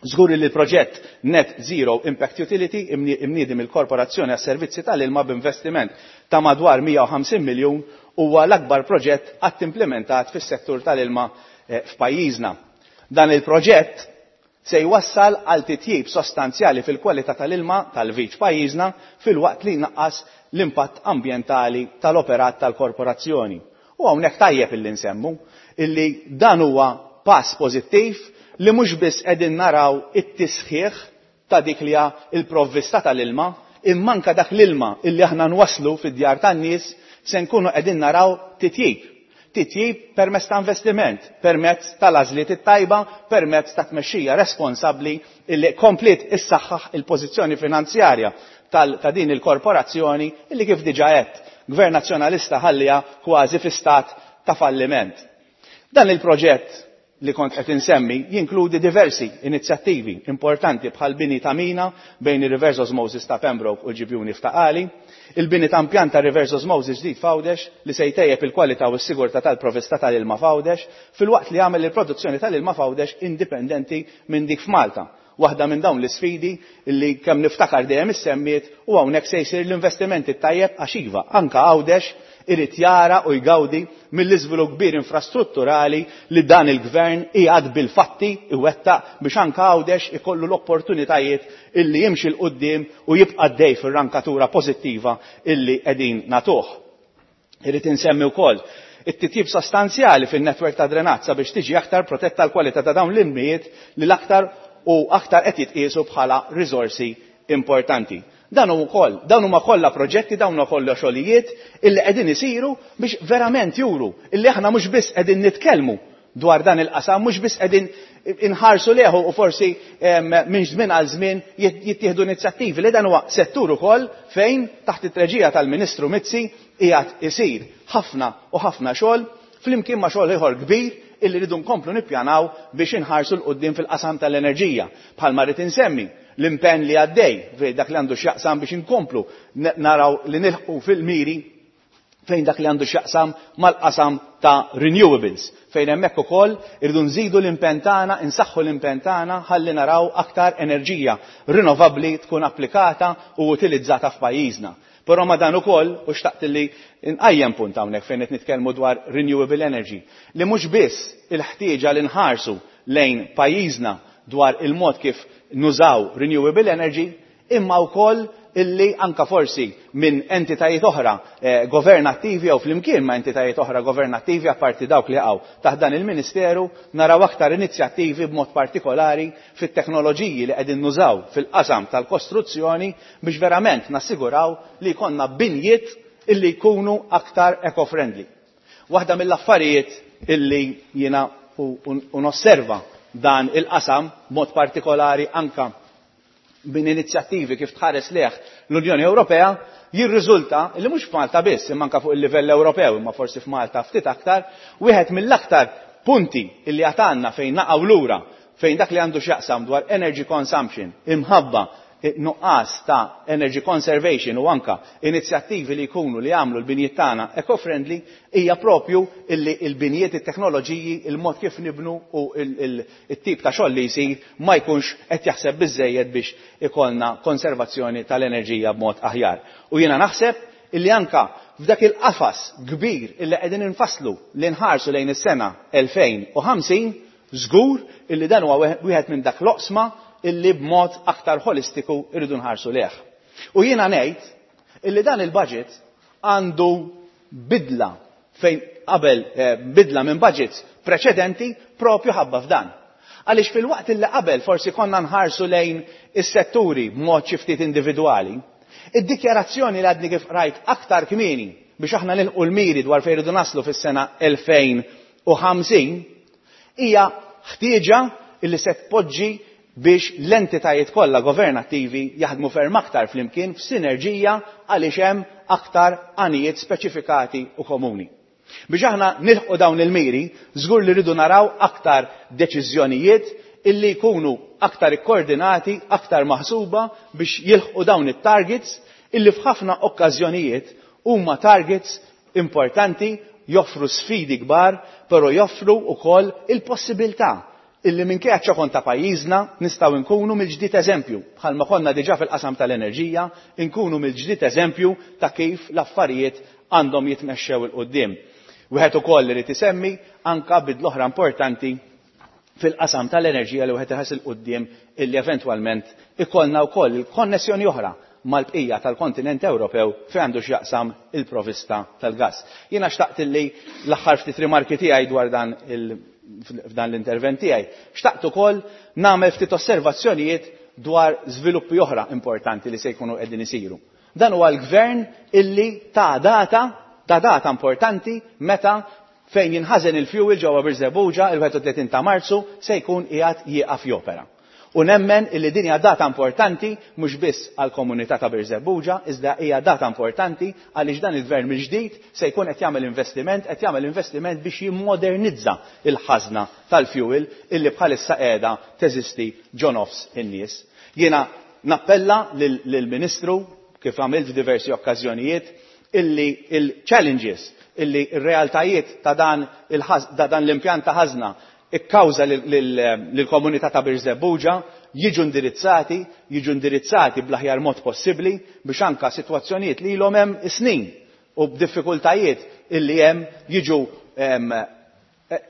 Żgur li l-proġett Net Zero Impact Utility imniedi mill-Korporazzjoni għas-Servizzi tal-Ilma b'investiment ta' madwar mija u ħamsin miljun huwa l-akbar proġett qatt implementat fis-settur tal-ilma f'pajjiżna. Dan il-proġett se jwassal għal titjib sostanzjali fil-kwalità tal-ilma tal-viċ pajjiżna filwaqt li jnaqqas l-impatt ambjentali tal-operat tal-korporazzjoni. U hawnhekk tajjeb illi nsemmu illi dan huwa pass pożittiv li mhux biss qegħdin naraw it-tisħiħ ta' dik li hija l-provvista tal-ilma, imma anke dak l-ilma illi aħna nwasslu fid-djar tan-nies se nkunu qegħdin naraw titjib. Titjib permezz ta' investiment, permezz tal-għażliet it-tajba, permezz ta' tmexxija responsabbli illi kompliet issaħħaħ il-pożizzjoni finanzjarja ta' din il-korporazzjoni illi kif diġà għedt, Gvern Nazzjonalista ħallija kważi fi stat ta' falliment. Dan il-proġett li kont qed insemmi jinkludi diversi inizjattivi importanti bħal bini ta' mina bejn ir-reverse osmosis ta' Pembroke u l-ġibjuni f'Ta' Qali, il-bini ta' impjant ta' reverse osmosis ġdid f'Għawdex li se jtejjeb il-kwalità u s-sigurtà tal-provvista tal-ilma f'Għawdex filwaqt li jagħmel il-produzzjoni tal-ilma f'Għawdex indipendenti minn dik f'Malta. Waħda minn dawn l-isfidi li kemm niftakar dejjem issemmiet, u hawnhekk se jsir l-investimenti tajjeb għax iva anke Għawdex irid jara u jgawdi mill-iżvilupp kbir infrastrutturali li dan il-gvern qiegħed bil-fatti iwettaq biex anke Għawdex ikollu l-opportunitajiet illi jimxi 'l quddiem u jibqa' għaddej fir-rankatura pożittiva illi qegħdin nagħtuh. Irid insemmi wkoll it-titjib sostanzjali fin-netwerk ta' drenaġġ sabiex tiġi aktar protetta l-kwalità ta' dawn l-ilmijiet li l-aktar u aktar qed jitqiesu bħala riżorsi importanti. Dan hu wkoll, dawn huma kollha proġetti, dawn huma kollha xogħlijiet illi qegħdin isiru biex verament juru illi aħna mhux biss qegħdin nitkellmu dwar dan il-qasam, mhux biss qegħdin inħarsu leħu u forsi minn żmien għal żmien jittieħdu inizjattivi, li dan huwa settur ukoll fejn taħt it-treġija tal-Ministru Mizzi qiegħed isir ħafna u ħafna xogħol flimkien ma' xogħol ieħor kbir illi rridu nkomplu nippjanaw biex inħarsu 'l quddiem fil-qasam tal-enerġija. Bħalma rrid insemmi l-impenn li għaddej fejn dak li għandu x'jaqsam biex inkomplu naraw li nilħqu fil-miri fejn dak li għandu x'jaqsam mal-qasam ta' renewables, fejn hemmhekk ukoll irridu nżidu l-impenn tagħna, insaħħu l-impenn tagħna ħalli naraw aktar enerġija rinnovabbli tkun applikata u utilizzata f'pajjiżna. Però ma dan ukoll, u xtaqt li nqajjem punt hawnhekk fejn qed nitkellmu dwar renewable energy, li mhux biss il-ħtieġa li nħarsu lejn pajjiżna dwar il-mod kif nużaw renewable energy, imma wkoll illi anka forsi minn entitajiet oħra, eh, governattivi jew flimkien ma' entitajiet oħra governattivi apparti dawk li jaqgħu taħt dan il-Ministeru, naraw aktar inizjattivi b'mod partikolari fit-teknoloġiji li qegħdin nużaw fil-qasam tal-kostruzzjoni biex verament nassiguraw li jkollna binjiet illi jkunu aktar eco-friendly. Waħda mill-affarijiet illi jiena u, u, u nosserva dan il-qasam b'mod partikolari anka minn inizjattivi kif tħares leħ l-Unjoni Ewropea, jirriżulta li mhux f'Malta biss, imma anke fuq il-livell Ewropew, imma forsi f'Malta ftit aktar, wieħed mill-aktar punti illi għatanna fejn naqgħu lura, fejn dak li għandu x'jaqsam dwar energy consumption, imħabba Nuqqas ta' energy conservation u anka inizjattivi li jkunu li jagħmlu l-binjiet tagħna eco-friendly hija propju illi l-binjiet, it-teknoloġiji, il-mod kif nibnu u il-tip ta' xogħol li jsir ma jkunx qed jaħseb biżejjed biex ikollna konservazzjoni tal-enerġija b'mod aħjar. U jiena naħseb illi anka f'dak il-qafas kbir illi qegħdin infasslu li nħarsu lejn is-sena elfejn u ħamsin, żgur illi dan huwa wieħed minn dak l-oqsma illi b'mod aktar holistiku irridu nħarsu leh. U jiena ngħid illi dan il-budget għandu bidla fejn qabel, eh, bidla minn budgets preċedenti propju ħabba f'dan. Għaliex fil-waqt illi qabel forsi konna nħarsu lejn is-setturi b'mod xi ftit individwali, id-dikjarazzjoni li għadni kif rajt aktar kmieni biex aħna nilqu l-miri dwar fejn irridu naslu fis-sena elfejn u ħamsin hija ħtieġa illi se tpoġġi biex l-entitajiet kollha governattivi jaħdmu ferm aktar flimkien f'sinerġija għaliex hemm aktar għanijiet speċifikati u komuni. Biex aħna nilħqu dawn il-miri, żgur li rridu naraw aktar deċiżjonijiet illi jkunu aktar ikkoordinati, aktar maħsuba biex jilħqu dawn it-targets illi f'ħafna okkażjonijiet huma targets importanti, joffru sfidi kbar, però joffru wkoll il-possibilità illi minkejja ċokon ta' pajjiżna nistgħu nkunu mill-ġdid eżempju, bħalma konna diġà fil-qasam tal-enerġija, nkunu mill-ġdid eżempju ta' kif l-affarijiet għandhom jitmexxew il quddiem. Wieħed ukoll irid isemmi anka bidla oħra importanti fil-qasam tal-enerġija li wieħed iħares il quddiem illi eventwalment ikollna wkoll il-konnessjoni oħra mal-bqija tal-kontinent Ewropew fejn għandu x'jaqsam il-provista tal-gas. Jiena xtaqt illi l-aħħar ftit rimarki tiegħi dwar dan il- f'dan l-intervent tiegħi, xtaqt ukoll nagħmel ftit osservazzjonijiet dwar żviluppi oħra importanti li se jkunu qegħdin isiru. Dan huwa l-gvern illi ta' data, ta' data importanti meta fejn jinħażen il-fuel ġewwa Birżebbuġa il-wieħed u tletin ta' Marzu se jkun qiegħed jieqaf jopera. U nemmen illi din hija data importanti mhux biss għall-komunità ta' Birżebbuġa, iżda hija data importanti għaliex dan il-gvern mill-ġdid se jkun qed jagħmel investiment, qed jagħmel investiment biex jimmodernizza il-ħażna tal-fuel illi bħalissa qiegħda teżisti ġo nofs in-nies. Jiena nappella lil-, lill-Ministru kif għamilt f'diversi okkażjonijiet illi il-challenges, illi r-realtajiet ta' dan il-ħaż-, ta' dan l-impjant ta' ħażna ikkawża lil-, lil-, lill-komunità ta' Birżebbuġa jiġu indirizzati, jiġu indirizzati bl-aħjar mod possibbli biex anka sitwazzjonijiet li ilhom hemm snin u b'diffikultajiet illi hemm jiġu, em,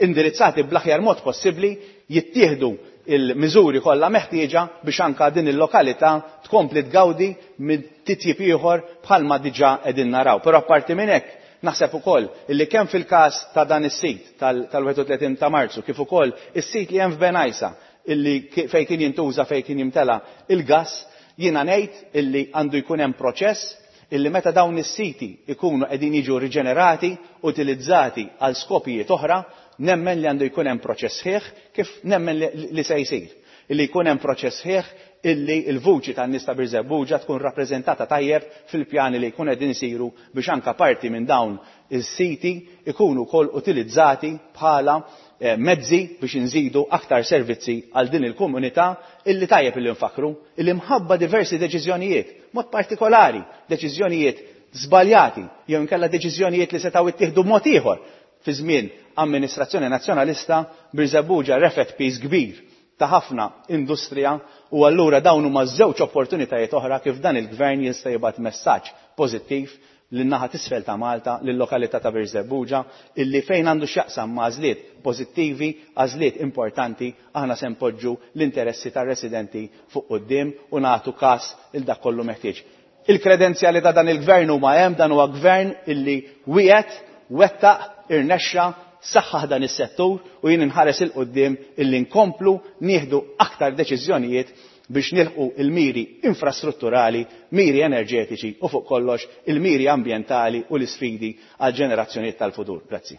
indirizzati bl-aħjar mod possibbli, jittieħdu il-miżuri kollha meħtieġa biex anka din il-lokalità tkompli tgawdi minn titjib ieħor bħalma diġà qegħdin naraw. Però apparti minn hekk naħseb ukoll illi kemm fil-każ ta' dan is-sit tal-, tal-wieħed u tletin ta' Marzu kif ukoll is-sit li hemm f'Bengħajsa illi ki-, fejn kien jintuża fejn kien jimtela il-gass, jiena ngħid illi għandu jkun hemm proċess illi meta dawn is-siti ikunu qegħdin jiġu riġenerati, utilizzati għal skopijiet oħra, nemmen li għandu jkun hemm proċess ħieħ kif nemmen li, li se jsir. Illi jkun hemm proċess ħieħ illi l-vuċi tan-nies ta' Birżebbuġa tkun rappreżentata tajjeb fil-pjani li jkun qegħdin isiru biex anka parti minn dawn is-siti ikunu wkoll utilizzati bħala, eh, mezzi biex inżidu aktar servizzi għal din il-komunità illi tajjeb illi nfakru, illi mħabba diversi deċiżjonijiet, mod partikolari deċiżjonijiet żbaljati jew inkella deċiżjonijiet li setgħu ittieħdu b'mod ieħor fi żmien amministrazzjoni nazzjonalista, Birżebbuġa refet piż kbir ta' ħafna industrija u allura dawn huma żewġ opportunitajiet oħra kif dan il-gvern jista' jibgħat messaġġ pożittiv lin-naħa t'isfel ta' Malta, lil-lokalità ta' Birżebbuġa, illi fejn għandu x'jaqsam ma' għażliet pożittivi, għażliet importanti, aħna se npoġġu l-interessi tar-residenti fuq quddiem u nagħtu każ il dak kollu meħtieġ. Il-kredenzjali ta' dan il-gvern huma hemm, dan huwa gvern illi wieqed, wettaq, irnexxa, saħħaħ dan is-settur u jien inħares il quddiem illi nkomplu nieħdu aktar deċiżjonijiet biex nilħqu il-miri infrastrutturali, miri enerġetiċi u fuq kollox il-miri ambjentali u l-isfidi għal ġenerazzjonijiet tal-futur. Grazzi.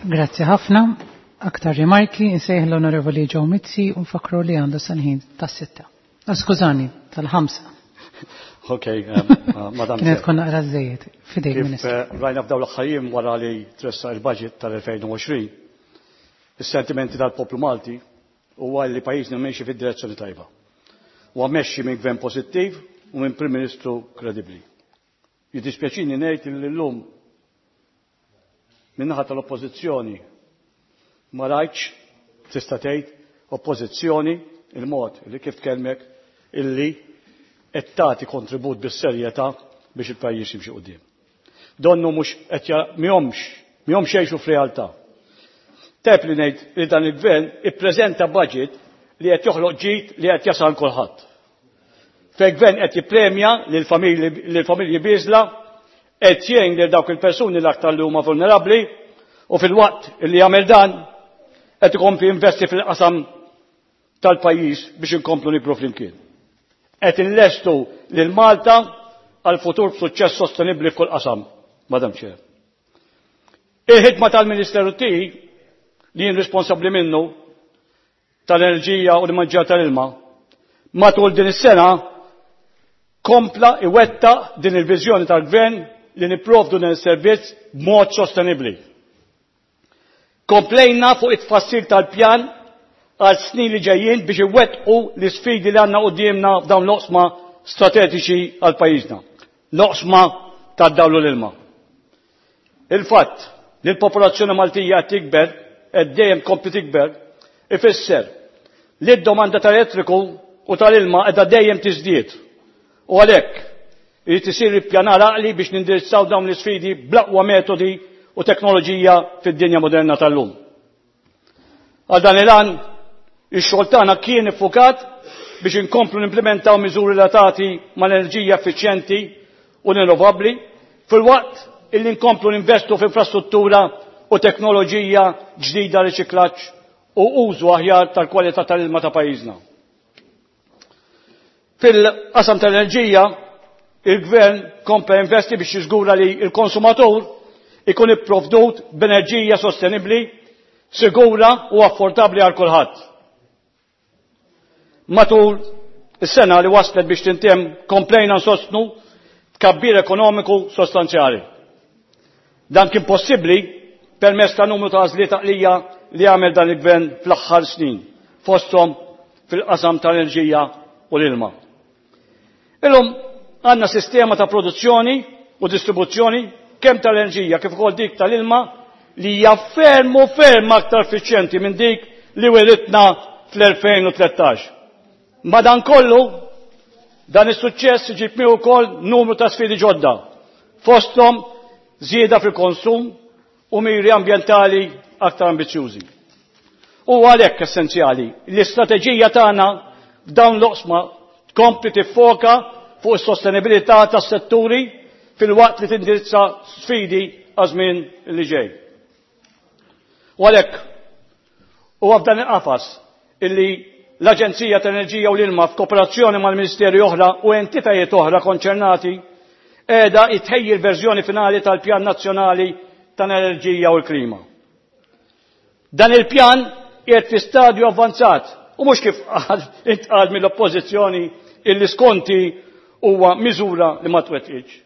Grazzi ħafna. Aktar rimarki insejħ l-Onorevoli Joe Mizzi u nfakru li għandu sanħin tas-sitta. Ah, skużani, tal-ħamsa. Ok, um, uh, Madam Kienet Chair. konna qra żejjed. Fidejk, Kif, Ministru. eh, rajna f'dawn l-aħħar wara li tressaq il-budget tal-elfejn u għoxrin, is-sentimenti tal-poplu Malti huwa li pajjiżna miexi fid-direzzjoni tajba. huwa mexxi minn gvern pożittiv u minn Prim Ministru kredibbli. Jiddispjaċini ngħid li llum min-naħa tal-Oppożizzjoni ma rajtx tista' tgħid oppożizzjoni il-mod li kif tkellmek illi qed tagħti kontribut bis-serjetà biex il-pajjiż jimxi quddiem. Donnu mhux qed mihomx mihomx jgħixu f'realtà. Teb li ngħid li dan il-gvern ippreżenta budget li qed joħloq ġid li qed jasal kulħadd. Fejn gvern qed jippremja lill-familji bieżla, qed jgħin lil dawk il-persuni l-aktar li huma vulnerabbli u fil-waqt li jagħmel dan qed ikompli investi fil-qasam tal-pajjiż biex inkomplu nikbru flimkien. Qed inlestu lil Malta għal futur b'suċċess sostenibbli f'kull qasam, Madam Chair. Il-ħidma tal-Ministeru tiegħi li jien responsabbli minnu tal-enerġija u l-manġar tal-ilma matul din is-sena kompla iwettaq din il-viżjoni tal-gvern li nipprovdu din is-servizz b'mod sostenibbli. Komplejna fuq it-tfassil tal-pjan għal snin li ġejjin biex iwettqu l-isfidi li għandna quddiemna f'dawn l-oqsma strateġiċi għal pajjiżna. L-oqsma tad-dawl u l-ilma. Il-fatt li l-popolazzjoni Maltija qed tikber, qed dejjem tkompli tikber, ifisser li d-domanda tal-elettriku u tal-ilma qiegħda dejjem tiżdied. U għalhekk irid isir ippjanar għaqli biex nindirizzaw dawn l-isfidi bl-aqwa metodi u teknoloġija fid-dinja moderna tal-lum. Għal dan il-għan, ix-xogħol tagħna kien iffukat biex inkomplu nimplementaw miżuri relatati mal-enerġija effiċjenti u rinnovabbli filwaqt illi nkomplu ninvestu f'infrastruttura u teknoloġija ġdida, riċiklaġġ u użu aħjar tal-kwalità tal-ilma ta' pajjiżna. Fil-qasam tal-enerġija, il-gvern kompla investi biex jiżgura li l-konsumatur ikun ipprovdut b'enerġija sostenibbli, sigura u affordabbli għal kulħadd. Matul is-sena li waslet biex tintemm komplejna nsostnu tkabbir ekonomiku sostanzjali. Dan kien possibbli permezz ta' numru ta' għażliet għaqlija li għamel dan il-gvern fl-aħħar snin, fosthom fil-qasam tal-enerġija u l-ilma. Illum għandna sistema ta' produzzjoni u distribuzzjoni kemm tal-enerġija kif ukoll dik tal-ilma li hija ferm u ferm aktar effiċjenti minn dik li wiritna fl-elfejn u tlettax. Madankollu, dan is-suċċess iġib miegħu wkoll numru ta' sfidi ġodda, fosthom żieda fil-konsum u miri ambjentali aktar ambizzjużi. U għalhekk essenzjali li l-istrateġija tagħna f'dawn l-oqsma tkompli tiffoka fuq is-sostenibilità tas-setturi fil-waqt li tindirizza sfidi għaż-żmien li ġej. U għalhekk huwa f'dan il-qafas illi l-Aġenzija tal-Enerġija u l-Ilma f'kooperazzjoni mal-Ministeri oħra u entitajiet oħra konċernati qiegħda jtħejji l-verżjoni finali tal-Pjan Nazzjonali tal-Enerġija u l-Klima. Dan il-pjan qiegħed fi stadju avvanzat u mhux kif intqal mill-Oppożizzjoni illi skonti huwa miżura li ma twettqitx.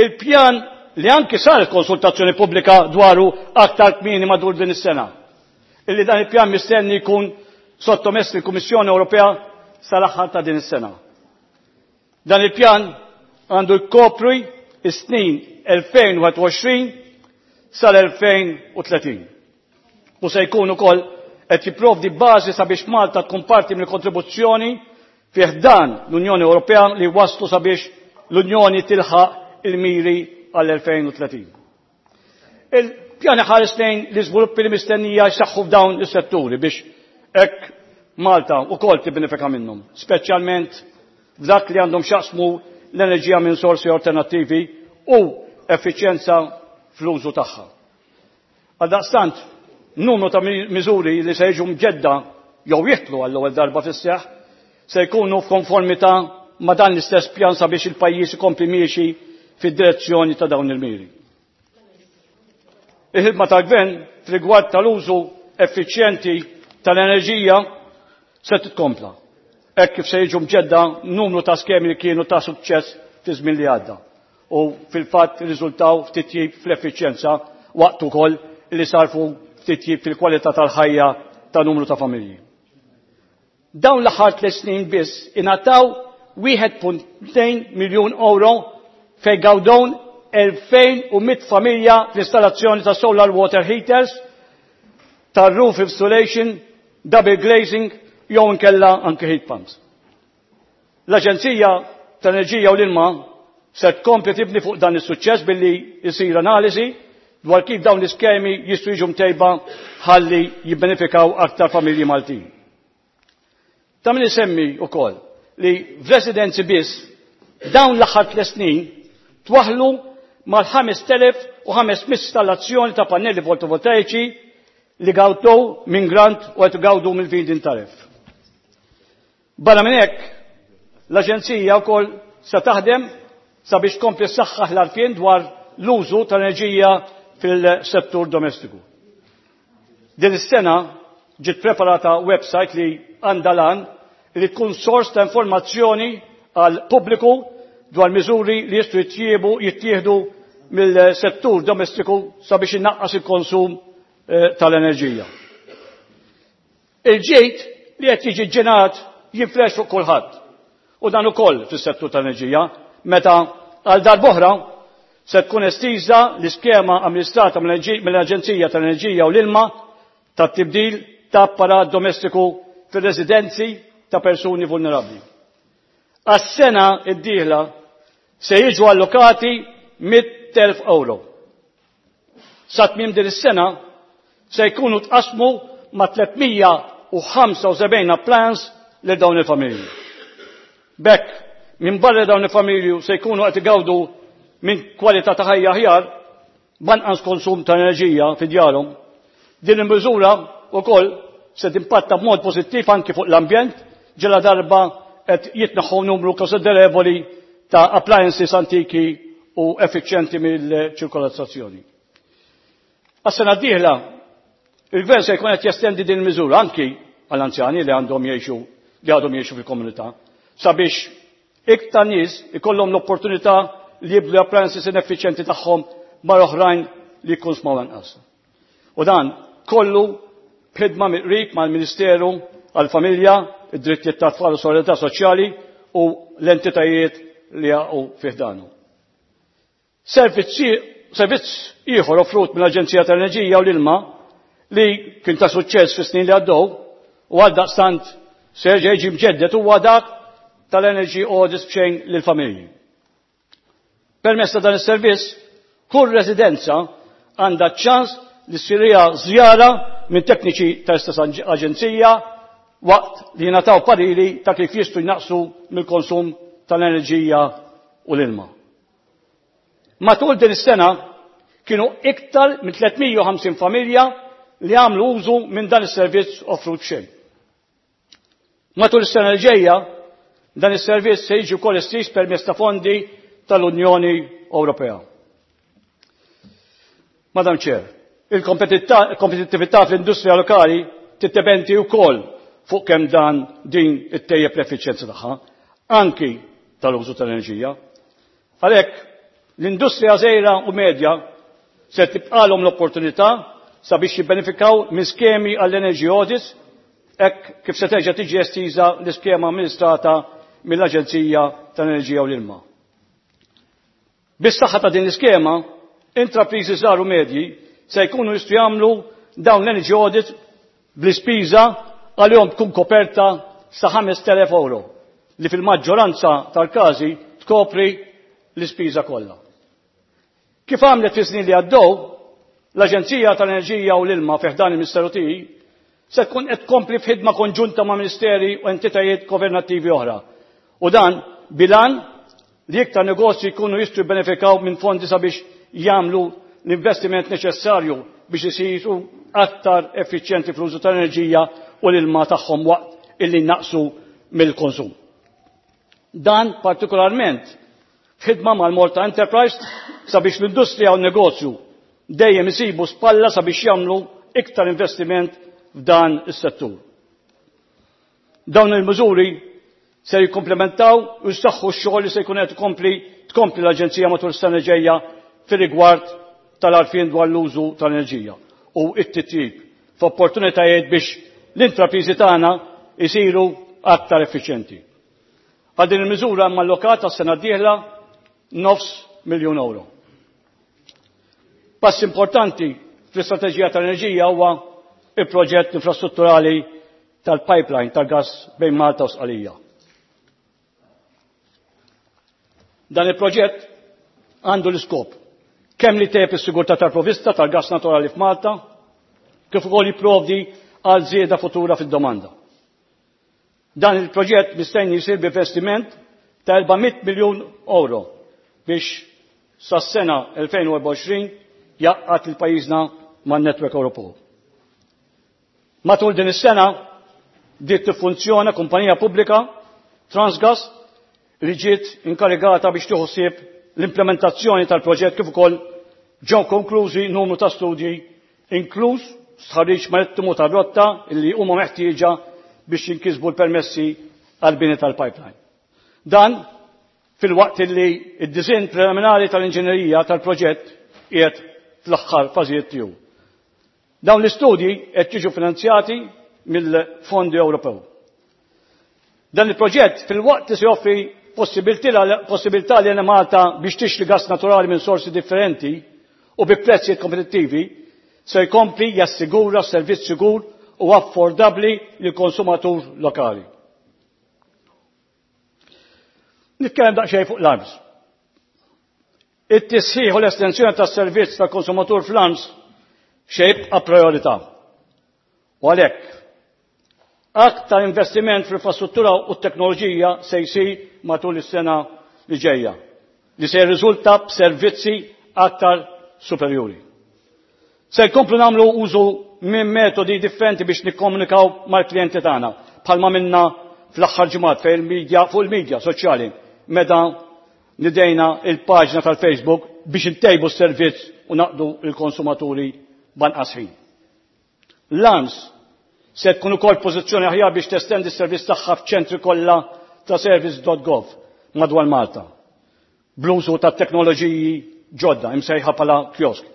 Il-pjan li anki saret konsultazzjoni pubblika dwaru aktar kmieni matul din is-sena. Illi dan il-pjan mistenni jkun sottomess lill-Kummissjoni Ewropea sal-aħħar ta' din is-sena. Dan il-pjan għandu jkopri is-snin elfejn u wieħed u għoxrin sal-elfejn u tletin. U se jkun ukoll qed jipprovdi bażi sabiex Malta tkun parti mill-kontribuzzjoni fih dan l-Unjoni Ewropea li waslu sabiex l-Unjoni tilħaq il-miri għall-elfejn u tletin. Il-pjan iħares lejn l-iżviluppi li mistennija jsaħħu f'dawn is-setturi biex hekk Malta wkoll tibbenefika minnhom, speċjalment f'dak li għandhom x'jaqsmu l-enerġija minn sorsi alternattivi u effiċjenza fl-użu tagħha. Għaldaqstant, numru ta' miżuri li se jiġu mġedda jew jidħlu għall-ewwel darba fis-seħħ se jkunu f'konformità ma' dan l-istess pjan sabiex il-pajjiż ikompli miexi fid-direzzjoni ta' dawn il-miri. Il-ħidma tal-gvern f'rigward tal-użu effiċjenti tal-enerġija se titkompla, hekk kif se jiġu mġedda numru ta' skemi li kienu ta' suċċess fi żmien li għadda u fil-fatt riżultaw f'titjib fl-effiċjenza waqt ukoll li sarfu f'titjib fil-kwalità tal-ħajja ta' numru ta' familji. Dawn l-aħħar tliet snin biss ingħataw wieħed punt tnejn miljun euro fejn gawdew elfejn u mitt familja fl-installazzjoni ta' solar water heaters, ta' roof insulation, double glazing jew inkella anke heat pumps. L-Aġenzija tal-Enerġija u l-Ilma se tkompli tibni fuq dan is-suċċess billi jsir analiżi dwar kif dawn l-iskemi jistgħu jiġu mtejba ħalli jibbenefikaw aktar familji Maltin. Ta' min isemmi wkoll li f'residenzi biss dawn l-aħħar tliet snin twaħlu mal-ħames elef u ħames mitt installazzjoni ta' pannelli fotovoltaiċi li gawdew minn grant u qed gawdu mill-feed-in tariff. Barra minn hekk, l-Aġenzija wkoll se taħdem sabiex tkompli ssaħħaħ l-għarfien dwar l-użu tal-enerġija fil-settur domestiku. Din is-sena ġiet preparata website li għandha lan li tkun sors ta' informazzjoni għal pubbliku dwar miżuri li jistgħu jittiebu jittieħdu mill-settur domestiku sabiex innaqqas il-konsum eh, tal-enerġija. Il-ġid li qed jiġi ġenerat jinfrex fuq kulħadd. U dan ukoll fis-settur tal-enerġija, meta għal darb'oħra se tkun estiża l-iskema amministrata mill-Aġenzija tal-Enerġija u l-Ilma tat-tibdil ta' apparat domestiku fir-residenzi ta' persuni vulnerabbli. Għas-sena d-dieħla se jiġu allokati mitt elf euro. Sa tmiem din is-sena se jkunu tqasmu ma' tliet mija u ħamsa u sebgħin appliance lil dawn il-familji. B'hekk, minn barra dawn il-familji se jkunu qed igawdu minn kwalità ta' ħajja aħjar b'anqas konsum ta' enerġija fi djarhom. Din il-miżura wkoll se timpatta b'mod pożittiv anki fuq l-ambjent ġela darba qed jitneħħu numru konsiderevoli ta' appliances antiki u effiċjenti mill-ċirkolazzjoni. Għas-sena d-dieħla, il-gvern se jkun qed jestendi din il-miżura anki għall-anzjani li għandhom jgħixu li għadhom jgħixu fil-komunità sabiex iktar nies ikollhom l-opportunità li jibdlu appliances ineffiċjenti tagħhom ma' oħrajn li jikkonsmaw anqas. U dan kollu b'ħidma mill-qrib mal-Ministeru għall-Familja, id-Drittijiet tat-Tfal u Solidarità Soċjali u l-entitajiet li jaqgħu fih danu. Servizz ieħor offrut mill-Aġenzija tal-Enerġija u l-Ilma li kien ta' suċċess fis-snin li għaddew u għaldaqstant se jerġa' jiġi mġeddet huwa dak tal-Energy Audits b'xejn lill-familji. Permezz ta' dan is-servizz, kull residenza għandha ċans li ssirha żjara minn tekniċi tal-istess aġenzija waqt li jingħataw pariri ta' kif jistgħu jnaqsu mill-konsum tal-enerġija u l-ilma. Matul din is-sena kienu iktar minn tliet mija u ħamsin familja li għamlu użu minn dan is-servizz offrut b'xejn. Matul is-sena li ġejja, dan is-servizz se jiġi wkoll estiż permezz ta' fondi tal-Unjoni Ewropea. Madam Chair, il-kompetittività fl-industrija lokali tiddependi wkoll fuq kemm dan din ittejjeb l-effiċjenza tagħha, anki tal-użu tal-enerġija. Għalhekk, l-industrija żgħira u medja se tibqalhom l-opportunità sabiex jibbenefikaw minn skemi għall-energy audits hekk kif se terġa' tiġi estiża l-iskema amministrata mill-Aġenzija tal-Enerġija u l-Ilma. Bis-saħħa ta' din l-iskema, intrapriżi żgħar u medji se jkunu jistgħu jagħmlu dawn l-energy audit bl-ispiża għalihom tkun koperta sa ħamest elef euro li fil-maġġoranza tal-każi tkopri l-ispiża kollha. Kif għamlet fi snin li għaddew, l-Aġenzija tal-Enerġija u l-Ilma fi ħdan il-Ministeru tiegħi se tkun qed tkompli f'ħidma konġunta ma' ministeri u entitajiet governattivi oħra. U dan bil-għan li iktar negozji jkunu jistgħu jibbenefikaw minn fondi sabiex jagħmlu l-investiment neċessarju biex isiru aktar effiċjenti fl-użu tal-enerġija u l-ilma tagħhom waqt illi naqsu mill-konsum. Dan partikolarment f'ħidma mal-Malta Enterprise sabiex l-industrija u n-negozju dejjem isibu spalla sabiex jagħmlu iktar investiment f'dan is-settur. Dawn il-miżuri se jikkomplementaw u jsaħħu x-xogħol li se jkun qed tkompli tkompli l-Aġenzija matul is-sena ġejja fir-rigward tal-għarfien dwar l-użu tal-enerġija u t-titjib f'opportunitajiet biex l-intrapriżi tagħna jsiru aktar effiċjenti. Għal din il-miżura hemm allokata s-sena d-dieħla nofs miljun euro. Pass importanti fl-istrateġija tal-enerġija huwa il-proġett infrastrutturali tal-pipeline tal-gas bejn Malta u Sqalija. Dan il-proġett għandu l-iskop kemm li tejjeb is-sigurtà tal-provvista tal-gas naturali f'Malta, kif ukoll jipprovdi għal żieda futura fid-domanda. Dan il-proġett mistenni jsir b'investiment ta' erba' mitt miljun euro biex sas-sena elfejn u erbgħa u għoxrin jaqqad lil pajjiżna man-netwerk Ewropew. Matul din is-sena bdiet tiffunzjona kumpanija pubblika Transgas li ġiet inkarigata biex tieħu ħsieb l-implementazzjoni tal-proġett kif ukoll ġew konklużi numru ta' studji inkluż stħarriġ marittimu tar-rotta li huma meħtieġa biex jinkisbu l-permessi għall-bini tal-pipeline. Dan fil-waqt li id-disinn preliminari tal-inġinerija tal-proġett qiegħed fl-aħħar fażijiet tiegħu. Dawn l-istudji qed jiġu finanzjati mill-Fondi Ewropew. Dan il-proġett fil-waqt li se joffri possibilità li Malta biex tixtri gas naturali minn sorsi differenti u bi prezzijiet kompetittivi, se jkompli jassigura servizz sigur u affordabbli lil konsumatur lokali. Nitkellem daqsxejn fuq l-arms. It-tisħiħ u l-estensjoni tas-servizz tal-konsumatur fl-arms xejn jibqa' priorità. U għalhekk aktar investiment fl-infrastruttura u t-teknoloġija se jsir matul is-sena li ġejja, li se jirriżulta b'servizzi aktar superjuri. Se jkomplu nagħmlu użu minn metodi differenti biex nikkomunikaw mal-klijenti tagħna, bħalma minna fl-aħħar ġimgħat fejn il-medja fuq il-medja soċjali meta nidejna il-paġna tal-Facebook biex intejbu s-servizz u naqdu l-konsumaturi b'anqas ħin. L-arms se tkun ukoll pożizzjoni aħjar biex testendi s-servizz tagħha f'ċentri kollha ta' service dot gov madwar Malta, bl-użu ta' teknoloġiji ġodda imsejħa bħala kiosk,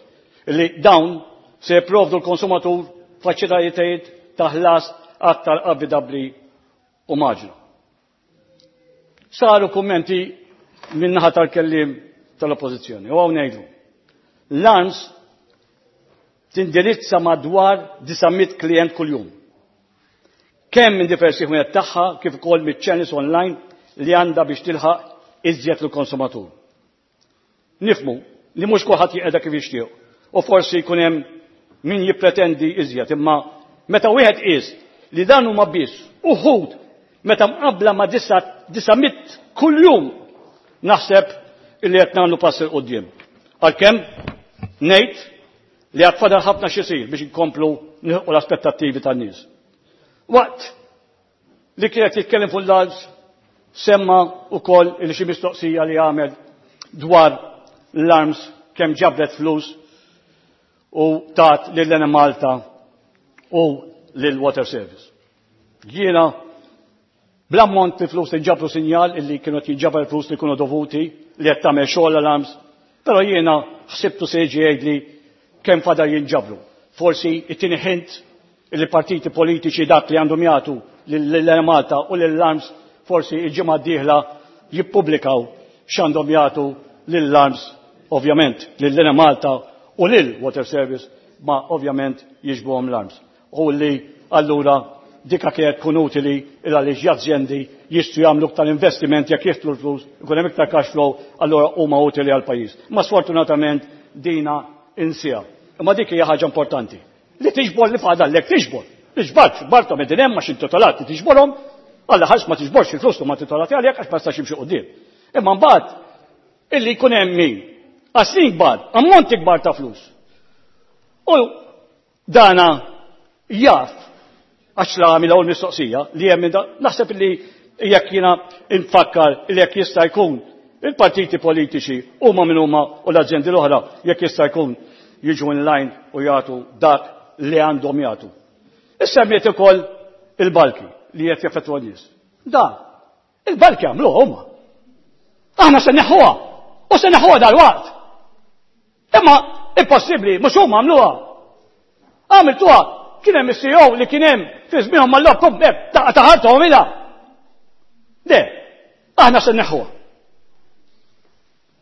li dawn se jipprovdu l-konsumatur faċilitajiet ta' ħlas aktar affidabbli u maġla. Saru kummenti min-naħa tal-kelliem tal-Oppożizzjoni u hawn ngħidu. L-arms tindirizza madwar disa' mitt klient kuljum. Kemm minn diversi ħwienet tagħha kif ukoll miċ-channels online li għandha biex tilħaq iżjed lill-konsumatur. Nifmu li mhux kulħadd jiqeda kif jixtieq u forsi jkun hemm min jippretendi iżjed, imma meta wieħed qis li dan huma biss uħud meta mqabbla ma' disa' mitt kuljum naħseb illi qed nagħmlu pass il quddiem. Għalkemm ngħid li għad fadal ħafna x'isir biex inkomplu nilħqu l-aspettattivi tan-nies. Waqt li kienet jitkellem fuq l-arms semma wkoll li xi mistoqsija li għamel dwar l-arms kemm ġabret flus u tat lil Enemalta u lil Water Service. Jiena bl-ammont li flus li ġabru sinjal illi kienu qed jinġabar flus li kienu dovuti li qed tagħmel xogħol l-arms, però jiena ħsibtu se jiġi jgħidli kemm fadal jinġabru. Forsi it-tieni ħint li partiti politiċi dak li għandhom jagħtu lil Enemalta u lil arms forsi il-ġimgħa d-dieħla jippubblikaw x'għandhom jagħtu lil arms, ovvjament lil Enemalta u lil Water Service, ma ovvjament jiġbuhom l-arms. U li allura dika kienet tkun utili il għaliex l-azjendi jistgħu jagħmlu iktar investiment jekk jiftlu l-flus, ikun hemm iktar cash flow, allura huma utili għall-pajjiż. Ma sfortunatament dina insija. Imma dik hija ħaġa importanti. Li tiġbor li fadallek tiġbor. Li ġbart, ġbarthom qegħdin hemm għax intitolati li tiġborhom, alla ħares ma tiġborx il-flus ma titolati għalhekk għax ma tistax jimxi quddiem. Imma mbagħad illi jkun hemm min għas snin kbar, ammonti kbar ta' flus. U dana jaf għax la għamilha u l-mistoqsija li hemm da, naħseb li jekk jiena nfakkar li jekk jista' jkun il-partiti politiċi huma min huma u l-aġendi l-oħra jekk jista' jkun jiġu in line u jagħtu dak li għandhom jagħtu. Issa semmiet ukoll il-balki li qed jaffettwa n-nies. Da, il-balki għamluha huma. Aħna se neħħuha u se neħħuha dal-waqt. Imma impossibbli, mhux huma għamluha. Għamiltuha, kien hemm is-C E O li kien hemm fi żmienhom mal-lobkom, hekk, ta' taħarthom ilha. Le, aħna se nneħħuha.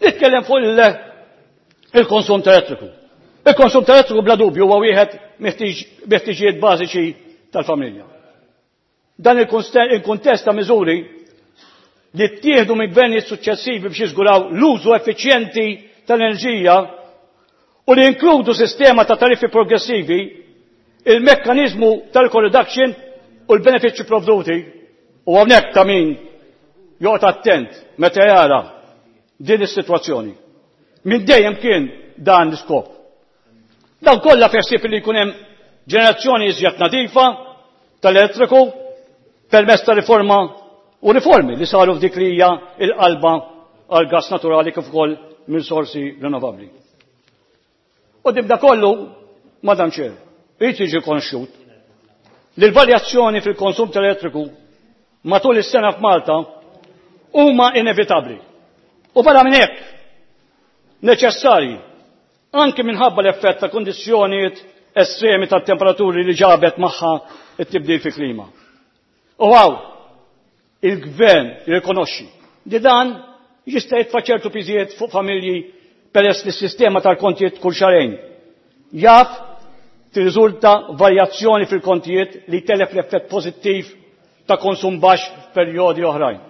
Nitkellem fuq il-konsum elettriku. Il-konsum elettriku bla dubju huwa wieħed mill-ħtiġijiet bażiċi tal-familja. Dan il-kuntest ta' miżuri li ttieħdu minn gvernijiet suċċessivi biex jiżguraw l-użu effiċjenti tal-enerġija u li inkludu sistema ta' tariffi progressivi, il-mekkaniżmu tal-reduction u l-benefiċċji provduti, u hawnhekk ta' min joqgħod attent meta jara din is-sitwazzjoni. Minn dejjem kien dan l-iskop. Dan kollha f'ħsieb li jkun hemm ġenerazzjoni iżjed nadifa tal-elettriku permezz ta' riforma u riformi li saru f'dik li hija l-qalba għal gas naturali kif ukoll minn sorsi rinnovabbli. U dibda kollu, Madam Chair, irid jiġi konxjut li l-varjazzjoni fil-konsum tal-elettriku matul is-sena f'Malta huma inevitabbli. U barra minn hekk neċessarji anke minħabba l-effett ta' kundizzjonijiet estremi tat-temperaturi li ġabet magħha t-tibdil fil-klima. U hawn il-gvern jirrikonoxxi li dan jista' jitfa' ċertu piżijiet fuq familji peress li s-sistema tal-kontijiet kull xahrejn jaf tirriżulta varjazzjoni fil-kontijiet li telef l-effett pożittiv ta' konsum baxx f'perjodi oħrajn.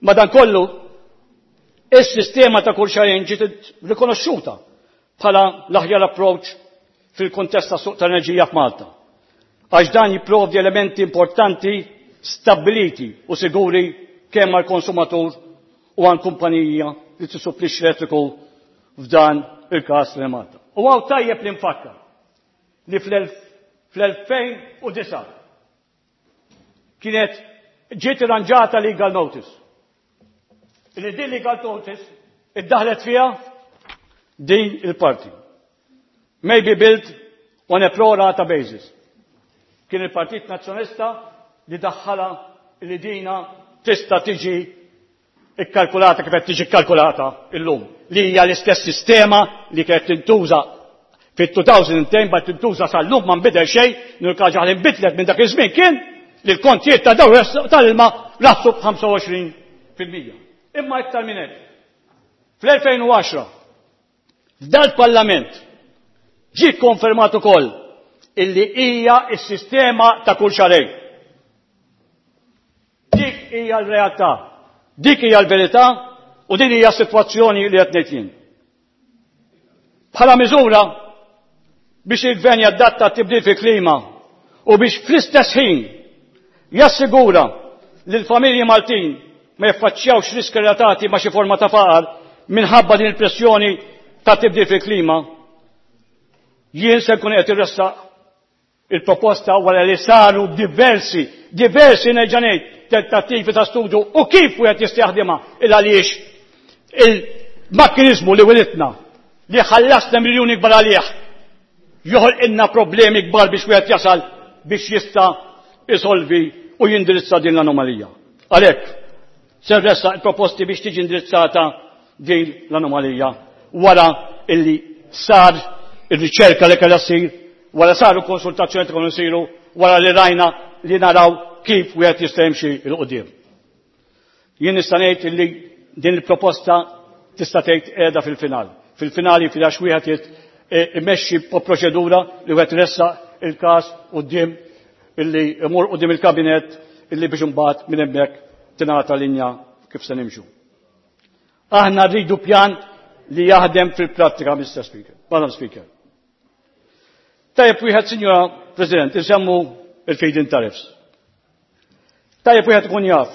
Madankollu, is-sistema ta' kull xahrejn ġiet rikonoxxuta bħala l-aħjar approach fil-kuntest ta' suq tal-enerġija f'Malta, għax dan jipprovdi elementi importanti stabbiliti u siguri kemm għall-konsumatur u għal kumpanija li tissupplixxi elettriku f'dan il-każ li Malta. U hawn tajjeb li nfakkar li fl-elfejn u disgħa kienet ġiet irranġata legal notice. Li din legal notice iddaħlet fiha din il-parti. May be built on a pro rata basis. Kien il-Partit Nazzjonalista li daħħala li dina tista' tiġi ikkalkulata kif qed tiġi kkalkulata illum, li hija l-istess sistema li kienet tintuża fit-elfejn u għaxra bad tintuża sal-lum, ma nbidel xejn, l-unika ħaġa li nbidlet minn dak iż-żmien kien li l-kontijiet ta' dawn tal-ilma raħsu b'ħamsa u għoxrin fil-mija. Imma iktar minn hekk, fl-elfejn u għaxra f'dal-Parlament ġie konfermat ukoll illi hija s-sistema ta' kull xahrejn. Dik hija l-realtà, dik hija l-verità u din hija s-sitwazzjoni li qed ngħid jien. Bħala miżura biex il-gvern jadatta tibdil fil-klima u biex fl-istess ħin jassigura li l-familji Maltin ma jaffaċċjawx riski relatati ma' xi forma ta' faqar minħabba din il-pressjoni ta' tibdil fil-klima, jien se nkun qed irressaq il-proposta wara li saru diversi, diversi nerġa' ngħid tentattivi ta' studju u kif wieħed jista' jaħdimha il għaliex il-mekkaniżmu li wilitna li ħallasna miljuni kbar għalih joħolqilna problemi kbar biex wieħed jasal biex jista' isolvi u jindirizza din l-anomalija. Għalhekk se nressaq il-proposti biex tiġi indirizzata din l-anomalija wara illi sar ir-riċerka li kellha ssir, wara saru konsultazzjoni kienu jsiru, wara li rajna li naraw kif wieħed jista' jimxi 'l quddiem. Jien nista' ngħid illi din il-proposta tista' tgħid qiegħda fil-final. Fil-finali fil-għax wieħed imexxi proċedura li wieħed ressaq il-każ quddiem illi imur quddiem il-kabinet illi biex imbagħad minn hemmhekk tingħata linja kif se nimxu. Aħna rridu pjan li jaħdem fil-prattika, Mister Speaker, Madam Speaker. Tajjeb wieħed, Sinjora President, insemmu il-feed-in tariffs. Tajjeb wieħed ikun jaf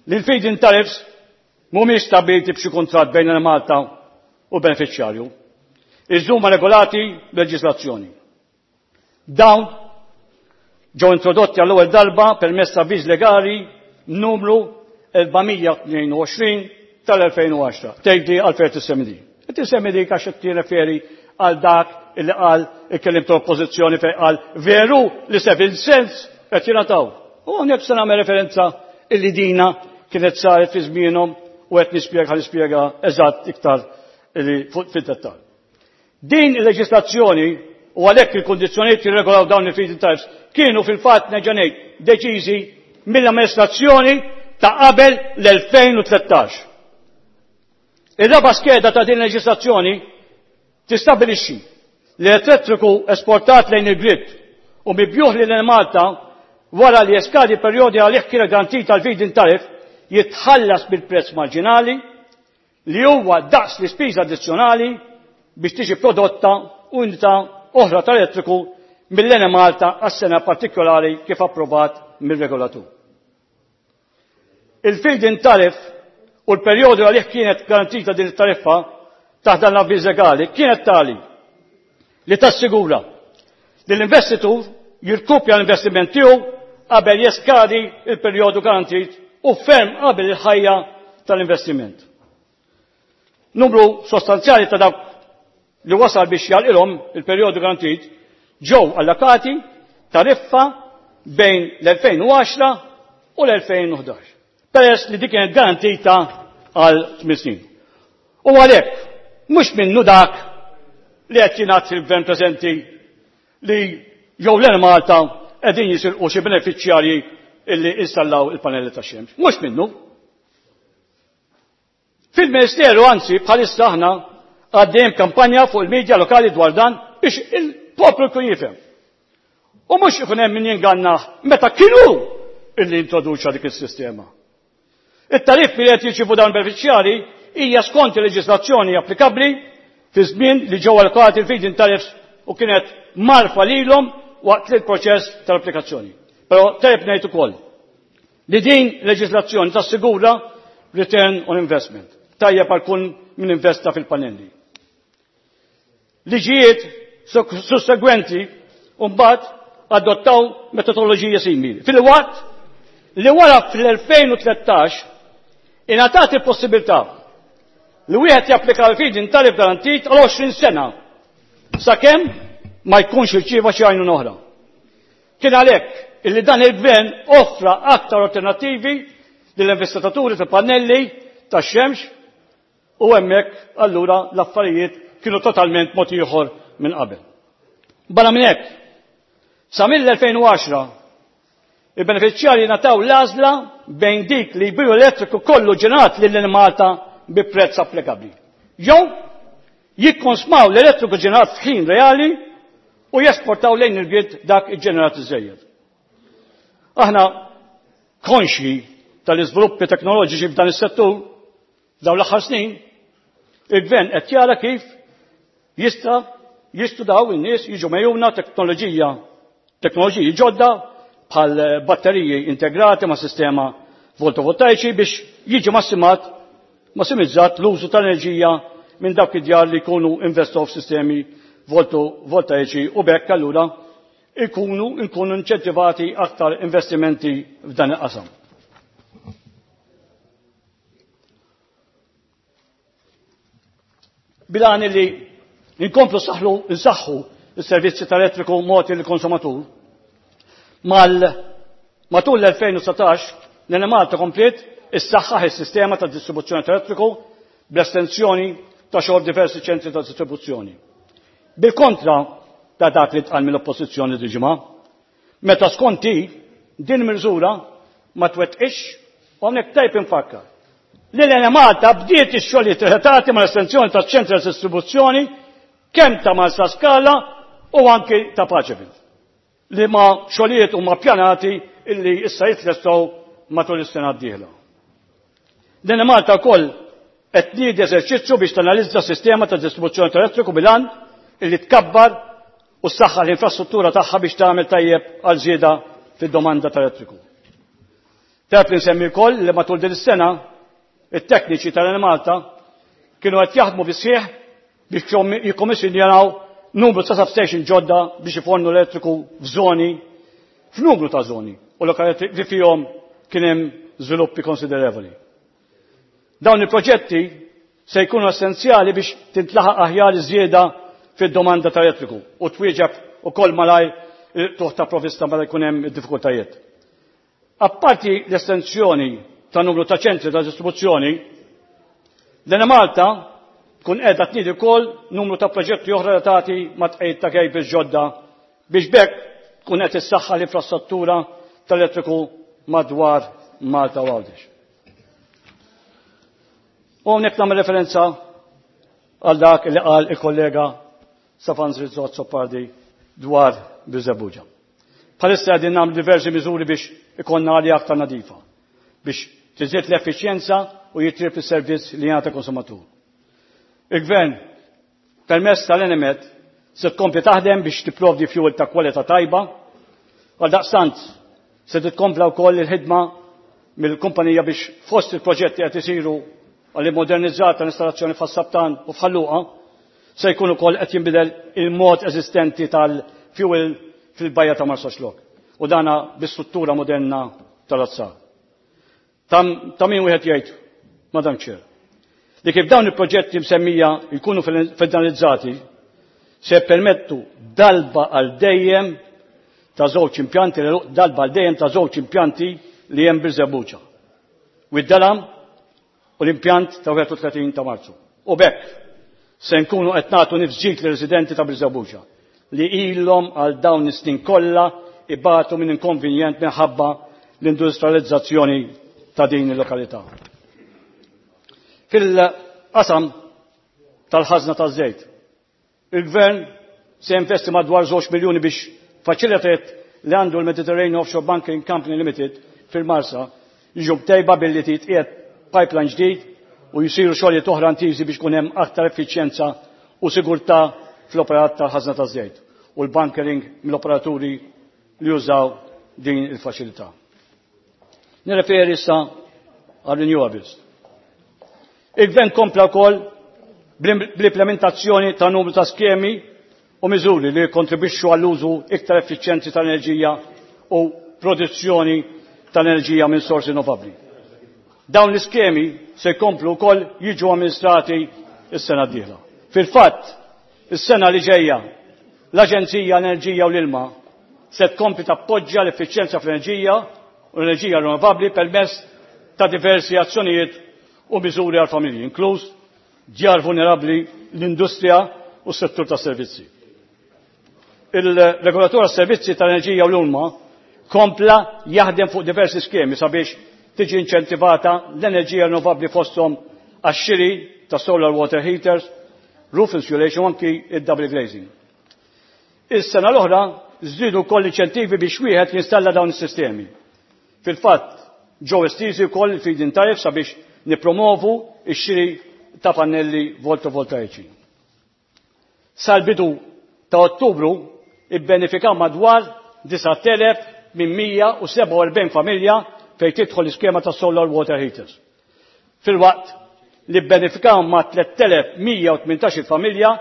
li l-feed-in tariffs mhumiex stabbiliti b'xi kuntratt bejn Malta u beneficjarju. Iżda huma regolati b'leġislazzjoni. Dawn ġew introdotti għall-ewwel darba permezz ta' avviż legali numru erba' mija tnejn u għoxrin tal-elfejn u għaxra. Tgħidli għalfejn tissemmi din. Tissemmi dik għax qed tirreferi għal dak illi qal il-kelliem ta' oppożizzjoni fejn qal veru li seven cents qed jingħataw. U hawnhekk se nagħmel referenza illi dina kienet saret fi żmienhom u qed nispjega nispjega eżatt iktar illi fuq fid-dettall. Din il-leġislazzjoni u għalhekk il-kundizzjonijiet jirregolaw dawn il-feed-in tariffs kienu fil-fatt nerġa' ngħid deċiżi mill-amministrazzjoni ta' qabel l-elfejn u tlettax. Ir-raba' skeda ta' din il-leġislazzjoni tistabbilixxi li l-elettriku esportat lejn il-grid u mibjuħ lil Malta wara li jeskadi perjodi għalih kienet garantita l-feed-in tariff jitħallas bil-prezz marġinali li huwa daqs l-ispiża addizzjonali biex tiġi prodotta unità oħra tal-elettriku mill-Enemalta għas-sena partikolari kif approvat mir-regolatur. Il-feed-in tariff u l-perjodu għalih kienet garantita din it-tariffa taħt dan l-avviż legali kienet tali li tassigura li l-investitur jirkupja l-investiment tiegħu qabel jeskadi il-perjodu garantit u ferm qabel il-ħajja tal-investiment. Numru sostanzjali ta' dawk li wasal biex jalqilhom il-perjodu garantit ġew allokati tariffa bejn l-elfejn u għaxra u l-elfejn u ħdax, peress li dik kienet garantita għal tmien snin. U għalhekk mhux minnu dak li qed jingħad fil-gvern preżenti li jew l-Enemalta qegħdin jisirqu xi benefiċjarji illi installaw il-panelli tax-xemx. Mhux minnu. Fil-Ministeru anzi bħalissa aħna għaddejjem kampanja fuq il-medja lokali dwar dan biex il-poplu jkun jifhem. U mhux ikun hemm min jingannah meta kienu illi introduċa dik is-sistema. It-tariffi li qed jirċievu dawn benefiċjarji hija skont il-leġislazzjoni applikabbli fi żmien li ġew allokati il-feed-in tariffs u kienet marfa lilhom waqt il-proċess tal-applikazzjoni. Però tajjeb ngħid ukoll li din leġislazzjoni tassigura return on investment. Tajjeb għal kull min investa fil-panelli. Liġijiet sussegwenti mbagħad adottaw metodoloġija simili. Fil-waqt li wara fl-elfejn u tlettax ingħatat il-possibilità li wieħed japplika l-feed-in tariff garantit għal għoxrin sena sakemm ma jkunx irċieva xi għajnuna oħra. Kien għalhekk illi dan il-gvern offra aktar alternattivi lill-investitaturi ta' pannelli tax-xemx u hemmhekk allura l-affarijiet kienu totalment mod ieħor minn qabel. Barra minn hekk, sa mill-elfejn u għaxra il-benefiċjarji ngħataw l-għażla bejn dik li jbiju elettriku kollu ġenerat lil Malta bi prezz applikabbli. Jew jikkonsmaw l-elettriku ġenerat f'ħin reali u jesportaw lejn il-grid dak iġġenerat iżejjed. Aħna konxji tal-iżviluppi teknoloġiċi f'dan is-settur f'dawn l-aħħar snin, il-gvern qed jara kif jista' jistudaw in-nies jiġu mejjuna teknoloġija, teknoloġiji ġodda bħal batteriji integrati ma' sistema fotovoltaiċi biex jiġi massimat, massimizzat l-użu tal-enerġija minn dawk id-djar li jkunu investow f'sistemi fotovoltaiċi u bekk allura ikunu, nkunu inċentivati aktar investimenti f'dan il-qasam. Bilan li nkomplu saħlu, nsaħħu s-servizzi tal-elettriku mogħti lill-konsumatur. Mal, matul l-elfejn u satax, l-Enemalta kompliet issaħħaħ is-sistema ta' distribuzzjoni tal-elettriku bl-estensjoni ta' xogħol diversi ċentri ta' distribuzzjoni. Bil-kontra ta' dak li tqal mill-oppożizzjoni diġimgħa, meta skonti din miżura ma twettqix u hawnhekk tajb infakkar li l-Enemalta bdiet ix-xogħlijiet relatati mal-estensjoni ta' ċentri ta' distribuzzjoni kemm ta' Marsaskala u anki ta' Paceville, li ma xogħlijiet huma ppjanati illi issa jitlestgħu matul is-sena d-dieħla. L-Enemalta wkoll qed tniedi eżerċizzju biex tanalizza s-sistema ta' distribuzzjoni tal-elettriku bil-għan illi tkabbar u ssaħħaħ l-infrastruttura tagħha biex tagħmel tajjeb għal żieda fid-domanda tal-elettriku. Tajjeb li nsemmi wkoll li matul din is-sena it-tekniċi tal-Enemalta kienu qed jaħdmu bis-sieħ biex jikkommissjonaw numru ta' substation ġodda biex ifornu l-elettriku f'żoni, f'numru ta' żoni u lokalitti li fihom kien hemm żviluppi konsiderevoli. Dawn il-proġetti se jkunu essenzjali biex tintlaħaq aħjar iż-żieda fid-domanda tal-elettriku u twieġeb ukoll malajr il-tuħ ta' provvista meta jkun hemm id-diffikultajiet. Apparti l-estensjoni ta' numru ta' ċentri ta' distribuzzjoni, l-Enemalta tkun qiegħda tniedi wkoll numru ta' proġetti oħra relatati ma' tqegħid ta' cables ġodda biex bekk tkun qed issaħħa l-infrastruttura tal-elettriku madwar Malta u Għawdex. U hawnhekk nagħmel referenza għal dak li qal il-kollega Stefan Rizzo Azzopardi dwar Birżebbuġa. Bħalissa qegħdin nagħmlu diversi miżuri biex ikollna arja aktar nadifa, biex tiżdied l-effiċjenza u jitjieb is-servizz li jingħata konsumatur. Il-Gvern permezz tal-Enemed se tkompli taħdem biex tipprovdi fuel ta' kwalità tajba, għal daqstant se titkompla wkoll il-ħidma mill-kumpanija biex fost il-proġetti qed isiru għal modernizzata tal-installazzjoni f'Ħas-Saptan u f'Ħal Luqa se jkun ukoll qed jinbidel il-mod eżistenti tal-fuel fil-bajja ta' Marsaxlokk u dana bi struttura moderna tal-azzar. Ta' min wieħed jgħid, Madam Chair, li kif dawn il-proġetti msemmija jkunu finalizzati se permettu darba għal dejjem ta' żewġ impjanti, darba għal dejjem ta' żewġ impjanti li hemm Birżebbuġa. Wied Dalam u l-impjant ta' wieħed u tletin ta' Marzu. U b'hekk se nkunu qed nagħtu nifs ġdid lir-residenti ta' Birżebbuġa li ilhom għal dawn is-snin kollha ibatu minn inkonvenjent minħabba l-industrializzazzjoni ta' din il-lokalità. Fil-qasam tal-ħażna taż-żejt, il-Gvern se jinvesti madwar żewġ miljuni biex faċilitajiet li għandu l-Mediterranean Offshore Bunkering Company Limited fil-Marsa jiġu mtejba billi titqiegħed pipeline ġdid u jisiru xogħlijiet oħra intiżi biex kun hemm aktar effiċjenza u sigurtà fl-operat tal-ħażna taż-żejt u l-bunkering mill-operaturi li jużaw din il-faċilità. Nirreferi issa għal renewables. Il-Gvern kompla wkoll bl-implementazzjoni ta' numru ta' skemi u miżuri li kontribwixxu għall-użu iktar effiċjenti tal-enerġija u produzzjoni tal-enerġija minn sorsi rinnovabbli. Dawn l-iskemi se jkomplu wkoll jiġu amministrati s-sena d-dieħla. Fil-fatt, is-sena li ġejja l-Aġenzija Enerġija u l-Ilma se tkompli tappoġġja l-effiċjenza fl-enerġija u l-enerġija rinnovabbli permezz ta' diversi azzjonijiet u miżuri għal familji, inkluż djar vulnerabbli, l-industrija u s-settur tas servizzi. Il-regolatur għas-servizzi tal-enerġija u l-ilma kompla jaħdem fuq diversi skemi sabiex tiġi inċentivata l-enerġija rinnovabbli, fosthom għax-xiri ta' solar water heaters, roof insulation u anki id-double glazing. Is-sena l-oħra żdiedu wkoll inċentivi biex wieħed jinstalla dawn is-sistemi. Fil-fatt, ġew estiżi wkoll il-feed-in tariff sabiex nipromovu ix-xiri ta' pannelli fotovoltaiċi. Sal-bidu ta' Ottubru ibbenefikaw madwar disat elef minn mija u sebgħa u erbgħin familja fejn tidħol l-iskema ta' solar water heaters. Filwaqt li bbenefikaw ma' tliet elef u mija u tmintax familja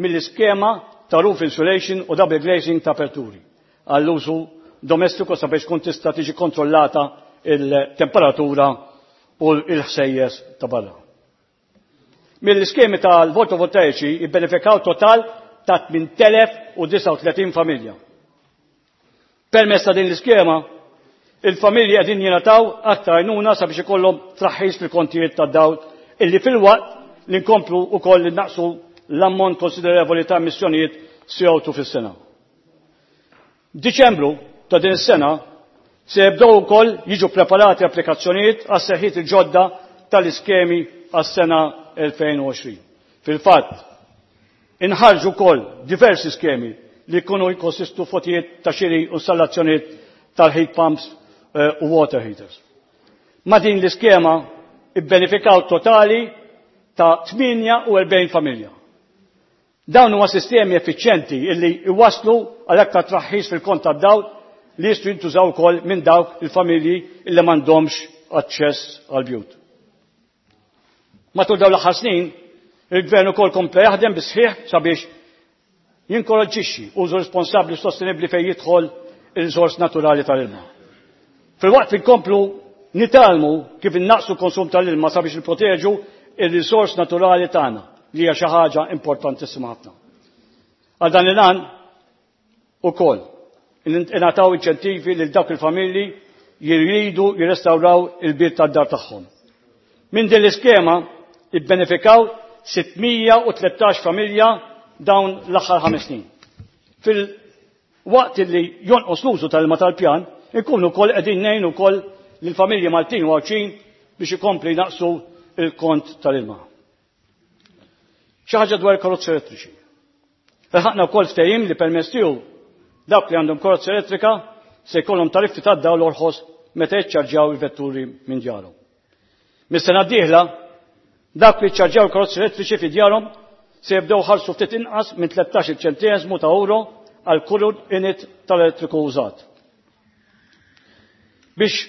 mill-iskema ta' roof insulation u double glazing ta' aperturi għall-użu domestiku sabiex tkun tista' tiġi kontrollata il-temperatura u l-ħsejjes ta' barra. Mill-iskemi tal-fotovoltaiċi ibbenefikaw total ta' tmien elef u disgħa u tletin familja. Permezz ta' din l-iskema, il-familji qegħdin jingħataw aktar għajnuna sabiex ikollhom traħħis fil-kontijiet tad-dawl illi filwaqt li nkomplu wkoll li naqsu l-ammont konsiderevoli ta' emissjonijiet C O two fis-sena. Diċembru ta' din is-sena se jibdew ukoll jiġu preparati applikazzjonijiet għas sejħiet il-ġodda tal-iskemi għas-sena elfejn u għoxrin. Fil-fatt, inħarġu wkoll diversi skemi li jkunu jkonsistu f'għotjiet ta' xiri u installazzjonijiet tal-heat pumps eh, u water heaters. Ma' din l-iskema ibbenefikaw totali ta' tmienja u erbgħin familja. Dawn huma sistemi effiċjenti illi iwaslu għal aktar traħħis fil-kont tad-dawl li jistgħu jintużaw ukoll minn dawk il-familji illi m'għandhomx aċċess għal bjut. Matul dawn l-aħħar snin, il-Gvern ukoll kompla jaħdem bis-sħiħ sabiex jinkoraġġixxi użu responsabbli u sostenibbli fejn jidħol il-riżors naturali tal-ilma. Filwaqt li nkomplu nitgħallmu kif innaqsu konsum tal-ilma sabiex nipproteġu il-riżors naturali tagħna, li hija xi ħaġa importantissima ħafna. Għal dan il-għan ukoll ingħataw inċentivi lil dawk il-familji jridu jirrestawraw il-bir tad-dar tagħhom. Minn din l-iskema ibbenefikaw sitt mija u tlettax familja dawn l-aħħar ħames snin. Filwaqt li jonqos l-użu tal-ilma tal-pjan, Inkunu wkoll qegħdin ngħinu wkoll lill-familji Maltin u Għawdxin biex ikompli jnaqsu il-kont tal-ilma. Xi ħaġa dwar il-karozzi elettriċi. Ilħaqna wkoll ftehim li permezz tiegħu dawk li għandhom karozza elettrika se jkollhom tariffi tad-dawl orħos meta jiċċarġjaw il-vetturi minn djarhom. Mis-sena d-dieħla dawk li jiċċarġjaw il-karozzi elettriċi fi djarhom se jibdew iħallsu ftit inqas minn tlettax-il ċenteżmu ta' euro għal kull unit tal-elettriku użat. Biex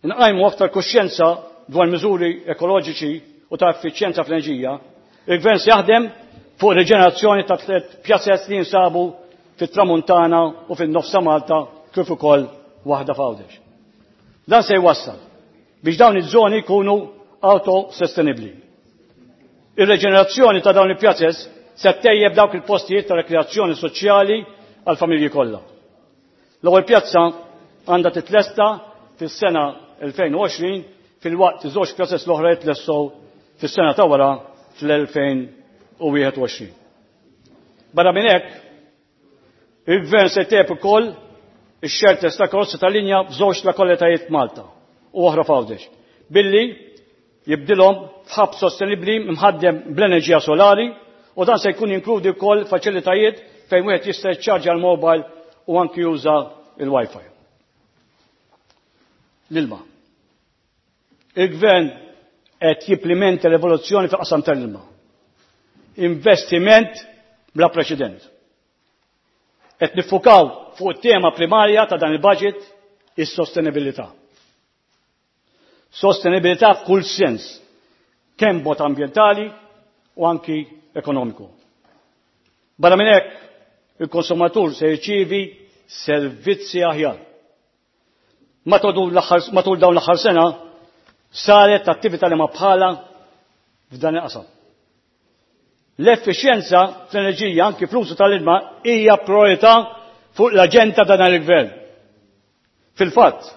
nqajmu aktar kuxjenza dwar miżuri ekoloġiċi u ta' effiċjenza fl-enerġija, il-Gvern se jaħdem fuq riġenerazzjoni ta' tliet pjazez li jinsabu fit-Tramuntana u fin-nofs ta' Malta kif ukoll waħda f'Għawdex. Dan se jwassal biex dawn iż-żoni jkunu autosostenibbli. Ir-reġenerazzjoni ta' dawn il-pjazez se ttejjeb dawk il-postijiet ta' rekreazzjoni soċjali għal familji kollha. L-ewwel pjazza għandha titlesta fis-sena elfejn u għoxrin filwaqt iż-żewġ pjazez l-oħra jitlessew fis-sena ta' wara fl-elfejn u wieħed u għoxrin. Barra minn hekk, il-Gvern se jtejjeb ukoll ix-xelters ta' karozzi tal-linja f'żewġ lokalitajiet Malta u oħra f'Għawdex, billi jibdilhom f'hub sostenibbli mħaddem bl-enerġija solari, u dan se jkun jinkludi wkoll faċilitajiet fejn wieħed jista' jiċċarġja l-mobile u anki juża il-Wi-Fi. L-ilma. Il-Gvern qed jimplementa l-evoluzzjoni fil-qasam tal-ilma. Investiment bla preċedent. Qed niffukaw fuq it-tema primarja ta' dan il-budget, is-sostenibilità. Sostenibilità f'kull sens, kemm b'mod ambjentali u anki ekonomiku. Barra minn hekk, il-konsumatur se jirċievi servizzi aħjar. Matul l-aħħar, matul dawn l-aħħar sena saret attività li ma bħala f'dan il-qasam. L-effiċjenza fl-enerġija anki fl-użu tal-ilma hija priorità fuq l-aġenda ta' dan il-gvern. Fil-fatt,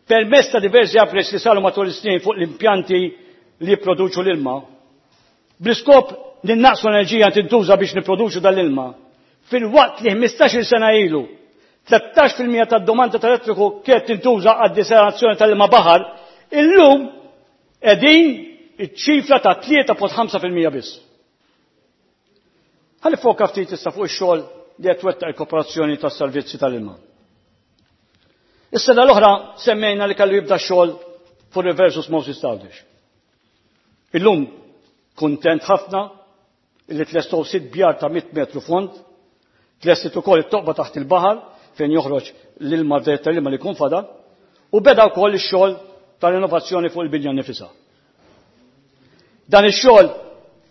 permezz ta' diversi upgrades li saru matul is-snin fuq l-impjanti li jipproduċu l-ilma, bl-iskop li naqsu l-enerġija tintuża biex nipproduċu dal-ilma, fil-waqt li ħmistax-il sena ilu tlettax fil-mija tad-domanda tal-elettriku kienet tintuża għad-desalinazzjoni tal-ilma baħar, illum qegħdin iċ-ċifra ta' tlieta punt ħamsa fil-mija biss. Ħalli foka ftit issa fuq ix-xogħol li qed twettaq il-Korporazzjoni tas-Servizzi tal-Ilma. Is-sena l-oħra semmejna li kellu jibda x-xogħol fuq reverse osmosis t'Għawdex. Illum kuntent ħafna li tlestew sitt bjar ta' mitt metru fond, tlestit ukoll it-toqba taħt il-baħar fejn joħroġ l-ilma tal-ilma li jkun fadal, u beda wkoll ix-xogħol tal-innovazzjoni fuq il-binja nnifisha. Dan ix-xogħol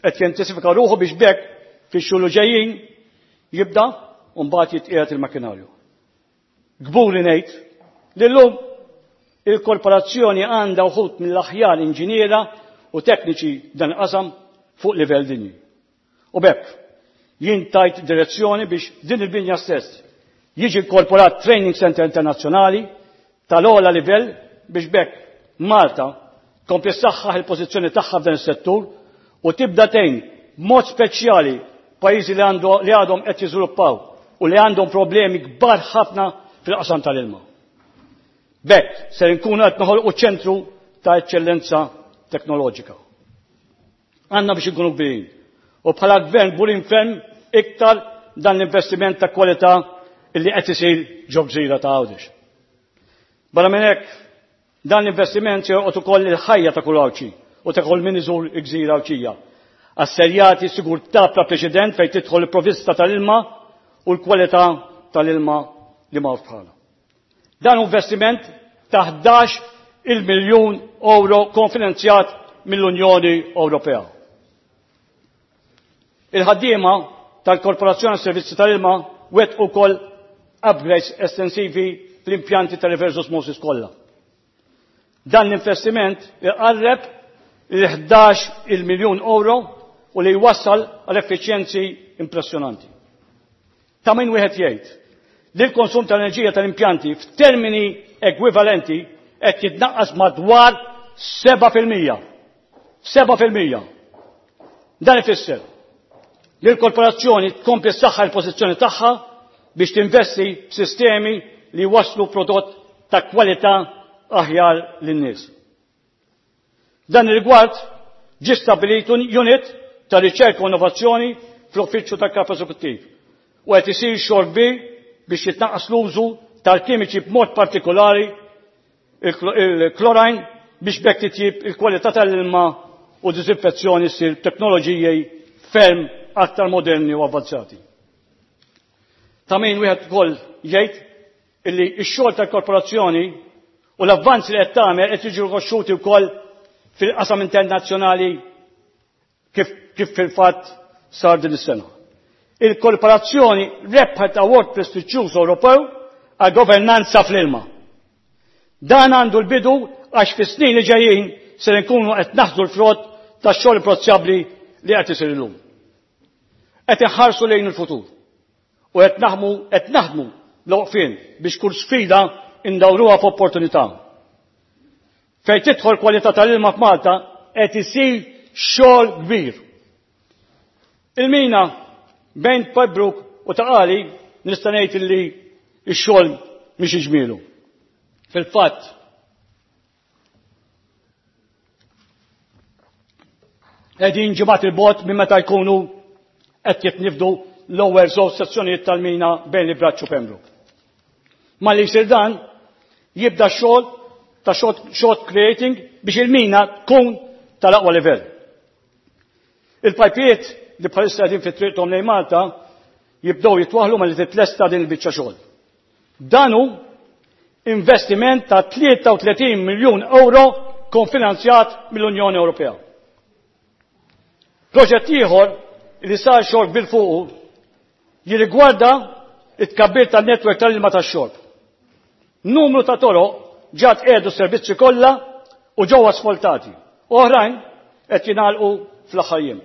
qed jintensifika ruħu biex bekk fix-xhur li ġejjin jibda u mbagħad jitqiegħed il-makkinarju. Kburi ngħid li llum il-korporazzjoni għandha wħud mill-aħjar inġiniera u tekniċi dan il-qasam fuq livell dinji. U bekk jien tajt direzzjoni biex din il-binja stess jiġi inkorporat training center internazzjonali tal-ogħla livell biex bekk Malta tkompli ssaħħaħ il-pożizzjoni tagħha f'dan is-settur u tibda tgħin b'mod speċjali pajjiżi li għandu, li għadhom qed jiżviluppaw u li għandhom problemi kbar ħafna fil-qasam tal-ilma. Bekk ser inkunu qed noħolqu ċentru ta' eċċellenza teknoloġika. Għandna biex inkunu kbirin u bħala gvern kburin ferm iktar dan l-investiment ta' kwalità illi qed isir ġo gżira ta' Għawdex. Barra minn hekk, dan l-investiment se joqgħod ukoll il-ħajja ta' kull Għawdxi u ta' kull min iżur il-gżira Għawdxija. Asserjati sigurtà bla preċedent fejn tidħol il-provvista tal-ilma u l-kwalità tal-ilma li ma bħala. Dan investiment ta' ħdax il-miljun euro konfinanzjat mill-Unjoni Ewropea. Il-ħaddiema tal-Korporazzjoni Servizzi tal-Ilma wet ukoll upgrades estensivi fl-impjanti tal-reverse osmosis kollha. Dan l-investiment iqarreb il-ħdax il-miljun euro u li jwassal għal effiċjenzi impressjonanti. Ta' min wieħed jgħid li l-konsum tal-enerġija tal-impjanti f'termini ekwivalenti qed jitnaqqas madwar seba' fil-mija. Seba' fil-mija. Dan ifisser li l-korporazzjoni tkompli ssaħħa l-pożizzjoni tagħha biex tinvesti f'sistemi li waslu prodott ta' kwalità aħjar lin-nies. Dan ir-rigward ġie stabbilit unit ta' riċerka u innovazzjoni fl-uffiċċju tal-Kap Eżekuttiv u qed isir xogħol kbir biex jitnaqqas l-użu tal-kimiċi b'mod partikolari il-chlorine biex b'hekk titjib il-kwalità tal-ilma u diżinfezzjoni ssir teknoloġiji ferm aktar moderni u avvanzati. Ta' min wieħed ukoll jgħid illi x-xogħol tal-korporazzjoni u l-avvanzi li qed tagħmel qed jiġu rikonoxxuti wkoll fil-qasam internazzjonali kif, kif fil-fatt sar din is-sena. Il-korporazzjoni rebħet award prestiġjuż Ewropew għal governanza fl-ilma. Dan għandu l-bidu għax fis-snin li ġejjin se nkunu qed naħdu l-frott tax-xogħol imprezzabbli li qed isir illum. Qed inħarsu lejn il-futur u qed naħmu qed naħdmu l-waqfien biex kull sfida indawruha f'opportunità. Fejn tidħol kwalità tal-ilma f'Malta qed isir xogħol kbir. Il-mina bejn Pembroke u Ta' Qali nista' ngħid illi x-xogħol mhix iġmielu. Fil-fatt, qegħdin ġimgħat il-bot minn meta jkunu qed jitnifdu l-ewwel żewġ sezzjonijiet tal-mina bejn il-Braċċ u Pembroke. Malli jsir dan, jibda x-xogħol ta' shot creating biex il-mina tkun tal-aqwa livell. Il-pajpijiet li bħalissa qegħdin fi triqthom lejn Malta jibdew jitwaħlu malli titlesta din il-biċċa xogħol. Dan hu investiment ta' tlieta u tletin miljun euro konfinanzjat mill-Unjoni Ewropea. Proġett ieħor li sar xogħol kbir fuqu jirrigwarda it-tkabbir tan-netwerk tal-ilma tax-xorb. Numru ta' toroq ġa tqiegħdu s-servizzi kollha u ġew asfaltati. Oħrajn qed jingħalqu fl-aħħar jiem.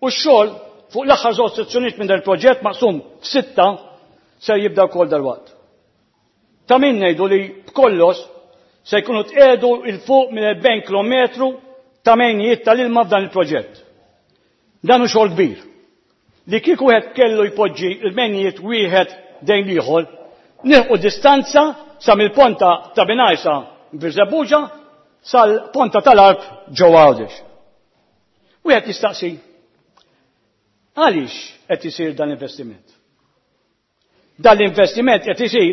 U x-xogħol fuq l-aħħar żewġ sezzjonijiet minn dan il-proġett maqsum f'sitta ser jibda wkoll dalwaqt. Ta' min ngħidu li b'kollox se jkunu tqiegħdu il fuq minn erbgħin kilometru ta' mejnijiet tal-ilma f'dan il-proġett. Dan hu xogħol kbir. Li kieku wieħed kellu jpoġġi l-mejnijiet wieħed dejn l-ieħor, nilħqu distanza sa mill-ponta ta' Binajsa Birżebbuġa sal-ponta tal-Arb ġewwa Għawdex. Wieħed jistaqsi, għaliex qed isir dan l-investiment? Dan l-investiment qed isir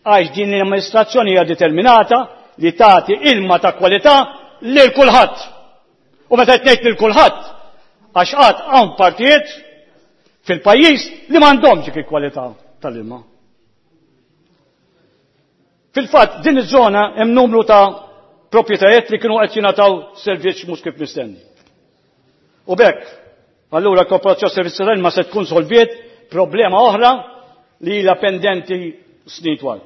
għax din l-amministrazzjoni hija determinata li tagħti ilma ta' kwalità lil kulħadd. U meta qed ngħid lil kulħadd, għax qatt hawn partijiet fil-pajjiż li m'għandhomx dik il-kwalità tal-ilma. Fil-fatt, din iż-żona hemm numru ta' proprjetajiet li kienu qed jingħataw servizz mhux kif mistenni. U b'hekk, allura l-Korporazzjoni Servizzi tal-Ilma se tkun solviet problema oħra li ilha pendenti snin twal.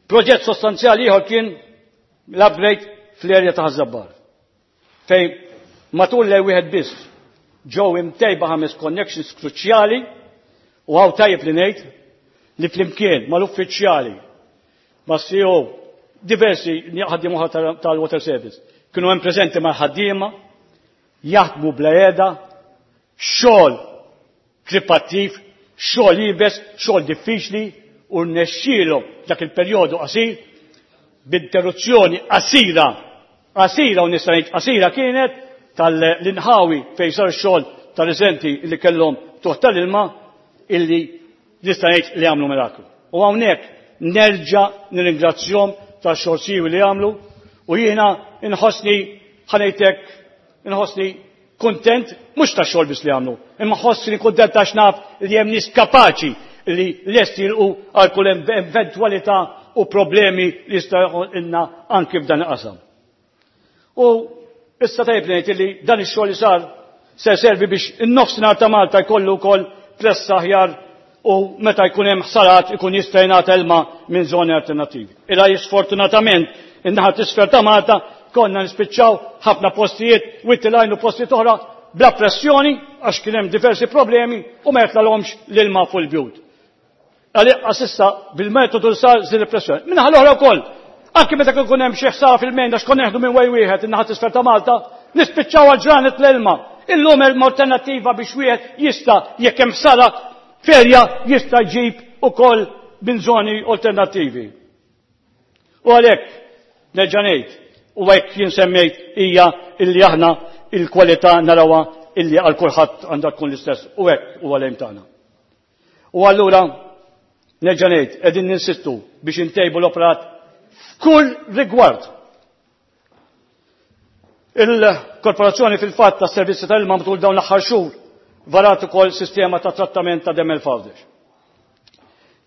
Proġett sostanzjali ieħor kien l-upgrade fl-erja ta' Ħaż-Żabbar, fejn matul l wieħed biss ġew imtejba ħames connections kruċjali u hawn tajjeb li ngħid li flimkien mal-uffiċjali, mas-C E O, diversi ħaddiema oħra tal-Water Service, kienu hemm preżenti mal-ħaddiema, jaħdmu bla qiegħda, xogħol kripattiv, xogħol iebes, xogħol diffiċli, u rnexxielhom dak il-perjodu qasir b'interruzzjoni qasira, qasira u nista' ngħid qasira kienet tal-inħawi fejn sar xogħol tal-residenti li kellhom tuħ tal-ilma illi nista' ngħid li għamlu miraklu. U hawnhekk nerġa' nirringrazzjahom tax-xogħol siewi li għamlu u jiena inħossni ħanejtek inħossni kuntent mhux tax-xogħol biss li għamlu, imma ħossni kuntent għax naf li hemm nies kapaċi li lest jilqu għal kull eventwalità u problemi li jista' jkollna anki f'dan il-qasam. U issa tajjeb ngħid li dan ix-xogħol li sar se servi biex in-nofsinhar ta' Malta jkollu wkoll pressa aħjar u meta jkun hemm ħsarat ikun jista' jingħata ilma minn żoni alternattivi. Ila sfortunatament in-naħa t'isfel ta' Malta konna nispiċċaw ħafna postijiet wittilajn u postijiet oħra bla pressjoni għax kien hemm diversi problemi u ma jitlalhomx l-ilma fuq il-bjut. Għaliex issa bil-metodu li sar żid il-pressjoni. Minnaħa l-oħra wkoll, anke meta kien ikun hemm xi ħsara fil-mejn għax konna neħdu minn wej wieħed in-naħa t'isfel ta' Malta, nispiċċaw għal ġranet l-ilma. Illum hemm alternattiva biex wieħed jista' jekk hemm ħsara ferja jista' jġib ukoll minn żoni alternattivi. U għalhekk nerġa' ngħid, u hekk jien semmejt hija illi aħna il-kwalità narawha illi għal kulħadd għandha tkun l-istess u hekk huwa l-aim tagħna. U allura nerġa' ngħid qegħdin ninsistu biex intejbu l-operat f'kull rigward. Il-korporazzjoni fil-fatt tas servizzi tal-ilma matul dawn l-aħħar xhur varat ukoll sistema ta' trattament ta' demel f'Għawdex.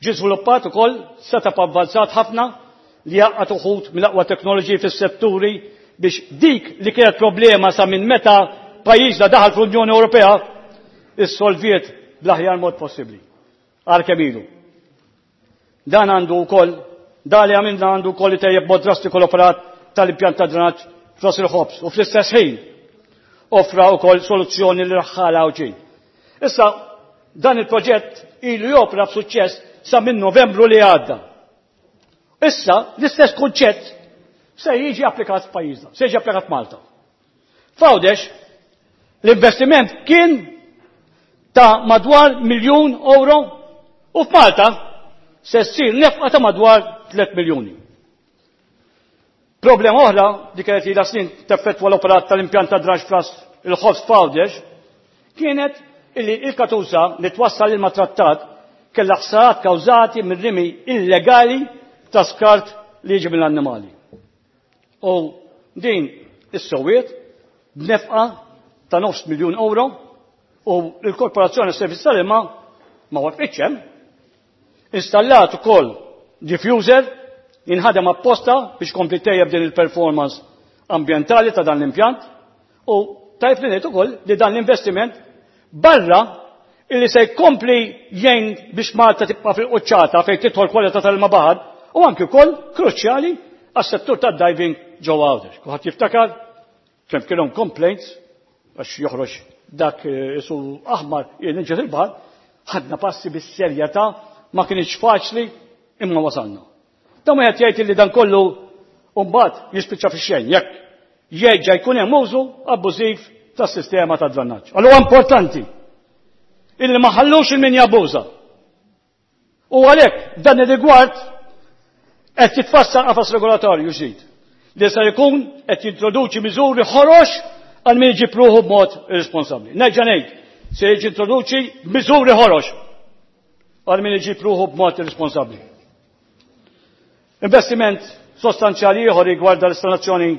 Ġie żviluppat ukoll setup avvanzat ħafna li jaqgħad uħud mill-aqwa teknoloġiji fis-setturi biex dik li kienet problema sa minn meta pajjiżna daħal fl-Unjoni Ewropea issolviet bl-aħjar mod possibbli. Għal kemm ilu. Dan għandu wkoll, dan li għamilna għandu wkoll itejjeb mod drastiku l-operat tal-impjant ta' drenaġġ f'Ras il-Ħobż u fl-istess ħin offra wkoll soluzzjoni li raħħala Għawdxin. Issa dan il-proġett ilu jopra b'suċċess sa minn Novembru li għadda. Issa l-istess kunċett se jiġi applikat f'pajjiżna, se jiġi applikat f'Malta. F'Għawdex l-investiment kien ta' madwar miljun euro u f'Malta se ssir nefqa ta' madwar tliet miljuni. Problema oħra li kienet ilha snin teffettwa l-operat tal-impjant ta' draġ f'Ras il-Ħobż f'Għawdex kienet illi il-katusa li twassal ilma trattat kellha ħsarat kawżati minn rimi illegali ta' skart li jiġi mill-annimali. U din is-sowiet b'nefqa ta' nofs miljun euro u l-Korporazzjoni Servizz tal-Ilma ma waqfitx hemm. Installat ukoll diffuser jinħadem apposta biex kompli tejjeb din il-performance ambjentali ta' dan l-impjant u tajb li ngħid ukoll li dan l-investiment barra illi se jkompli jgħin biex Malta tibqa' fil-quċċata fejn tidħol kwalità tal-ilma baħar u anki wkoll kruċjali għas-settur tad-diving ġewwa Għawdex. Kulħadd jiftakar kemm kienhom complaints għax joħroġ dak isu aħmar jinġed il-baħar, ħadna passi bis-serjetà, ma kienx faċli imma wasalna. Dan wieħed jgħid li dan kollu mbagħad jispiċċa fix-xejn jekk jerġa' jkun hemm użu abbużiv tas-sistema ta' drenaġġ. Allura importanti illi ma ħallux il min jabbuża. U għalhekk dan ir-rigward qed jitfassal qafas regolatorju ġdid li se jkun qed jintroduċi miżuri ħorox għal min iġib ruħu b'mod irresponsabbli. Nerġa' ngħid, se jiġi introduċi miżuri ħorox għal min iġib ruħu b'mod irresponsabbli. Investiment sostanzjali ieħor rigwarda l-installazzjoni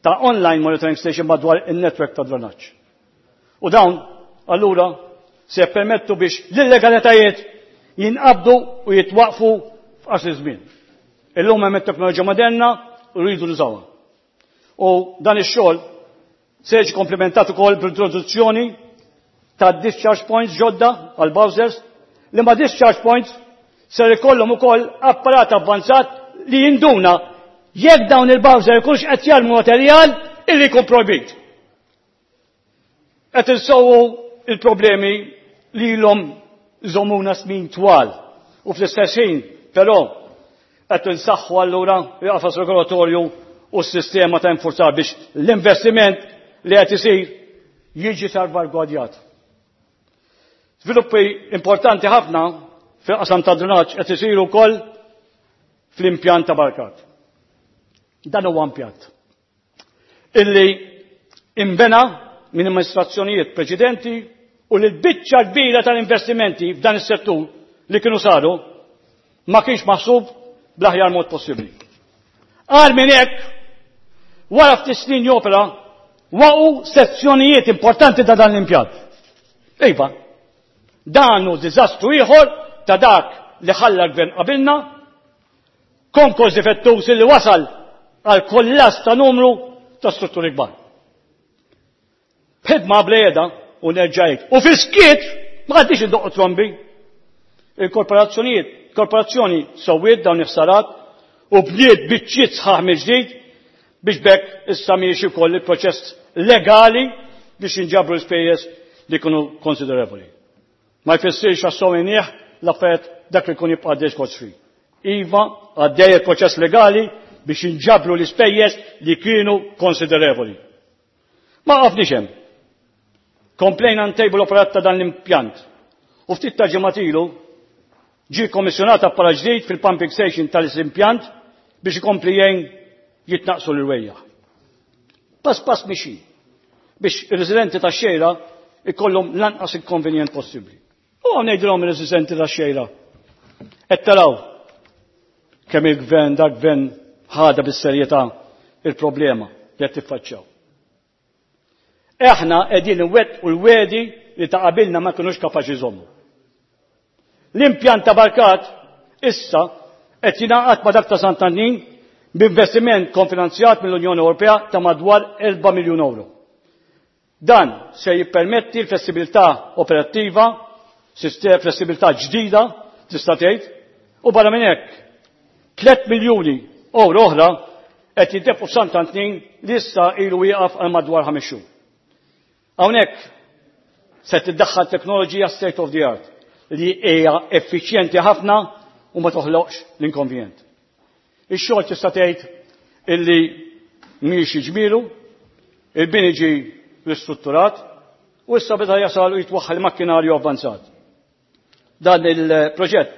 ta' online monitoring station madwar in-netwerk ta' drenaġġ. U dawn, allura, se jippermettu biex l-illegalitajiet jinqabdu u jitwaqfu f'qasir żmien. Illum hemm it-teknoloġija moderna u rridu nużawha. U dan ix-xogħol se jiġi komplementat ukoll bl-introduzzjoni ta' discharge points ġodda għal bowsers li ma' discharge points ser ikollhom ukoll apparat avvanzat li jinduna jekk dawn il-bowser jkunx qed jarmu materjal illi jkun projbit. Qed insowwu il-problemi li ilhom iżommuna snin twal u fl-istess ħin però qed insaħħu allura il-qafas regolatorju u s-sistema ta' infurzar biex l-investiment li qed isir jiġi salvagwardjat. Sviluppi importanti ħafna fil-qasam ta' drenaġġ qed isiru wkoll fl-impjant ta' Barkat. Dan huwa impjant illi imbena minn amministrazzjonijiet preċedenti u li l-biċċa kbira tal-investimenti f'dan is-settur li kienu saru ma kienx maħsub bl-aħjar mod possibbli. Għal minn hekk, wara ftit snin jopera, waqgħu sezzjonijiet importanti ta' dan l-impjant. Iva, dan hu diżastru ieħor ta' dak li ħalla l-gvern qabilna, konkors difettuż li wasal għal kollass ta' numru ta' strutturi kbar. B'ħidma blejeda u nerġajt. U fis-skiet ma għaddix indoqqu trombi. Il-korporazzjonijiet, korporazzjoni sewwiet dawn il-ħsarat u bniet biċċiet sħaħ mill-ġdid biex bekk issa miexi wkoll il-proċess legali biex jinġabru l-ispejjeż li jkunu konsiderevoli. Ma jfissirx għas-sowinjeh l-affarijiet dak li jkun jibqa' għaddej scot-free. Iva, għaddej il-proċess legali biex jinġabru l-ispejjeż li kienu konsiderevoli. Ma qafniex hemm. Komplejna ntejbu l-operat ta' dan l-impjant. U ftit ta' ġimgħat ilu Ġie kommissjonat apparat ġdid fil-pumping station tal-impjant biex ikompli jgħin jitnaqsu l-irwejjaħ. Pass pass mixi biex ir-residenti tax-Xejra ikollhom l-anqas inkonvenjent possibbli. U ngħidilhom ir-residenti tax-Xejra. Qed taraw kemm il-gvern dak gvern ħada bis-serjetà il-problema li qed tiffaċċjaw. Aħna qegħdin inwettqu l-wegħdi li ta' qabilna ma kinux kapaċi jżommu. L-impjant ta' Barkat issa qed jingħaqad ma' dak ta' Sant'Annin b'investiment konfinanzjat mill-Unjoni Ewropea ta' madwar erba' miljun euro. Dan se jippermetti l-flessibilità operattiva, flessibilità ġdida, tista' tgħid, u barra minn hekk tliet miljuni euro oħra qed jintefqu f'Sant'Antnin li issa ilu wieqaf għal madwar ħames xhur. Hawnhekk se tiddaħħal teknoloġija state of the art li hija effiċjenti ħafna u ma toħloqx l-inkonvenjent. Ix-xogħol tista' tgħid illi mhix ġmielu, il-bini ġie ristrutturat u issa beda jasal u jitwaħħal makkinarju avvanzat. Dan il-proġett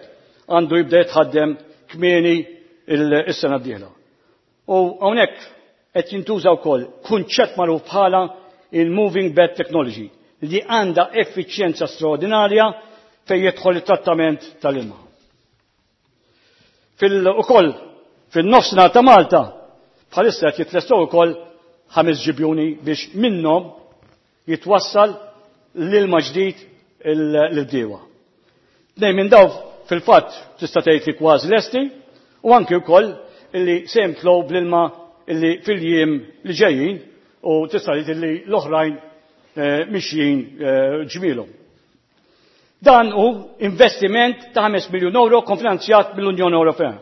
għandu jibda jitħaddem kmieni is-sena d-dieħla. U hawnhekk qed jintuża wkoll kunċett magħruf bħala il-moving bed technology li għandha effiċjenza straordinarja fejn jidħol it-trattament tal-ilma. Fil-ukoll fin-nofsinhar ta' Malta bħalissa qed jitlestew ukoll ħames ġibjuni biex minnhom jitwassal l-ilma ġdid l-bdiewa. Tnejn minn daw fil-fatt tista' tgħid li kważi lesti u anki wkoll illi se jimtlew bl-ilma illi fil-jiem li ġejjin u tista' tgħid illi l-oħrajn mixjin ġmielhom. Dan hu investiment ta' ħames miljun euro konfinanzjat mill-Unjoni Ewropea.